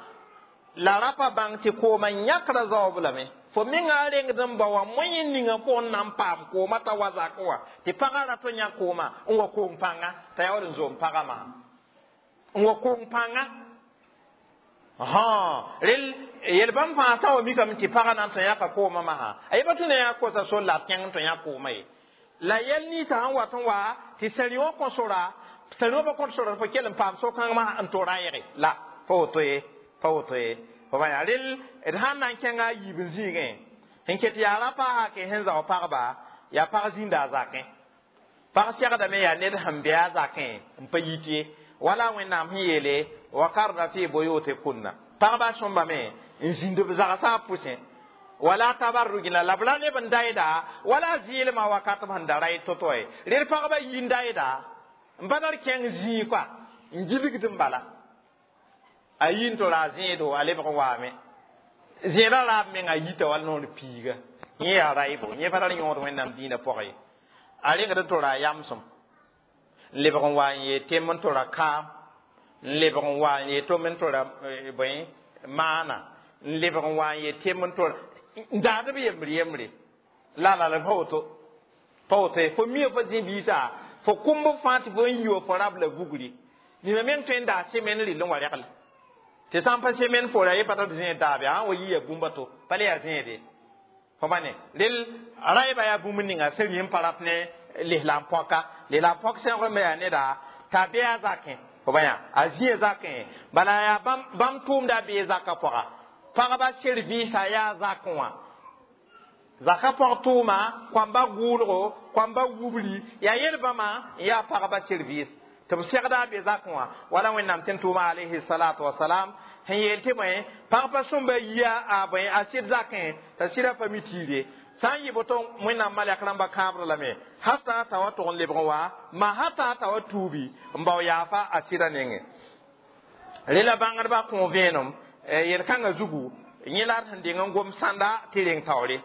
La rapa bãng tɩ koomã yãkra zaoob lame fo menga rengd n ba wã moẽ ninga fo n na n paam koomã t'a wa zakẽ wã tɩ pagã rat n yã koomã n wa koong pãnga t'a yaool n zoom pagã maa n wa koong pãnga rel yel-bãmb fãa sã wa mikame tɩ pagã na n tõe yãka koomã masã a yeba tũ na yaa kosa sol la a kẽng n tõe yã koomã ye la yɛl ninsã sẽn wat n wa tɩ sẽn wã kõ sora sẽn wã pa kõt sora fo kell n paam so-kãng masã n tora yɛge la pa woto ye pa woto ye fo bã yaa rel d sãn na n kẽnga a yiib n zĩigẽ sẽn ket yaa rapa hake sẽn zao pagba yaa pag zĩnda a zakẽ pag segdame yaa ned sẽn be a zakẽ n pa yit ye wala Wẽnnaam sẽn yeele wakarna fi buyutikunna pagba sõmbame n zĩnd b zagsã pʋsẽ wala tabarrujna la b ra neb n daɩda wala zɩɩlmã wakat b sẽn da ra y to-to ye rel pagba yi n daɩda n pa tar kẽng zĩig koa n gilgd n bala a yi n tora a zẽedo a lebg n waame zẽedã raab menga yita wall noor piiga yẽ yaa raɩbo yẽ pa tar yõod Wẽnnaam dĩinã pʋgẽ ye a rengd n tora a yamsem n lebg n wa n yee tɩm n tora kaam n lebg n wa n yee tʋm n tora bõe maana n lebg n wa n yee tɩm n tora n daad b yembre yembre la la la pa woto pa woto ye fo mia fo zĩ biisa fo kũmb fãa tɩ fo n yi wa fo rab la vugri nina meng tõe n daa semen rɩl n wa regl tɩ sã n pa semen poora ye pa tar zẽed daabe sã n wa yi ya bũmba to pa le yaa zẽede fo bã ne rel raɩba yaa bũmb ninga sẽn rĩ n pa rat ne lislaam pɔka lislaam pɔk sẽgr me yaa neda t'a be a zakẽ fo bã yaa a zĩa zakẽ bala yaa bãmb tʋʋmda bee zakã pʋga pagba servisa yaa zakẽ wã zaka pɔg tʋʋma kãmba gʋʋlgo kãmba wubri yaa yel-bãmã n yaa pagba service tɩ b segda a be zakẽ wã wala Wẽnnaam tɩ n tʋʋma alayhi salatu wasalam sẽn yeel tɩ bõe pag pa sõmba yia a bõe a sɩd zakẽ t'a sɩda pa mi tiire sã n yɩ boto Wẽnnaam malɛk rãmba kãabr lame hata t'a wa tʋg n lebg n wa ma hata t'a wa tuubi n bao yaafa a sɩda nengẽ rela bãngdbã kõ vẽenem yel-kãngã zugu yẽ la d sẽn deng n gom sãnda tɩ reng taoore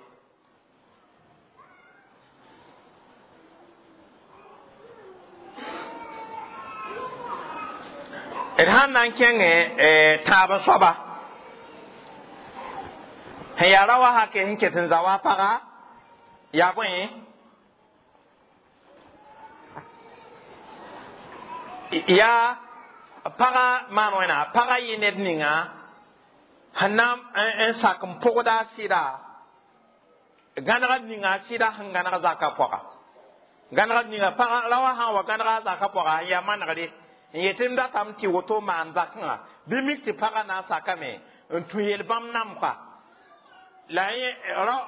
d sãn na n kẽngẽ tãab soaba sẽn yaa ra wa hake sẽn ket n za wa paga yaa bõe yaa paga maan wẽna paga yɩ ned ninga sẽn na n sak n pʋgda a sɩda gãneg ninga a sɩda sẽn gãneg zakã pʋga gãneg ninga paga ra wa sã n wa gãnega a zakã pʋga n yaa manegre n yetɩ m datame tɩ woto maan zakẽngã bɩ mik tɩ pagã na n sakame n tũ yel-bãmb namka la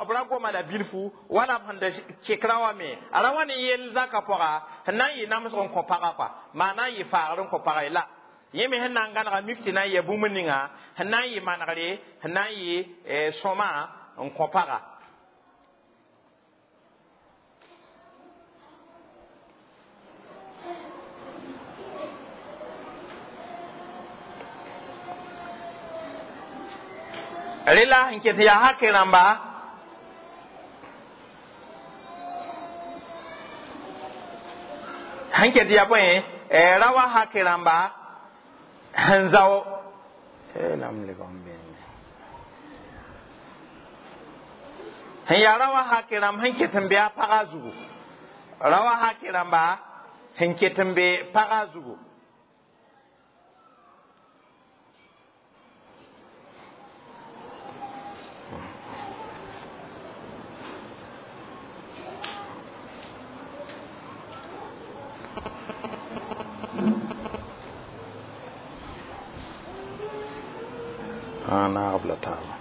b ra goma la bilfu wala b sẽn da kek ra wa me a ra wa ne yel zakã pʋga sẽn na n yɩ namsg n kõ pagã kɔa maa na n yɩ faagr n kõ pagã ye la yẽ me sẽn na n gãnega mik tɩ na n yɛ bũmb ninga sẽn na n yɩ manegre sẽn na n yɩ sõma n kõ pagã rela sẽn ket yaa hake rãmba sẽn ket yaa bõe ra wa hake rãmba sẽn zao sẽn yaa ra wa hake rãmb sẽn ket n be a pagã zugu ra wa hake rãmba sẽn ket n be pagã zugu naagb la taaba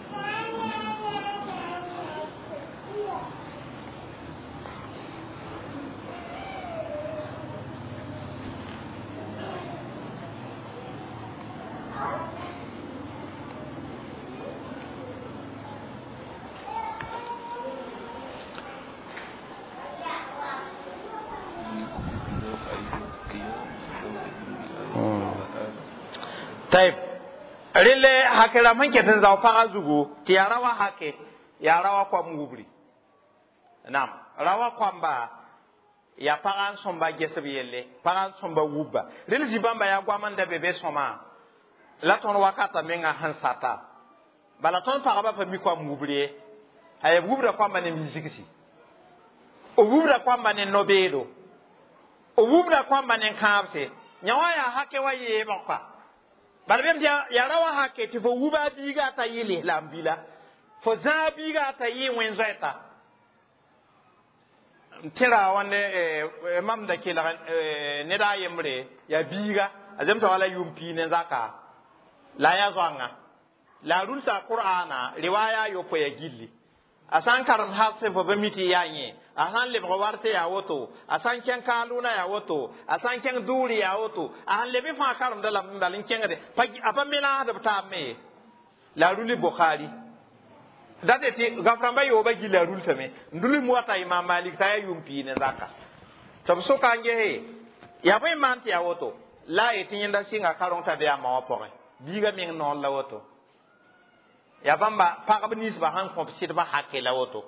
طيب rele hake rãmb sẽn ket n zao pagã zugu tɩ yaa ra wa hake yaa ra wa koam wubri nam ra wa koamba yaa pagã n sõmba gesb yelle pagã n sõmba wubba rel zĩ-bãmba yaa goam n da be be sõma la tõnd wakata menga sẽn sata Bala tõnd pagba pa mi koam wubr ye. A b wubra koamba ne zigsi. B wubra koamba ne no-beedo. B wubra koamba ne kãabse. Yã wã yaa hake wa yeebg pa. Bala bem tɩ yaa ra wa hake tɩ fo wuba a biiga t'a yɩ lislaam bila. Fo zãa biiga t'a yɩ wẽn-zoɛta. N tẽra wãnde mam da kelg ned a yembre yaa biiga a zemsa wala yʋʋm pii ne zaka la a yaa zoangã la a rulsa qur'ana riwaya a yopoe ya gilli. A sã n karem hasẽ fo pa mi tɩ yaa yẽ, a sã n lebg warse yaa woto, a sã n kẽng kaalʋʋna yaa woto, a sã n kẽng dʋʋre yaa woto, a sẽn leb fãa karemda lame bal n kẽngde a pa menaasd b taab me ye. La a ruli Bukhari date tɩ gaf-rãmbã yooba gilla a rulsame n dul n wata Imam Malik t'a yaa yʋʋm pii ne zaka tɩ b soka n gese yaa bõe n maan tɩ yaa woto la a yetɩ yẽnda sɩnga karong t'a be a ma wã pʋgẽ biiga meng noor la woto. Yaa bãmba pagb ninsbã sẽn kõ b sɩdbã hake la woto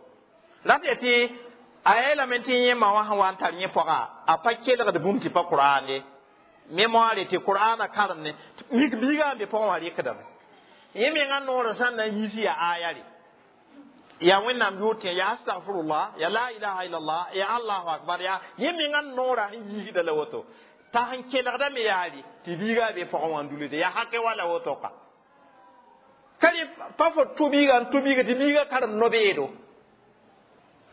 rat ya tɩ a yeelame tɩ yẽ ma wã sẽn wa n tar yẽ pʋga a pa kelgd bũmb tɩ pa Qur'an ye mémoire tɩ Qur'ana karem ne mik biiga n be pʋgẽ wã rɩkdame yẽ mengã noorã sã n na n yiis yaa aya re ya Wẽnnaam yʋʋr tɩ ya astagfirullah ya la ilaha illallah ya allahu akbar ya yẽ mengã noorã sẽn yiisda la woto t'a sẽn kelgdame yaare tɩ biiga be pʋgẽ wã n dulde ya hake wa la woto ka. Ka rẽ pa fo tʋ biiga n tʋ biiga tɩ biiga karem no-beedo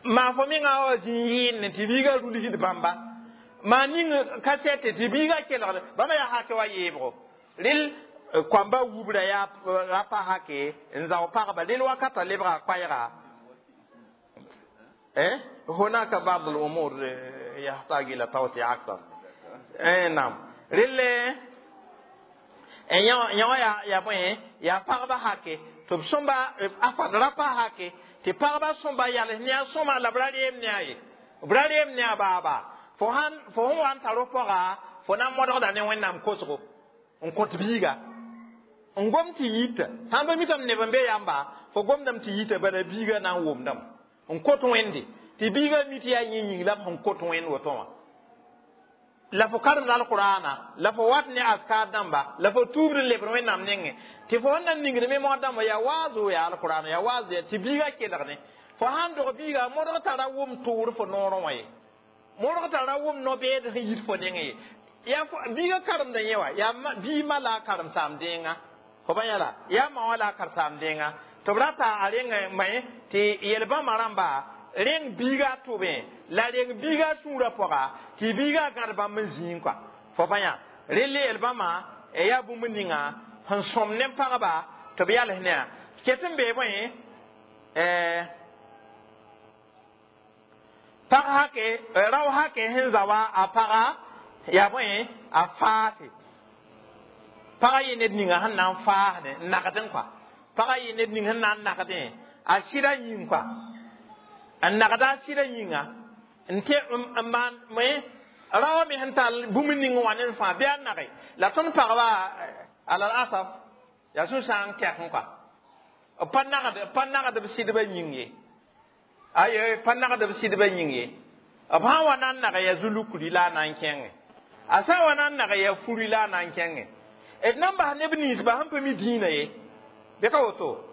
maa fo mengã wa zĩ yɩɩnne tɩ biiga rulsd bãmba maa ning kasɛte tɩ biiga kelgd bãmba yaa hake wa yeebgo. Rel koamba wubra yaa ra pa hake n zao pagba rel wakata lebga koɛɛga. هناك بعض الأمور يحتاج إلى توسيع أكثر. نعم. رل yã ya bõe yaa pagba hake tɩ b sõmba a ra pa hake tɩ pagba sõmba yals ne a sõma la b ra reem ne a ye b ra reem ne a baaba fo sãn fo sẽn wa n tar f pɔga fo na n modgda ne Wẽnnaam kosgo n kõt biiga n gom tɩ yita sãn pa mikame neb n be yamba fo gomdame tɩ yita bala biiga na n wʋmdame n kot Wẽnde tɩ biiga mi tɩ yaa yẽ yĩng la b sẽn kot Wẽnd woto wã la fo karemd alqur'ana la fo wat ne askar dãmba la fo tuubd n lebd Wẽnnaam nengẽ tɩ fo sẽn na n ningd me dãmba yaa waazo yaa alqur'ana yaa waazo tɩ biiga kelgne fo sãn dog biiga modg tara wʋm tʋʋr fo noorẽ wã ye modg tara wʋm no-beed sẽn yit fo nengẽ ye yaa biiga karemda yẽ wã yaa bii ma la a karem-saam dẽenga fo ba yãla yaa ma wã la a karen-saam dẽenga tɩ b rata a reng may tɩ yel-bãmba rãmba reng biiga tʋbẽ la reng biiga sũurã pʋga tɩ biiga gãd bãmb n zĩig kɔa fo pa yã rel yel-bãmba yaa bũmb ninga sẽn sõm ne pagba tɩ b yals ne a ket n bee bõe pag hake rao hake sẽn za wa a paga yaa bõe a faase pagã yɩ ned ninga sẽn na n faasdẽ n nagdẽ kɔa pagã yɩ ned ning sẽn na n nagdẽ a sɩda yĩng kɔa n nagda a sɩda yĩnga n tɩ n maan raoã me sẽn tall bũmb ning wã ne fãa bɩ a nage la tõnd pagba alal asaf yaa sũ-sãang tɛk kɔa pa nagd b sɩdbã yĩng ye aye pa nagd b sɩdbã yĩng ye b sã n wa na n nag yaa zulukri la a na n kẽnge a sã n wa na n nag yaa furi la a na n kẽnge d na n bas neb ninsba sẽn pa mi dĩinã ye bɩ ka woto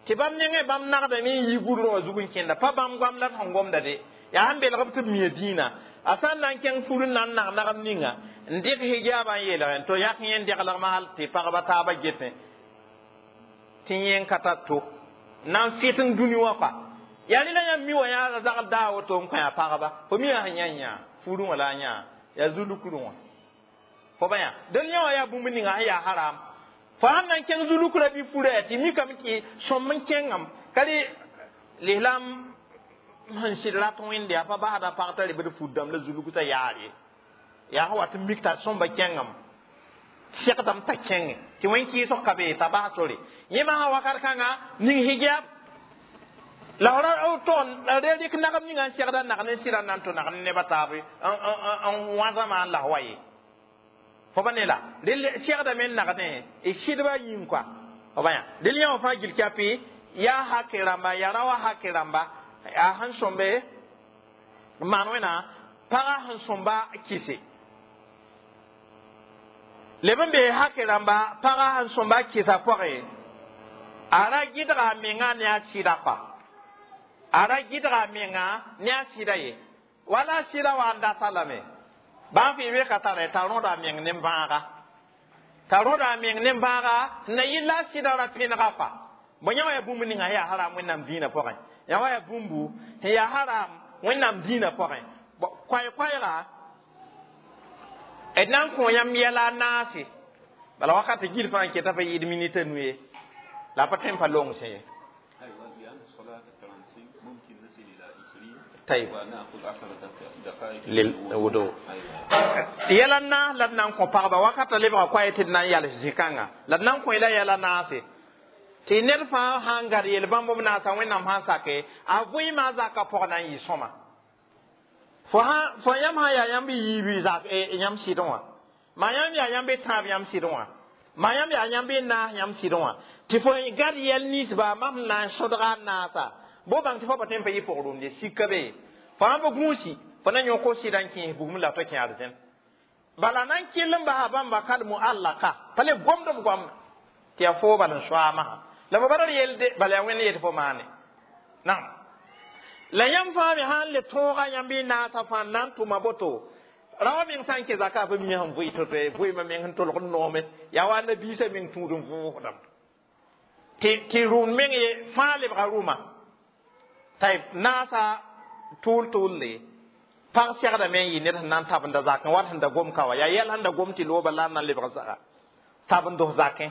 tɩ bãmb nengẽ bãmb nagdame n yi gʋrẽ wã zug n kẽnda pa bãmb goam la d sẽn gomda de yaa sẽn belg b tɩ b mia dĩinã a sã n na n kẽng fur n na n nag nagem ninga n dɩk hijaabã n yeelgẽ to yãk yẽ n deglgmã hal tɩ pagba taabã getẽ tɩ yẽ n ka tar to na n fɩt n dũni wã kɔa yaa rẽ la yãmb mi wã yaa zagl daa woto n kõ a pagba fo mi yaa sẽn yã yã furẽ wã la a yã yaa zulukrẽ wã fo ba yã dẽn yã wã yaa bũmb ninga sẽn yaa haram fo sãn na n kẽng zulukrã bɩ furã tɩ mikame tɩ sõm n kẽngame ka rẽ lislaam sẽn sɩd rat Wẽnde yaa pa basda pag t'a rebd fut dãmb la zulug t'a yaar ye yaa sẽn wat n mik t'a sõmba kẽngame segdame t'a kẽnge tɩ wẽn kɩɩsg ka be t'a bas sore yẽ masã wakat kãnga ning hijab la f ra tog n rɩk nagem ninga n segda nag ne sɩda n na n tʋ nag ne nebã taab n wãsama n las wa ye fo pa ne la rel segdame n nagdẽ d sɩdbã yĩng kɔa fo ba yã rel yã wã fãa gil kapi yaa hake rãmba yaa ra wa hake rãmba yaa sẽn sõmbe n maan wẽna pagã sẽn sõmba kɩse leb n bee hake rãmba pagã sẽn sõmba kɩsa pʋgẽ A ra gɩdga a menga ne a sɩda kɔa, a ra gɩdga a menga ne a sɩda ye, wala a sɩda wa n data lame. Bãmb fɩ weka tara t'a rõda a meng ne bãaga, t'a rõda a meng ne bãaga na yɩl la a sɩda ra pẽnega kɔa. Bõ yã wã yaa bũmb ninga yaa haram Wẽnnaam dĩinã pʋgẽ, yã wã yaa bũmbu sẽn yaa haram Wẽnnaam dĩinã pʋgẽ. Koɛɛ-koɛɛga d na n kõ yãmb yɛla a naase, bala wakat gil fãa n keta pa yɩɩd minita nu ye, la pa tõe n pa longsẽ ye. أيوة، لأن الصلاة 35 ممكن نصل إلى 20. طيب. ونأخذ 10 دقائق. للوضوء. أيوة. Yɛla naas la d na n kõ pagba wakata lebga koɛɛ tɩ d na n yals zĩ-kãnga, la d na n kõ la yɛla naase tɩ ned fãa sãn gad yel-bãmb b naasa Wẽnnaam sãn sake a vɩɩmã a zakã pʋg na n yɩ sõma. Fo sã fo yãmb sã yaa yãmb yiibi zak yãmb sɩdẽ wã, maa yãmb yaa yãmb tãab yãmb sɩdẽ wã, maa yãmb yaa yãmb naas yãmb sɩdẽ wã, tɩ fo gad yɛl ninsba mam sẽn na n sõdga a naasa bo bãng tɩ fo pa tõe n pa yɩ pʋg-rũmde sika be fo sãn pa gũusi fo na yõk fo sɩda n kẽes bugum la to kẽ arzẽn. Bala na n kell n basa bãmba kal muallaka pa le gomd b goam tɩ yaa foo bal n soaamã la fo bara d yelde bala yaa Wẽnd yet fo maane naam. La yãmb fãa me sãn le tõoga yãmb y naasã fãa n na n tʋma boto rao meng sã n kẽ zaka pa mi sẽn vʋɩ to-to vʋɩɩmã meng sẽn tolg n noome yaa wa nabiisã meng tũud n vʋʋsdame tɩ rũnd meng ye fãa lebga rʋma tɩ naasa tʋʋl-tʋʋlle. Pag segdame n yɩ ned sẽn na n tabenda zakẽ wat sẽn da gom ka wa yaa yɛl sẽn da gom tɩ looba la n na n lebg zaga tabend zakẽ.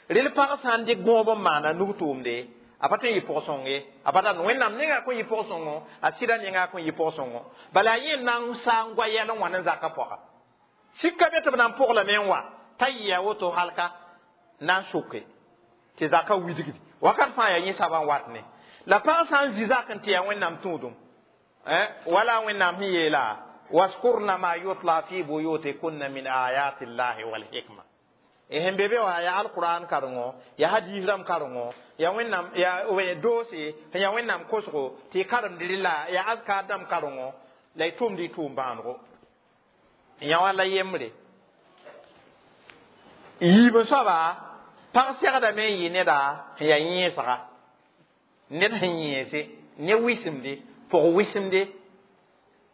Rel pag sã n dɩk gõob n maana nug tʋʋmde a pa tõe n yɩ pʋg-sõng ye abadan. Wẽnnaam nenga kõn yɩ pʋg-sõngo, a sɩda nenga kõn yɩ pʋg-sõngo, bala a yẽ na n saa n goa yɛl n wã ne zakã pʋga sika be tɩ b na n pʋglame n wa t'a yɩ a woto halka na n soke tɩ zakã widgdi wakat fãa yaa yẽ soaba n wat ne. La pag sã n zĩ zak n tɩ yaa Wẽnnaam tũudum, wala Wẽnnaam sẽn yeela waskurna ma yutla fi buyutikunna min ayati llahi walhikma sẽn be be wã yaa alquran karengo, yaa hadis rãmb karengo, yaa Wẽnnaam yaa doose sẽn yaa Wẽnnaam kosgo tɩ y karemd rɩla, yaa azkar dãmb karengo la y tʋmd y tʋʋm bãanego yã wã la yembre. Yiib n soaba pag segdame n yɩ neda sẽn yaa yẽesga, ned sẽn yẽese ne wɩsemde pʋg wɩsemde.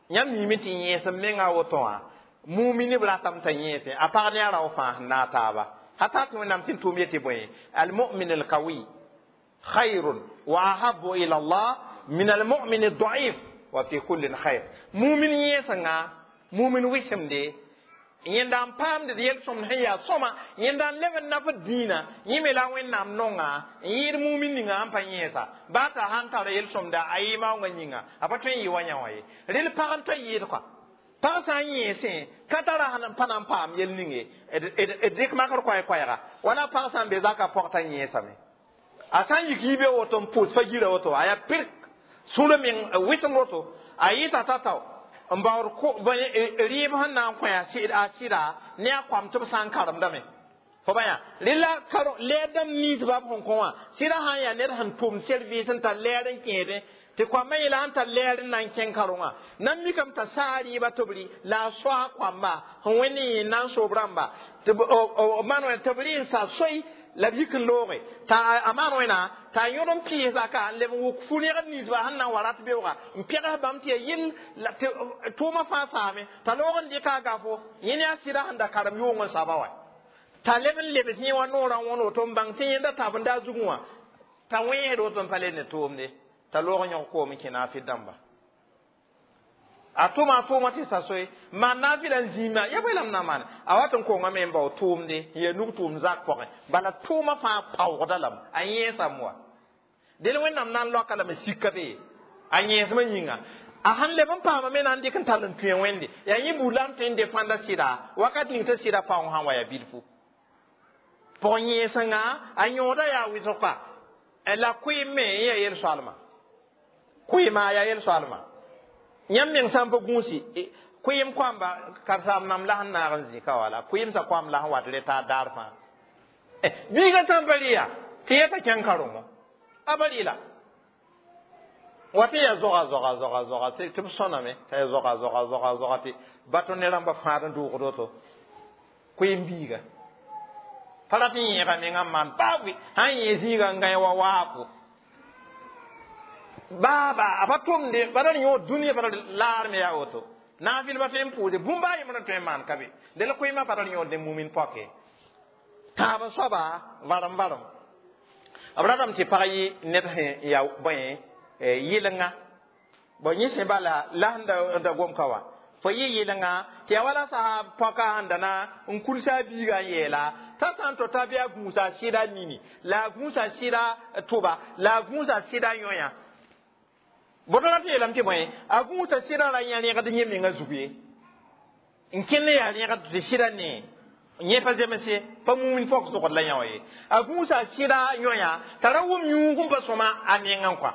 Yãmb miime tɩ yẽesem menga a woto wã muminib ratame t'a yẽese a pag ne a rao fãa sẽn naag taaba hata tɩ Wẽnnaam tɩ n tʋʋm yetɩ bõe almumin alkawi khayrun wa ahabu ila Allah min almumin aldaif wa fi kullin khayr. Mumin yẽesengã, mumin wɩsemde yẽnda n paamd d yel-sõmd sẽn yaa sõma, yẽnda n leb n nafd dĩinã, yẽ me la Wẽnnaam nonga n yɩɩd mumin ninga sẽn pa yẽesa baa t'a sãn tara yel-sõmda a yɩ maoongã yĩnga a pa tõe n yɩ wa yã wã ye. Rel pag n tõe n yɩɩd kɔa pag sã n yẽesẽ ka tara sẽn pa na n paam yel ning ye d dɩk makr koɛɛ-koɛɛga wala pag sã n be zakã pɔg t'a yẽesame a sã n yik yibe woto n pʋʋs fa yira woto a yaa pirk sũurã meng wɩsem woto a yɩta t'a tao n baood rɩɩb sẽn na n kõ a sɩda ne a koam tɩ b sã n karemdame fo ba yã rela lɛɛr dãmb ninsba b sẽn kõ wã sɩda sã n yaa ned sẽn tʋm service n tar lɛɛr n kẽedẽ tɩ koambã yeela sẽn tar lɛɛr n na n kẽng karongã na n mikame t'a saa rɩɩbã tɩ b rɩ la a soa koamba sẽn wẽnd n na n soob rãmba tɩ b maan wẽna tɩ b rɩ n sa soe la b yik n looge t'a a maan wẽna t'a yõd n pɩɩs zaka n leb n wʋk fu-rẽgd ninsba sẽn na n wa rat beooga n pẽgs bãmb tɩ yaa yɩl tɩ tʋʋmã fãa saame t'a loog n dɩka a gafo yẽ ne a sɩda sẽn da karem yʋng n saba wa t'a leb n lebs yẽ wã noorã wõn woto n bãng tɩ yẽnda tabenda a zugẽ wã t'a wẽesd woto n pa le ne tʋʋmde t'a loog n yõg koom n kẽ naafɩ dãmba a tʋma a tʋʋmã tɩ sa soe maan naafɩla n zĩima ya bõe la m na n maane a wat n kongame n bao tʋʋmde n yaa nug tʋʋm zak pʋgẽ bala tʋʋmã fãa paoogda lame a yẽesame wa del Wẽnnaam na n loaka lame sika be a yẽesmã yĩnga a sãn leb n paama me na n dɩk n tall n tũe Wẽnde yaa yẽ buud la n tõe n defãnda sɩda wakat ning t'a sɩda paoong sãn wa yaa bilfu pʋg yẽesengã a yõoda yaa wɩsg kɔa la kʋɩɩm me n yaa yel-soalma kʋɩɩma yaa yel-soalma yãmb meng sã n pa gũusi kʋɩɩm koamba karsaam nam la sẽn naag n zĩ ka wala kʋɩɩm sa koam la sẽn wat re taa daar fãa biigã sã n pa rɩ yaa tɩ yɛta kẽng karengo a ba rɩ la wa tɩ yaa zoga zoga zoga zoga tɩ b sõname t'a yaa zoga zoga zoga zoga tɩ bato ne rãmba fãad n dʋʋgd woto kʋɩɩm biiga. Pa rat n yẽega mengã n maan baa bʋɩ sã n yẽ zĩiga n gãe wa waafo baaba a pa tʋmde ba ra yõ dũniyã pa ra laar me yaa woto naafɩl pa tõe n pʋʋse bũmb a yembr n tõe n maan ka be de la koeemã pa ra yõod ne mumin poake tãab soaba varem varem b ratame tɩ pag yɩ ned sẽn ya bõe yɩlenga bon yẽ sẽ bala la sẽn da gom ka wã fo yɩ yɩlenga tɩ yaa wala sahab pɔka sẽn da na n kulsa a biigã n yeela t'a sã n to t'a bɩ a gũusa a sɩda nini la a gũusa sɩda tʋba la a gũusa sɩda yõya bõto rat yeelame tɩ bõe a gũusa sɩda ra yã rẽgd yẽ menga zug ye n kẽnd yaa rẽgd tɩ sɩda nee yẽ pa zemse pa mumin pɔk sogd la yã wã ye a gũusa sɩda yõya t'a ra wʋm yũug n pa sõma a mengã kɔa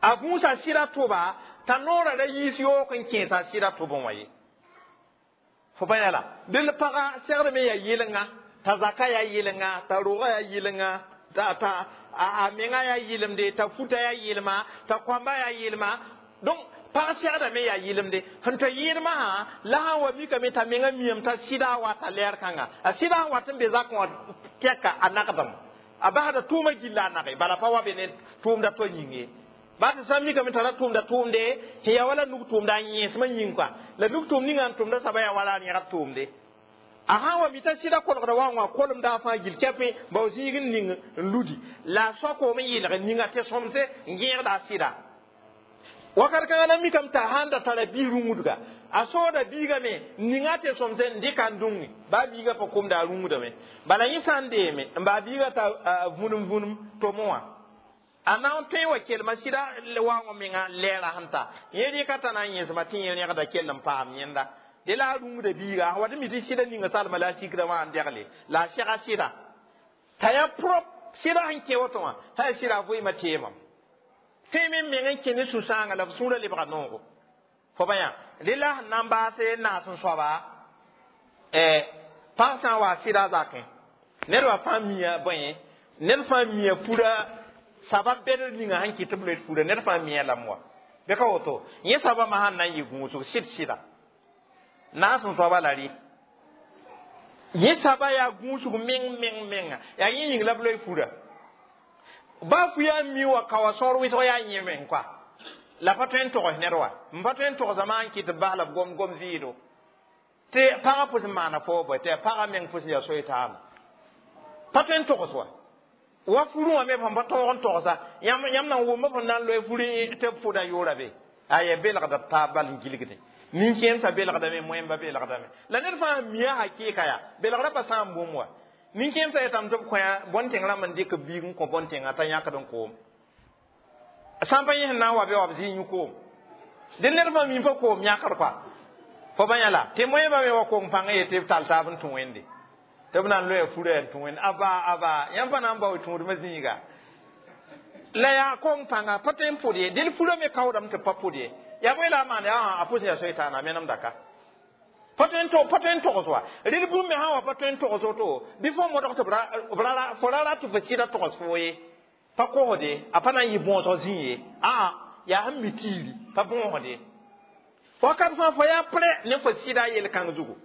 a gũusa sɩda tʋba t'a noorã ra yiis yook n kẽes a sɩda tʋbẽ wã ye fo pa yã la dẽnd pagã segd me yaa yɩlenga t'a zaka yaa yɩlenga t'a rogã yaa yɩlenga t'a a menga yaa yɩlemde t'a futa yaa yɩlma t'a kõamba yaa yɩlma donc pag segdame yaa yɩlemde sẽn tɩ yɩɩdmã sã la sã n wa mikame t'a menga miame t'a sɩda wata lɛɛr kãnga a sɩda sẽn wat n be zakẽ wã tɛka a nagdem a basda tʋʋmã gilla a nage bala pa wa be ne tʋʋmda to yĩng ye ba tɩ sã n mikame t'a ra tʋʋmda tʋʋmde tɩ yaa wala nug tʋʋmda a yẽesmã yĩng kɔa la nug tʋʋm ninga n tʋmda saba yaa wala a rẽgd tʋʋmde a sã n wa mi t'a sɩda kolgda wa wã kolemda a fãa gil kɛpẽ bao zĩig n ning n ludi la a soakoom n yɩlg ninga tɩ sõmse n gẽegda a sɩda wakat kãngã na mikame t'a sãn da tara bi rũngdga a sooda biigame ninga tɩ sõmse n dɩka n dũnge baa biigã pa komda a rũngdame bala yẽ sã n deeme n baa biigã t'a vũnem vũnem tomẽ wã a na n tõe wa kelma sɩda waoongã menga lɛɛra sẽn ta yẽ rɩka t'a na n yẽsma tɩ yẽ rẽgda kell n paam yẽnda de la a rũngda biiga a wat n mi tɩ sɩda ninga salma la a sikda wã n degle la a sɛga sɩda t'a yaa prop sɩda sẽn kẽ woto wã t'a yaa sɩda a vɩɩmã teemam tõe me meng n kẽ ne sũ-sãangã la b sũurã lebga noogo fo ba yã dẽ la sẽn na n baase naas n soaba pag sã n wa sɩda zakẽ ned wa fãa mia bõe ned fãa mia fura sabab bɛdr ninga sẽn kɩt tɩ b loe fura ned fãa mia lame wa bɩ ka woto yẽ sabamã sãn na n yɩ gũusg sɩd sɩda naas n soaba la rɩ yẽ saba yaa gũusg meng meng menga yaa yẽ yĩng la b loe fura baa fu yaa mi wa ka wa sõor wɩsg yaa yẽ meng koa la pa tõe n togs ned wa n pa tõe n togsame n kɩt b bas la b gom gom vɩɩdo tɩ pagã pʋs n maana foo bõe tɩ pagã meng pʋs n yaa soy-taama pa tõe n togs wa wa furẽ wã me fõm pa tõog n togsa yãmb na n wʋmba fõn na n loe furẽ tɩ b pʋda yʋʋra be aya belgda b taab bal n gilgde nin-kẽemsã belgdame moẽmba belgdame la ned fãa mia hakɩɩka yaa belgrã pa sã n bũmb wa nin-kẽemsã yetame tɩ b kõ bõn-tẽng rãmb n dɩk b biig n kõ bõn-tẽngã t'a yãkd n koom sã n pa yẽ sẽn na n wa bɩ wa b zɩ yũ koom dẽ ned fãa mi pa koom yãkd koa fo ba yã la tɩ moẽmba me wa kong pãng yetɩ b tall taab n tũ wẽnde tɩ b na n loya furã n tũ wẽnd aba aba yãmb pa na n bao tũudmã zĩiga la yaa kong pãnga pa tõe n pʋd ye dẽl furã me kaoodame tɩ b pa pʋd ye yaa bõe la a maan yaa a pʋs yaa soy-taana menemda ka pa tõe n togs wa rɩd bũmb me sã n wa pa tõe n togs woto bɩ fo modg tɩ fo ra rat tɩ fo sɩda togs foo ye pa kosde a pa na n yɩ bõosg zĩ ye aa yaa sẽn mi tiiri pa bõosde wakat fãa fo yaa prɛ ne fo sɩda yel-kãng zugu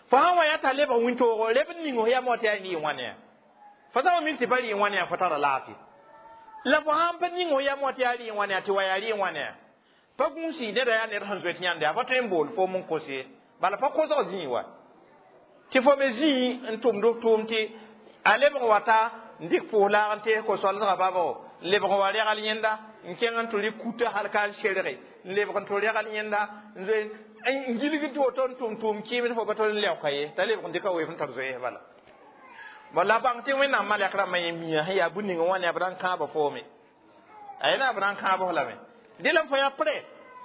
fo sã n wa yaa t'a lebg wĩntoogo leb n ning f yam wa tɩ yaa rɩ wãne fo sã n wa mik tɩ pa rɩ wãne fo tara laafɩ la fo sã n pa ning f yam wa tɩ yaa rɩ wãne tɩ wa yaa rɩ wãne pa gũusi neda yaa ned sẽn zoet yãnde a pa tõe n bool foom n kos ye bala pa kosg zĩig wa tɩ fo me zĩig n tʋmd f tʋʋm tɩ a lebg wata n dɩk pʋʋs laag n tees ko-soalsgã babo n lebg n wa regal yẽnda n kẽng n tɩ rɩ kuta hal ka n serge n lebg n tɩ regal yẽnda n zoe n gilgd tɩ woto n tʋm tʋʋm kɩɩmd fo pa tol n leoka ye t'a lebg n dɩka weef n tar zoees bala bon la bãng tɩ wẽnnaam malɛk rãmbã yẽ mia sẽn yaa bũn ning wã ne b ra n kãaba foome a yẽ na b ra n kãab lame dẽ la fo yaa prɛ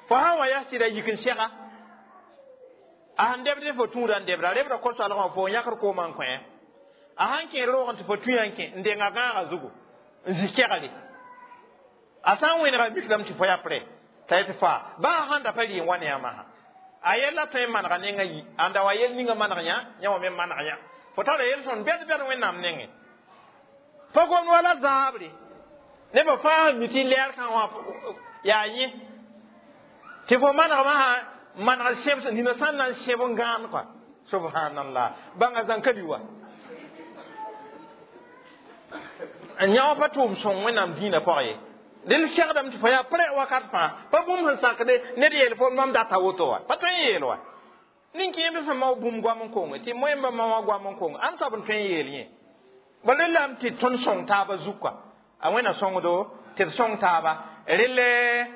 fo sã n wa yaa sɩda yik n sɛga a sẽn debd fo tũuda n debda rebda ko-soalgã fo n yãkd koomã n kõ a sãn kẽ roogẽ tɩ fo tũ yã n kẽ n denga gãagã zugu n zĩ kɛgre a sã n wẽnega mikdame tɩ fo yaa prɛ t'a yetɩ faa baa sãn da pa rɩ n wa ne yãmb sã a yella tõe n manega nengã yi ãnda wa yel ninga maneg yã yã wa me maneg yã fo tara yel sõn bɛd bɛd wẽnnaam nengẽ pa gomd wala zaabre nebã fãa sẽn mi tɩ lɛɛr kã wã yaa yẽ tɩ fo manegmã sã maneg sẽb nina sã n na n sẽb n gãan kɔa subhanallah bãnga zãnka li wa Yã pa tʋʋm sõng Wẽnnaam dĩinã pʋgẽ ye. Dẽnd segdame tɩ fo yaa prẽ wakat fãa pa bũmb sẽn sakde ned yeel fo mam data woto wa pa tõe n yeel wa nin-kẽemd sẽn mao bũmb goam n konge tɩ moẽmbã ma wã goam n kong ãn soab n tõe n yeel yẽ bala rellame tɩ tõnd sõng taabã zuka a Wẽnna sõngdo tɩ d sõng taaba relle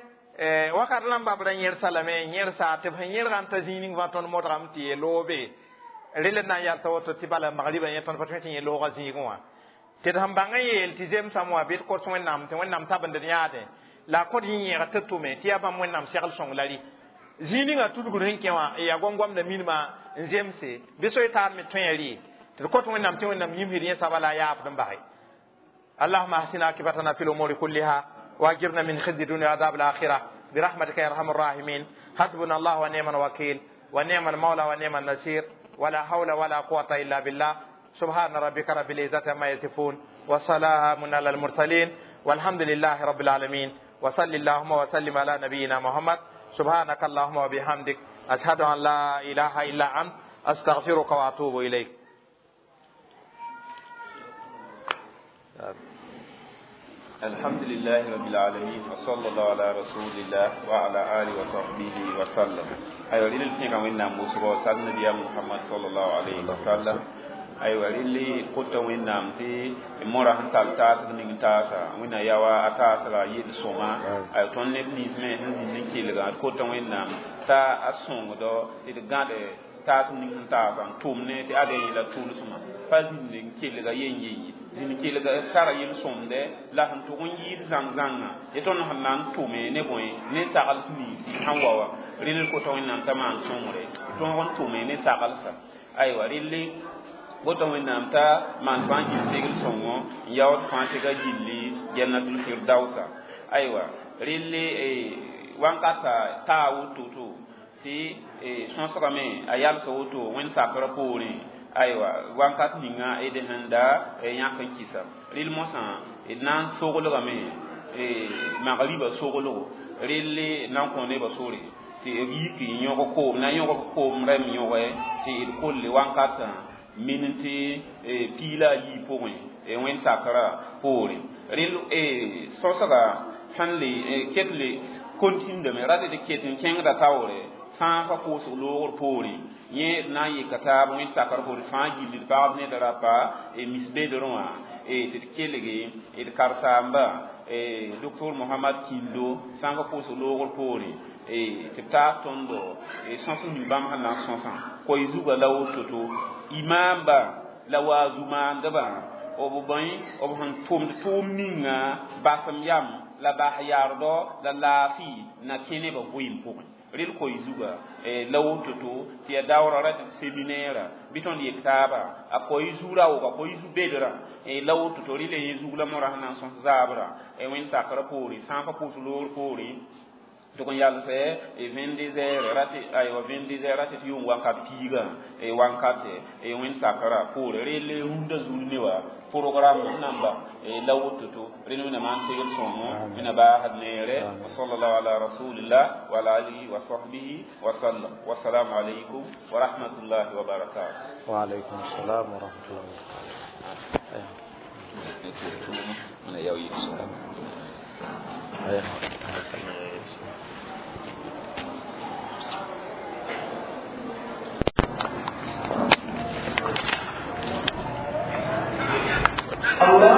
wakat rãmba b ra yẽrsa lame yẽrsa tɩ b sẽn yẽrga n ta zĩig ning fãa tõnd modgame tɩ yeel loobe relle na n yalsa woto tɩ bala magribã yẽ tõnd pa tõe tɩ yẽ loogã zĩigẽ wã tɩ d sẽn bãng n yeel tɩ zemsame wã bɩ d kos Wẽnnaam tɩ Wẽnnaam tabend d yãade la a kõt yĩ-yẽgd tɩ tʋme tɩ yaa bãmb Wẽnnaam segl sõng la rɩ zĩig ninga tudgr sẽn kẽ wã yaa gom-gomda minimã n zemse bɩ so y taar me tõe rɩ tɩ d kõt Wẽnnaam tɩ Wẽnnaam yĩmsd yẽ saba la a yaafd n base. اللهم احسن عاقبتنا في الامور كلها واجرنا من خزي الدنيا وعذاب الاخره برحمتك يا ارحم الراحمين. حسبنا الله ونعم الوكيل ونعم المولى ونعم النصير ولا حول ولا قوه الا بالله. سبحان ربك رب العزه عما يصفون وسلام على المرسلين والحمد لله رب العالمين. وصل اللهم وسلم على نبينا محمد. سبحانك اللهم وبحمدك اشهد ان لا اله الا انت استغفرك واتوب اليك. الحمد لله رب العالمين وصلى الله على رسول الله وعلى آله وصحبه وسلم. أيوة للي فيك وين ناموس سال النبي محمد صلى الله عليه وسلم. أيوة للي قلت وين نام في مرة هنتال تاس من تاسا وين يوا أتاس لا يد سوما. أيوة تون نبني اسمه هنزين كيلغا قلت وين نام تا أسونغ دو تلقى taas ning sẽn taasa n tʋm ne tɩ ade la tʋʋlsmã pa zĩnd n kelga yen yen ye zĩnd kelga tara yel-sõmde la sẽn tʋg n yɩɩd zãng-zãngã ye tõnd sẽn na n tʋme ne bõe ne sagls ninsi sẽn wa wa rel kota Wẽnnaam t'a maan sõngre tõog n tʋme ne saglsa aywa relle woto Wẽnnaam t'a maan fãa gil segl sõngo n yaood fãa tɩ ka gilli jannatul firdausa aywa relle wãnkata taa woto-to tɩ sõsgame a yalsa woto wẽnd sakrã poorẽ aywa wãnkat ninga d sẽn da yãk n kɩsa rel mosã d na n soglgame magribã soglgo relle na n kõ nebã sore tɩ b yik n yõg koom na yõg koom rɛm yõge tɩ d kolle wãnkatã min tɩ piila a yii pʋgẽ wẽnd sakrã poorẽ rel sõsga sẽn le ket le kontindame rat d ket n kẽngda taoore fãa fa koosg loogr poorẽ yẽ na n yɩka taab wẽnd sakr poore fãa gilli d pagb ned rapa misbedrẽ wã tɩ d kelge d karsaamba docteur Mohamad Kindo sã n fa koosg loogr poorẽ tɩ b taas tõndo sõs ning bãmb sẽn na n sõsã koy zugã la woto-to imaamba la waazu-maandbã b bõe b sẽn tʋmd tʋʋm ninga basem yam la bas yaardɔ la laafɩ na kẽ nebã vɩɩm pʋgẽ rel koy zuga la woto-to tɩ ya daoora ra seminaire bɩ tõnd yek taaba a koy zuura woga koy zu bedrã la woto-to rɩla yẽ zug la morã sẽn na n sõs zaabrã wẽnd sakrã poorẽ sã n pa pʋʋs loogr poorẽ tɩg n yalsɛ 22 heures ratɩ aywa 22 heures ratɩ tɩ yʋʋm wakat piigã wankate wẽnd sakrã poore rel rũndã zur ne wa programme namba la woto-to rẽnd Wẽnnaam n segl sõngo wẽnna baasd neere wa sallallahu ala rasulillah wa ala alihi wa sahbihi wa sallam. Wassalamu alaykum wa rahmatullahi wa barakatuh. Wa alaykum assalam wa rahmatullahi wa barakatuh. Allah.